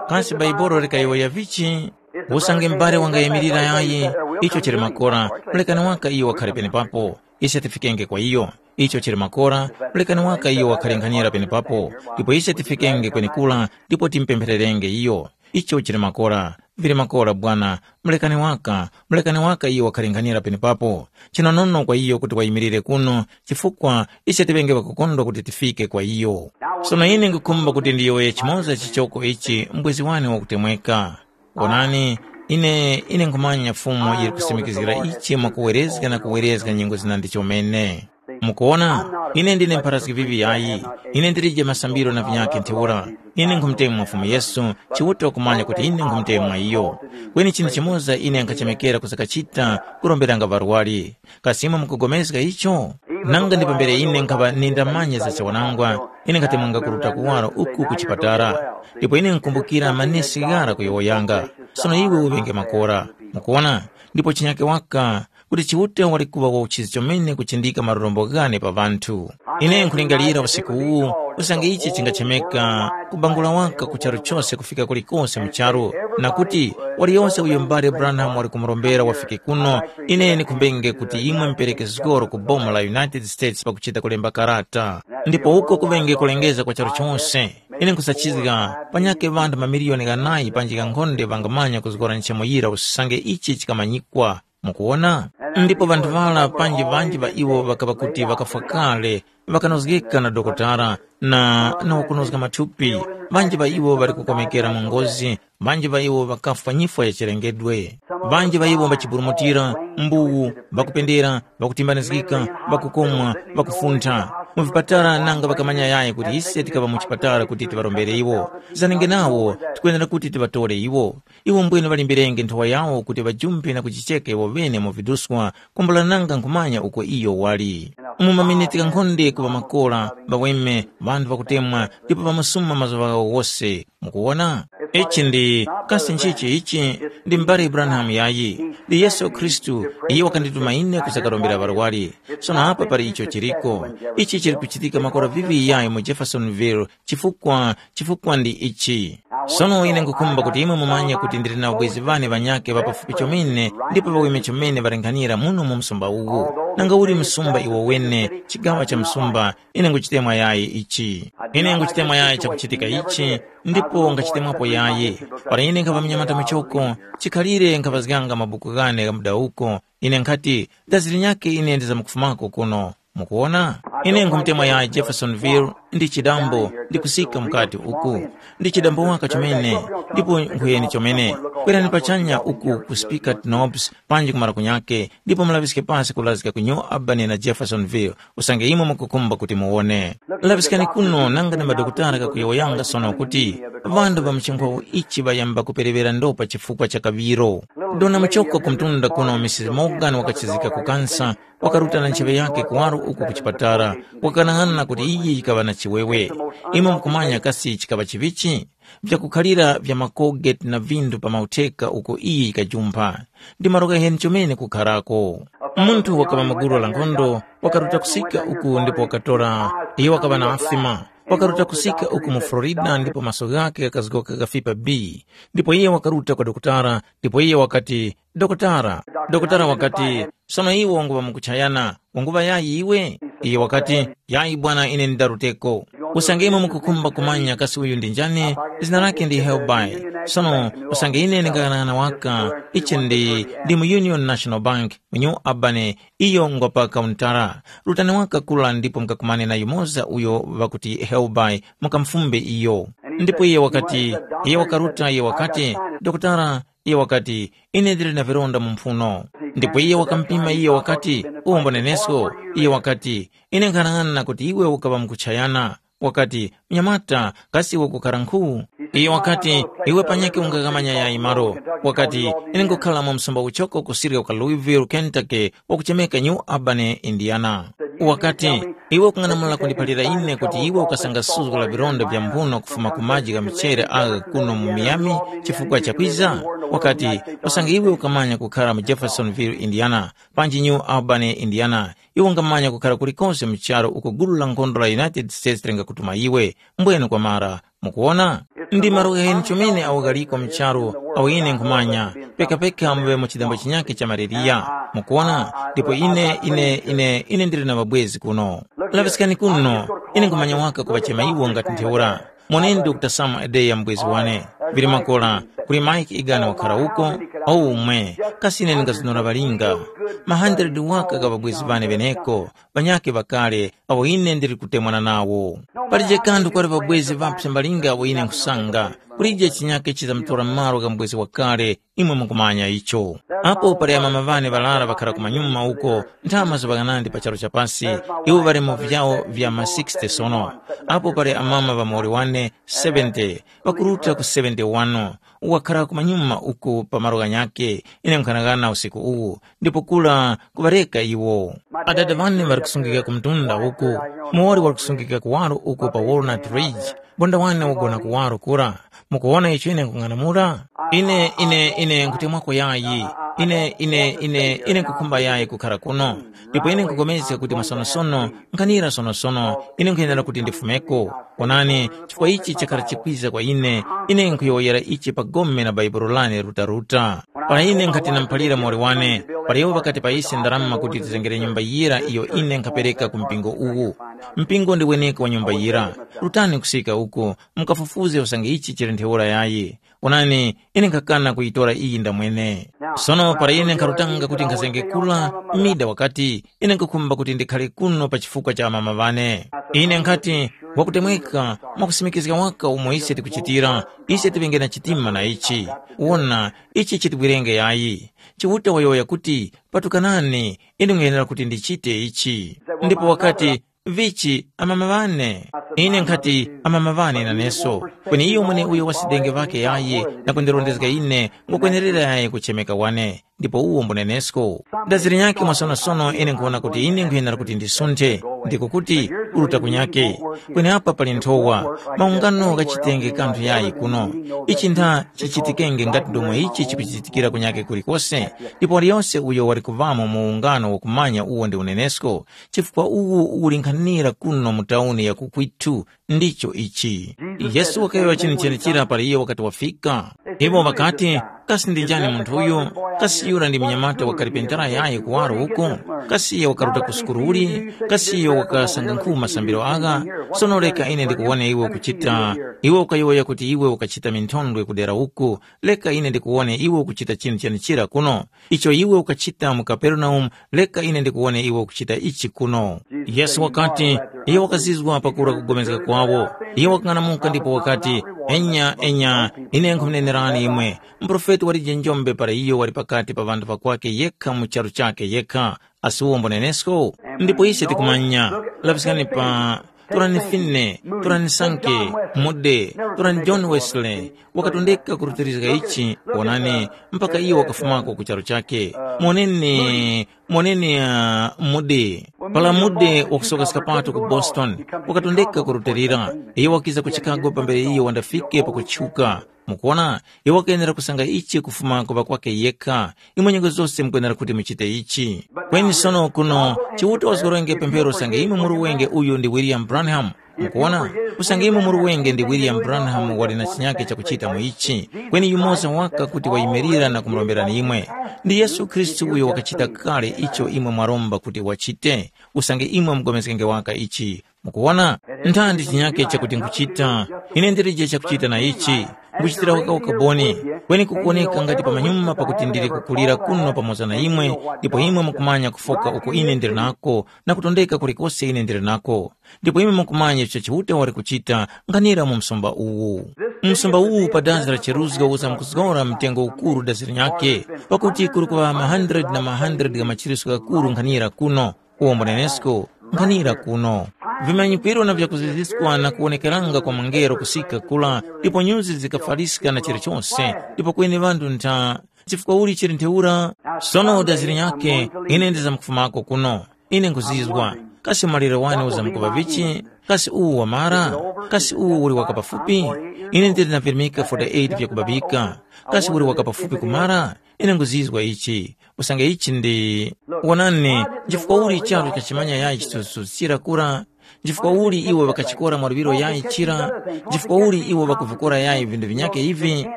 Kasi Baibolo likayowoya vichi? Usange m'bale wangayimirira yayi, icho chili makora, mulekani waka iyo wakhare penepapo. Ise tifikenge kwa iyo. Icho chili makora, mulekani waka iyo wakhare nkhanira penepapo, ndipo ise tifikenge kwenekura ndipo timupemphererenge iyo. Icho chili makora, vili makora bwana, mulekani waka, mulekani waka iyo wakhare nkhanira penepapo. Chinonono kwa iyo kuti wayimirire kuno, chifukwa ise tiŵenge ŵakukondwa kuti tifike kwa iyo. Sono ine nkhukhumba kuti ndiyowoye chimoza chichoko ichi mbwezi wane wakutemweka. Wonani, ine, ine nkhumanya Fumu yili kusimikizgira ichi mwakuwerezga na kuwerezga nyengo zina ndi chomene. Mukuwona, ine ndine mpharazgi vivi yayi. Ine ndilije masambiro na vinyakhe ntheura. Ine nkhumutemwa Fumu Yesu, Chiuta wakumanya kuti ine nkhumutemwa iyo. Kweni chinthu chimoza ine nkhachemekera kusakachita, kuromberanga ŵarwari. Kasi imwe mukupulikana icho? Nanga ndi pambere ine nkhaŵa nindamanya za chiwanangwa, ine nkhatemwanga kuruta kuwaro uku ku chipatala. Ndipo ine nkukumbukira manesi ghara kuyowoyanga, sono iwe uŵenge makora. Mukuwona? Ndipo chinyake waka, kuti Chiuta wali kuŵa wa uchizi chomene kuchindika malombo ghane pa ŵanthu. Ine nkhulingalira usiku uwu, usange ichi chingachemeka kubangula waka ku charu chose kufika kulikose mu charu, na kuti waliyose uyo m'bale Branham wali kumurombera wafike kuno, ine ndikhumbenge kuti imwe mupereke zgoro ku boma la United States pakuchita kulemba karata. Ndipo uko kuŵenge kulengeza kwa charu chose. Ine nkhusachizga, panyakhe ŵanthu mamiliyoni ghanayi panji ghankhonde ŵangamanya kuzgora nchemo yira usange ichi chikamanyikwa. Mukuwona? Ndipo ŵanthu ŵara panji ŵanji ŵa iwo ŵakaŵa kuti ŵakafwa kale, ŵakanozgeka na dokotala na, na wakunozga mathupi, ŵanji ŵa iwo ŵali kukomekera mu ngozi, ŵanji ŵa iwo ŵakafwa nyifwa ya chilengedwe. Ŵanji ŵa iwo ŵachiburumutira, mbuwu, ŵakupendera, ŵakutimbanizgika, ŵakukomwa, ŵakufuntha. Mu vipatala nanga ŵakamanya yayi kuti ise tikaŵa mu chipatala kuti tiŵarombere iwo. Zanenge nawo, tikwenera kuti tiŵatore iwo. Iwo mbwene ŵalimbirenge nthowa yawo kuti ŵajumpe na kujicheka iwo ŵene mu viduskwa, kwambula nanga nkhumanya uko iyo wali. Mu maminiti ghankhonde kuŵa makora, ŵaweme, ŵanthu ŵakutemwa, ndipo ŵamusuma mazuŵa ghawo ghose. Mukuwona? Ichi ndi kasi nchichi ichi? Ndi m'bale Branham yayi. Ndi Yesu Khristu, iye wakandituma ine kuzakarombera ŵarwari. Sono apa pali icho chiriko. Ichi chili kuchitika makora vivi yayi mu Jeffersonville, chifukwa chifukwa ndi ichi. Sono ine nkukhumba kuti imwe mumanye kuti ndili na ubwezi ŵane ŵanyakhe ŵa pafupi chomene ndipo ŵaweme chomene ŵalinghanira muno mu msumba uwu. Nanga uli msumba iwo wene, chigawa cha msumba, ine nguchitemwa yayi ichi. Ine nguchitemwa yayi chakuchitika ichi, ndipo ngachitemwapo yayi. Para ine nkhava mnyamata muchoko, chikhalire nkhaŵazganga mabuku ghane gha mudawuko, ine nkhati, dazi linyakhe ine ndizamkufumako kuno. Mukuwona? Ine nkhumutemwa yayi Jeffersonville, ndi chidambo, ndi kusika mukati uku. Ndi chidambo waka chomene, ndipo nkhuyeni chomene. Kwerani pachanya uku ku Speaker Knobs, panji kumara kunyake, ndipo mulaŵiske pasi kulazika ku New Albany na Jeffersonville, usange imwe mukukhumba kuti muwone. Laŵiskani kuno nanga na madokotala kakuyowoyanga sono kuti ŵanthu ŵa mchinkhawu ichi ŵayamba kupereŵera ndopa chifukwa cha kaŵiro. Dona muchoko ku mtunda kuno Mrs Morgan wakachizika kukansa, wakaruta na ntcheŵe yakhe kuwaro uku ku chipatala, wakanang'ana kuti iyi yikaŵa na chiwewe. Imwe mukumanya kasi chikaŵa chivichi? Vyakukhalira vya makogeti na vinthu pa mautheka uko iyi yikajumpha. Ndi malo ghaheni chomene kukharako. Munthu wakaŵa mu gulu la nkhondo wakaruta kusika uku ndipo wakatora, iyo wakaŵa na asima. Wakaruta kusika uku mu Florida ndipo maso ghakhe ghakazgoka ghafipa bi. Ndipo iye wakaruta kwa dokotala, ndipo iye wakati, dokotala, dokotala wakati, sono iwe wanguŵa mukuchayana, wanguŵa yayi iwe? Iye wakati, yayi bwana ine ndaruteko. Usange imwe mukukhumba kumanya kasi uyu ndi njani, zina lake ndi Helby. Sono usange ine ndingaghanagana waka, ichi ndi, ndi mu Union National Bank, mu New Albany, iyo ngwa pa kauntara. Rutani waka kula ndipo mukakumane na yumoza uyo ŵakuti Helby, mukamufumbe iyo. Ndipo iye wakati, iye wakaruta iye wakati, dokotala, iye wakati, ine ndili na vilonda mu mphuno. Ndipo iye wakamupima iye wakati, uwombo nenesko? Iye wakati, ine nkhanang'ana kuti iwe ukaŵa mukuchayana. Wakati, mnyamata, kasi iwe ukukhala nkhu? Iye wakati, iwe panyakhe ungaghamanya yayi malo. Wakati, ine nkukhala mu msumba uchoko kusirya kwa Louisville, Kentucky, wakuchemeka New Albany, Indiana. Wakati, iwe ukung'anamula kundiphalira ine kuti iwe ukasanga suzgo la vilonda vya mphuno kufuma ku maji gha michere agha kuno mu Miami chifukwa cha kwiza? Wakati, usange iwe ukamanya kukhala mu Jeffersonville, Indiana, panji New Albany, Indiana, iwe ungamanya kukhala kulikose mu charu uko gulu la nkhondo la United States lingakutuma iwe, mbwene kwamara. Mukuwona? Ndi malo ghaheni chomene awo ghaliko mu charu awo ine nkhumanya, pekapeka muŵe mu chidambo chinyakhe cha maleriya. Mukuwona? Ndipo ine, ine, ine, ine ndili na ŵabwezi kuno. Laŵiskani kuno, ine nkhumanya waka kuŵachema iwo ngati ntheura. Moneni Dr. Sam Adeya mubwezi wane. Vili makora, kuli Mike Igana wakhala uko, awo umwe, kasi ine ndingazunura ŵalinga. Ma hundred waka gha ŵabwezi ŵane ŵeneko, ŵanyakhe ŵakale, awo ine ndili kutemwana nawo. Palije kanthu kwali ŵabwezi ŵapsa malinga awo ine nkhusanga, kulije chinyakhe chizamutora malo gha mubwezi wakale, imwe mukumanya icho. Apo pali amama ŵane ŵarara ŵakhara kumanyuma uko, ntha mazuŵa ghanandi pa charu cha pasi, iwo ŵali mu vyawo vya ma sixty sono. Apo pali amama ŵa muwoli wane, seventy, ŵakuruta ku seventy-one, uwakhara kumanyuma uku pa malo ghanyakhe, ine nkhanagana usiku uwu, ndipo kula kuŵareka iwo. Adada ŵane ŵali kusungika ku mtunda uku, muwoli wali kusungika kuwaro uku pa Walnut Ridge, bonda wane wagona kuwaro kura. Mukuwona icho ine nkung'anamula? Ine, ine, ine nkutemwako yayi. Ine, ine, ine, ine nkukhumba yayi kukhara kuno. Ndipo ine nkupulikana kuti mwasonosono, nkhanira sonosono, ine nkhuyenera kuti ndifumeko. Onani, chifukwa ichi chakhala chikwiza kwa ine, ine nkhuyowoyera ichi pa gome na Bhaibuli lane rutaruta. Para ine nkhati namuphalira muwoli wane, para iwo ŵakati pa ise ndarama kuti tizengere nyumba yira iyo ine nkhapereka ku mpingo uwu. Mpingo ndi weneko wa nyumba yira. Rutani kusika uko, mukafufuze usange ichi chili ntheura yayi. Onani, ine nkhakana kuyitora iyi ndamwene. Sono para ine nkharutanga kuti nkhazenge kura, mida wakati, ine nkhukhumba kuti ndikhare kuno pa chifukwa cha amama ŵane. Ine nkhati, wakutemweka, mwakusimikizga waka umo ise tikuchitira, ise tiŵenge na chitima na ichi. Wona, ichi chitibwirenge yayi. Chiuta wayowoya kuti, patukanani, ine nkhuyenera kuti ndichite ichi. Ndipo wakati, vichi, amama ŵane? Ine nkhati, amama ŵane naneso. Kweni iyo mweneuyo wasidenge ŵake yayi na kundirondezga ine, ngwakwenerera yayi kuchemeka wane. ndipo uwo mbunenesko. Ndaziri nyakhe mwasonosono ine nkhuwona kuti ine nkhuyenera kuti ndisunthe, ndiko kuti, kuruta kunyakhe. Kweni apa pali nthowa, maungano ghachitenge kanthu yayi kuno. Ichi ntha chichitikenge ngati ndomwe ichi chikuchitikira kunyakhe kulikose, ndipo waliyose uyo wali kuŵamo mu ungano wakumanya uwo ndi unenesko, chifukwa uwu uli nkhanira kuno mu tauni ya kukwithu, ndicho ichi. Yesu wakayowoya chinthu chenechira para iyo wakati wafika. Iwo ŵakati, kasi ndi njani munthu uyu? Kasi yura ndi munyamata wa kalipentara yayi kuwaro uko? Kasi iyo wakaruta ku sukulu uli? Kasi iyo wakasanga nkhu masambiro agha? Sono reka ine ndikuwone iwe ukuchita, iwe ukayowoya kuti iwe ukachita minthondwe kudera uku. Reka ine ndikuwone iwe ukuchita chinthu chenechira kuno. Icho iwe ukachita mu Kaperenaumu, reka ine ndikuwone iwe ukuchita ichi kuno. Yesu wakati, iyo wakazizwa pakura kugomezga kwawo. Iyo wakang'anamuka ndipo wakati, enya, enya, ine nkhumunenerani imwe, muprofeti walije njombe para iyo wali pakati pa ŵanthu ŵakwake yekha mu charu chakhe yekha, asi uwo mbonenesko? Ndipo ise tikumanya, lapiskani pa, torani Fine, torani Sanke, Mude, torani John Wesley, wakatondeka kurutilizga ichi, wonani, mpaka iyo wakafumako ku charu chakhe. Moneni, moneni uh, Mude. Pala Mude wakusoka skapato ku Boston, wakatondeka kurutilira. Iyo wakiza ku Chicago pambere iyo wandafike pakutchuka. Mukuona, iwo wakayenera kusanga ichi kufuma ku ŵakwake yekha. Imwe nyengo zose mukwenera kuti muchite ichi. Kweni sono kuno, Chiuta wazgorenge pemphero usange imwe muri wenge uyu ndi William Branham. Mukuona, usange imwe muri wenge ndi William Branham wali na chinyake chakuchita mu ichi. Kweni yumoza waka kuti wayimirira na kumuromberani imwe. Ndi Yesu Khristu uyo wakachita kale icho imwe mwaromba kuti wachite. Usange imwe mugomezgenge waka ichi. Mukuwona, nthandi chinyake chakuti nkuchita, ine ndilije chakuchita na ichi, nkuchitira waka ukaboni, kweni kukuwoneka ngati pamanyuma pakuti ndili kukulira kuno pamoza na imwe, ndipo imwe mukumanya kufoka uko ine ndili nako na kutondeka kulikose ine ndili nako. Ndipo imwe mukumanya icho Chiuta wali kuchita nkhanira mu msumba uwu. Msumba uwu pa dazi la cheruzgo uzamkuzgora mtengo ukuru dazi linyakhe, pakuti kuli kuŵa ma hundred na ma hundred gha machiritso ghakuru nkhanira kuno. Uwo mbunenesko, nkhanira kuno. Vimanyikwiro na vyakuziziskwa na kuwonekeranga kwa mungelo kusika kula, ndipo nyuzi zikafaliska na chilichose, ndipo kweni ŵanthu ntha. Chifukwa uli chili ntheura? Sono udaziri nyakhe, ine ndizamkufumako kuno. Ine nkuzizwa, kasi maliro wani uzamkuŵa vichi? Kasi uwu wamara? Kasi uwu uli waka pafupi? Ine ndili na virimika forty-eight vyakubabika. Kasi uli waka pafupi kumara? Ine nkuzizwa ichi. Usange ichi ndi, wonani, nchifukwa uli charu chachimanya yayi chitusuchira kura? Nchifukwa uli iwo ŵakachikora mwa luŵiro yayi chira? Nchifukwa uli iwo ŵakuvikora yayi vindu vinyakhe ivi?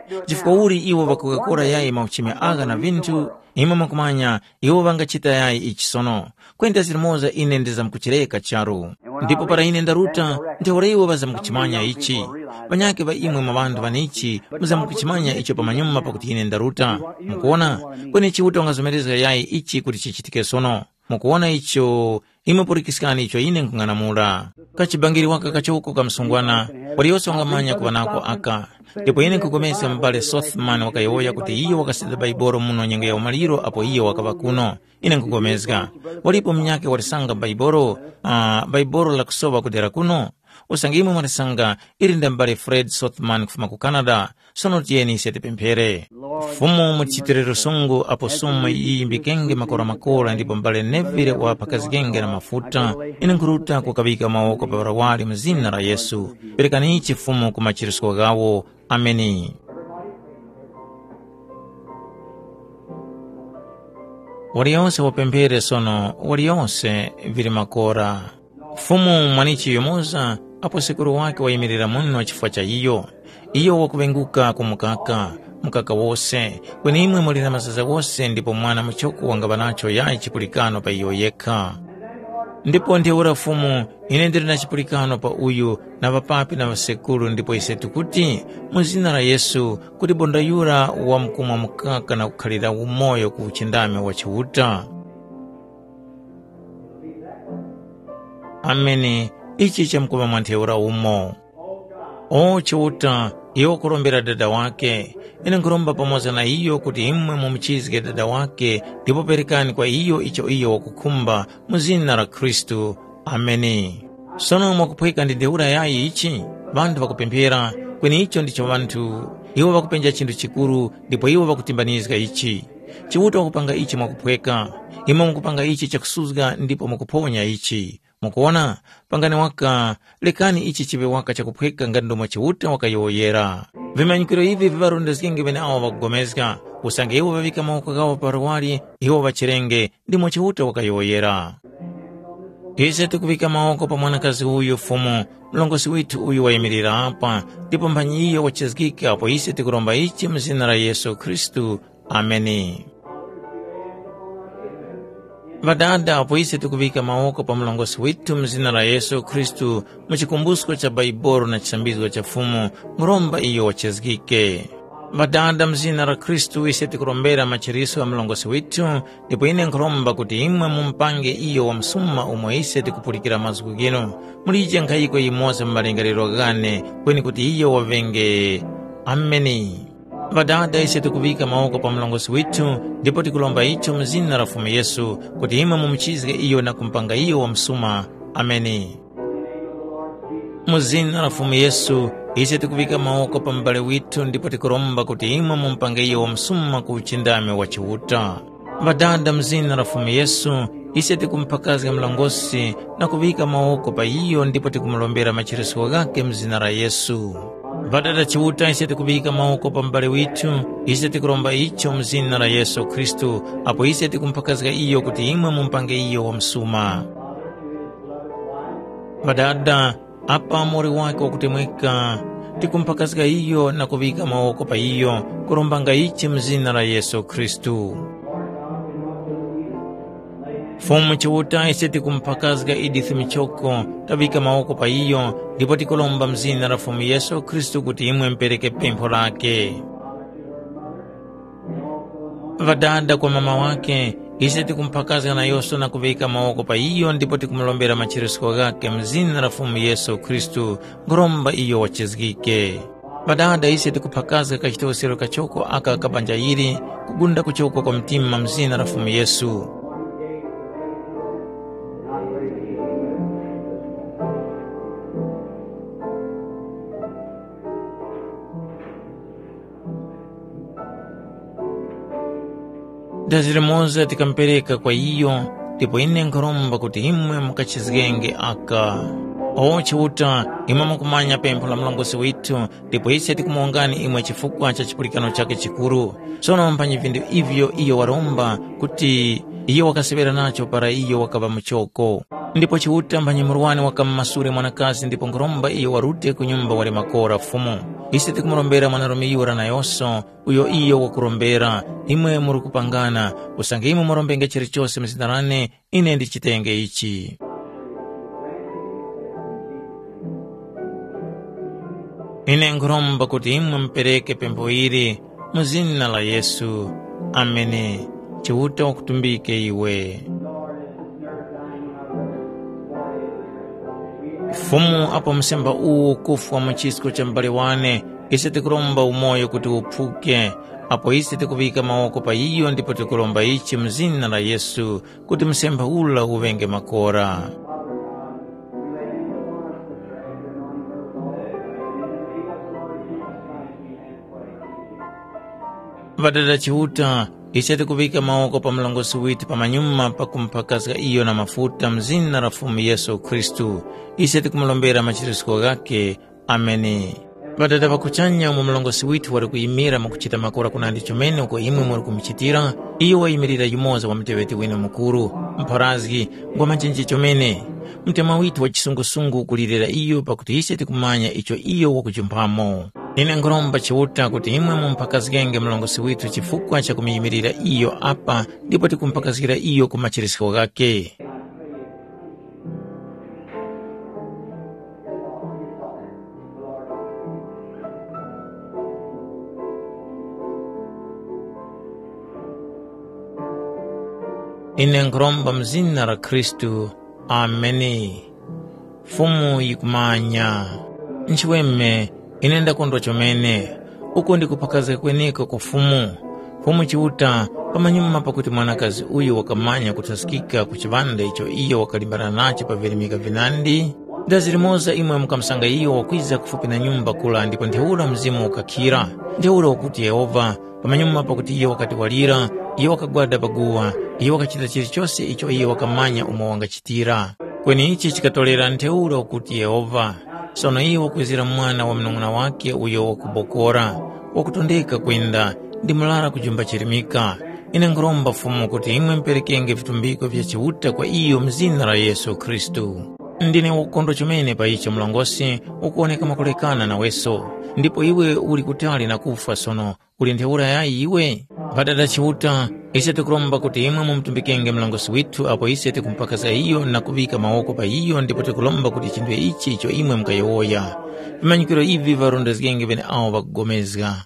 Nchifukwa uli iwo ŵakugakora yayi mauchimi agha na vinthu? Imwe mwakumanya, iwo ŵangachita yayi ichi sono. Kwenda zilimoza ine ndizamkuchireka charu. Ndipo para ine ndaruta, ntheura iwo ŵazamkuchimanya ichi. Ŵanyakhe ŵa imwe mwa ŵanthu ŵanichi muzamkuchimanya icho pamanyuma pakuti ine ndaruta. Mukuwona? Kweni Chiuta wangazomerezga yayi ichi kuti chichitike sono. Mukuwona icho? Imwe pulikiskani icho ine nkhung'anamula. Kachibangiri waka kachoko ka msungwana, waliyose wangamanya kuŵa nako aka. Ndipo ine nkhupulikana mubali Sothman wakayowoya kuti iyo wakasenda Baibolo muno nyengo ya umaliro apo iyo wakaŵa kuno. Ine nkhupulikana. Walipo munyakhe walisanga Baibolo, uh, Baibolo lakusowa kudera kuno? Usange imwe mwalisanga, ili nda m'bale Fred Sothman kufuma ku Canada. Sono tiyeni ise tipemphere. Fumu, muchitire lusungu apo sumu yiyimbikenge makora-makora ndipo m'bale Neville waphakazgenge na mafuta. Ine nkhuruta kukaŵika mawoko pa ŵarawali mu zina la Yesu. Perekani ichi Fumu ku machiritiko ghawo. Ameni. Waliyonse wapemphere sono, waliyonse vili makora. Fumu mwanichi yumoza, apo sekuru wake wayimirira muno chifukwa cha iyo. Iyo wakuŵenguka ku mukaka, mukaka wose, kweni imwe muli na mazaza wose ndipo mwana muchoko wangaŵa nacho yayi chipulikano pa iyo yekha. Ndipo ntheura Fumu, ine ndili na chipulikano pa uyu na ŵapapi na ŵasekuru ndipo ise tikuti, mu zina la Yesu, kuti bonda yura wamkumwa mukaka na kukhalira umoyo ku uchindami wa Chiuta. Ameni. Ichi chamkuŵa mwa ntheura umo. O Chiuta, iyo wakurombera dada wake. Ine nkhuromba pamoza na iyo kuti imwe mumuchizge dada wake ndipo perekani kwa iyo icho iyo wakukhumba mu zina la Khristu. Ameni. Sono mwakuphweka ndi ntheura yayi ichi? Ŵanthu ŵakupemphera, kweni icho ndicho ŵanthu. Iwo ŵakupenja chinthu chikuru ndipo iwo ŵakutimbanizga ichi. Chiuta wakupanga ichi mwakuphweka. Imwe mukupanga ichi chakusuzga ndipo mukuphonya ichi. Mukuwona? Pangani waka, rekani ichi chiŵe waka chakuphweka ngati ndomwe Chiuta wakayowoyera. Vimanyikiro ivi viŵarondezgenge ŵeneawo ŵakupulikana, usange iwo ŵaŵika mawoko ghawo pa luwali, iwo ŵachirenge, ndimo Chiuta wakayowoyera. Ise tikuŵika mawoko pa mwanakazi uyu Fumu, mlongosi withu uyu wayimilira apa, ndipo mphanyi iyo wachizgika apo ise tikuromba ichi mu zina la Yesu Khristu. Ameni. Ŵadada, apo ise tikuŵika mawoko pa mlongosi withu mu zina la Yesu Khristu, mu chikumbusko cha Baibolo na chisambizgo cha Fumu, nkhuromba iyo wachizgike. Ŵadada, mu zina la Khristu ise tikurombera machiriso gha mlongosi withu, ndipo ine nkhuromba kuti imwe mumupange iyo wa msuma umo ise tikupulikira mazgu ghinu. Mulije nkhayiko yimoza mu malingaliro ghane, kweni kuti iyo waŵenge. Ameni. Ŵadada, ise tikuŵika mawoko pa mlongosi withu, ndipo tikuromba icho mu zina la Fumu Yesu, kuti imwe mumuchizge iyo na kumupanga iyo wa msuma. Ameni. Mu zina la Fumu Yesu, ise tikuŵika mawoko pa mubali withu ndipo tikuromba kuti imwe mumupange iyo wa msuma ku uchindami wa Chiuta. Ŵadada, mu zina la Fumu Yesu, ise tikumuphakazga mlongosi na kuŵika mawoko pa iyo ndipo tikumurombera machirisko ghakhe mu zina la Yesu. Ŵadada Chiuta, ise tikuŵika mawoko pa mubali withu, ise tikuromba icho mu zina la Yesu Khristu, apo ise tikumuphakazga iyo kuti imwe mumupange iyo wa msuma. Ŵadada, apa muwoli wakhe wakutemweka, tikumuphakazga iyo na kuŵika mawoko pa iyo, kurombanga ichi mu zina la Yesu Khristu. Fumu Chiuta, ise tikumuphakazga Edith Michoko, taŵika mawoko pa iyo, ndipo tikuromba mu zina la Fumu Yesu Khristu kuti imwe mupereke pempho lakhe. Ŵadada kwa mama wakhe, ise tikumuphakazga nayose na kuŵika mawoko pa iyo ndipo tikumurombera machirisko ghakhe mu zina la Fumu Yesu Khristu, nkhuromba iyo wachizgike. Ŵadada, ise tikuphakazga kachitoskero kachoko aka ka banja ili, kugunda kuchoko kwa mtima mu zina la Fumu Yesu. Dazi limoza tikamupereka kwa iyo, ndipo ine nkhuromba kuti imwe mukachizgenge aka. O Chiuta, imwe mukumanya pempho la mlongosi withu, ndipo ise tikumuwongani imwe chifukwa cha chipulikano chakhe chikuru. Sono mphanyi vinthu ivyo iyo waromba kuti iyo wakaseŵera nacho para iyo wakaŵa muchoko. Ndipo Chiuta mphanyi murwani wakamumasule mwanakazi ndipo nkhuromba iyo warute ku nyumba wali makora Fumu. Ise tikumurombera mwanarume yura nayose, uyo iyo wakurombera, imwe muri kupangana, usange imwe murombenge chilichose mu zina lane, ine ndichitenge ichi. Ine nkhuromba kuti imwe mupereke pempho ili mu zina la Yesu. Ameni. Chiuta wakutumbike iwe. Fumu, apo msemba uwu ukufwa mu chisko cha mubali wane, ise tikuromba umoyo kuti uphuke, apo ise tikuŵika mawoko pa iyo ndipo tikuromba ichi mu zina la Yesu, kuti msemba ula uŵenge makora. Ŵadada Chiuta, ise tikuŵika mawoko pa mlongosi withu pamanyuma pakumuphakazga iyo na mafuta mu zina la Fumu Yesu Khristu. Ise tikumurombera machirisko ghakhe. Ameni. Ŵadada ŵa kuchanya, umo mlongosi withu wali kuyimira mwakuchita makora kunandi chomene uko imwe muli kumuchitira, iyo wayimirira yumoza wa muteŵeti winu mukuru, mpharazgi, ngwa machenje chomene. Mtima withu wa chisungusungu ukulirira iyo pakuti ise tikumanya icho iyo wakujumphamo. Ine nkhuromba Chiuta kuti imwe mumuphakazgenge mlongosi withu chifukwa cha kumuyimilira iyo apa ndipo tikumuphakazgira iyo ku machirisko ghakhe. Ine nkhuromba mu zina la Khristu. Ameni. Fumu yikumanya. Nchiweme, ine ndakondwa chomene. Uko ndi kuphakazga kweneko kwa Fumu. Fumu Chiuta, pamanyuma pakuti mwanakazi uyu wakamanya kuthaskika ku chiŵanda icho iyo wakalimbana nacho pa virimika vinandi, Dazi limoza imwe mukamusanga iyo wakwiza kufupi na nyumba kula ndipo ntheura mzimu ukakhira. Ntheura ukuti Yehovha, pamanyuma pakuti iyo wakati walira, iyo wakagwada pa guwa, iyo wakachita chilichose icho iyo wakamanya umo wangachitira. Kweni ichi chikatorera ntheura ukuti Yehovha. Sono iyo wakwezera mwana wa munung'una wake uyo wakubokora, wakutondeka kwenda, ndi murara kujumba chirimika. Ine nkhuromba Fumu kuti imwe muperekenge vitumbiko vya Chiuta kwa iyo mu zina la Yesu Khristu. Ndine wakukondwa chomene pa icho mlongosi ukuwoneka mwakulekana naweso, ndipo iwe uli kutali na kufwa sono, uli ntheura yayi iwe? Ŵadada Chiuta, ise tikuromba kuti imwe mumutumbikenge mlongosi withu apo ise tikumupakaza iyo na kuŵika mawoko pa iyo ndipo tikuromba kuti chinthu ichi icho imwe mukayowoya. Vimanyikiro ivi varondezgenge ŵeneawo ŵakupulikana.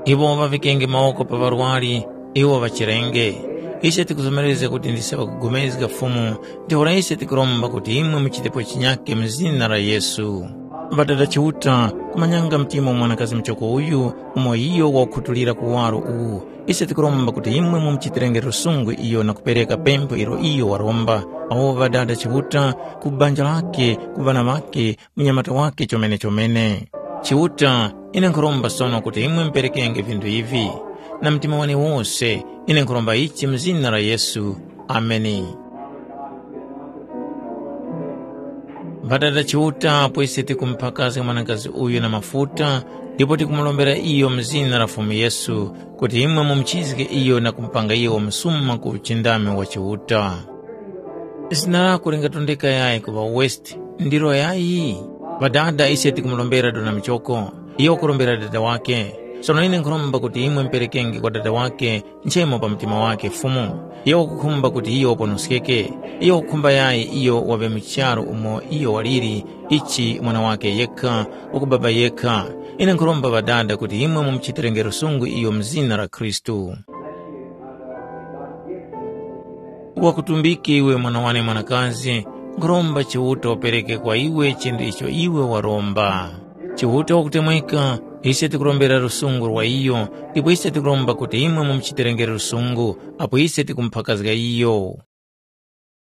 Iwo ŵaŵikenge mawoko pa ŵarwari, iwo ŵachirenge. Ise tikuzomerezga kuti ndise ŵakupulikana Fumu, ntheura ise tikuromba kuti imwe muchitepo chinyake mu zina la Yesu. Ŵadada Chiuta, kumanyanga mtima wa mwanakazi muchoko uyu, umo iyo wakukhutulira kuwaro uwu. Ise tikuromba kuti imwe mumuchitirenge lusungu iyo na kupereka pempho ilo iyo waromba. Awo ŵadada Chiuta, ku banja lake, ku ŵana ŵake, munyamata wake chomene-chomene. Chiuta, ine nkhuromba sono kuti imwe muperekenge vinthu ivi. Na mtima wane wose, ine nkhuromba ichi mu zina la Yesu. Ameni. Ŵadada Chiuta, apo ise tikumuphakazga mwanakazi uyu na mafuta, ndipo tikumurombera iyo mu zina la Fumu Yesu, kuti imwe mumuchizge iyo na kumupanga iyo msuma ku uchindami wa Chiuta. Zina lako lingatondeka yayi ku ŵa West, ndilo yayi? Ŵadada ise tikumurombera dona michoko, iyo wakurombera dada wake. Sono ine nkhuromba kuti imwe muperekenge kwa dada wake nchemo pa mtima wake Fumu. Iyo wakukhumba kuti iyo waponoskeke. Iyo wakukhumba yayi iyo waŵe mu charu umo iyo waliri, ichi mwana wake yekha, wakubaba yekha. Ine nkhuromba ŵadada kuti imwe mumuchitirenge lusungu iyo mu zina la Khristu. Wakutumbike iwe mwana wane mwanakazi, nkhuromba Chiuta upereke kwa iwe chinthu icho iwe waromba. Chiuta wakutemweka, ise tikurombera lusungu lwa iyo, ndipo ise tikuromba kuti imwe mumuchiterengere lusungu, apo ise tikumuphakazga iyo.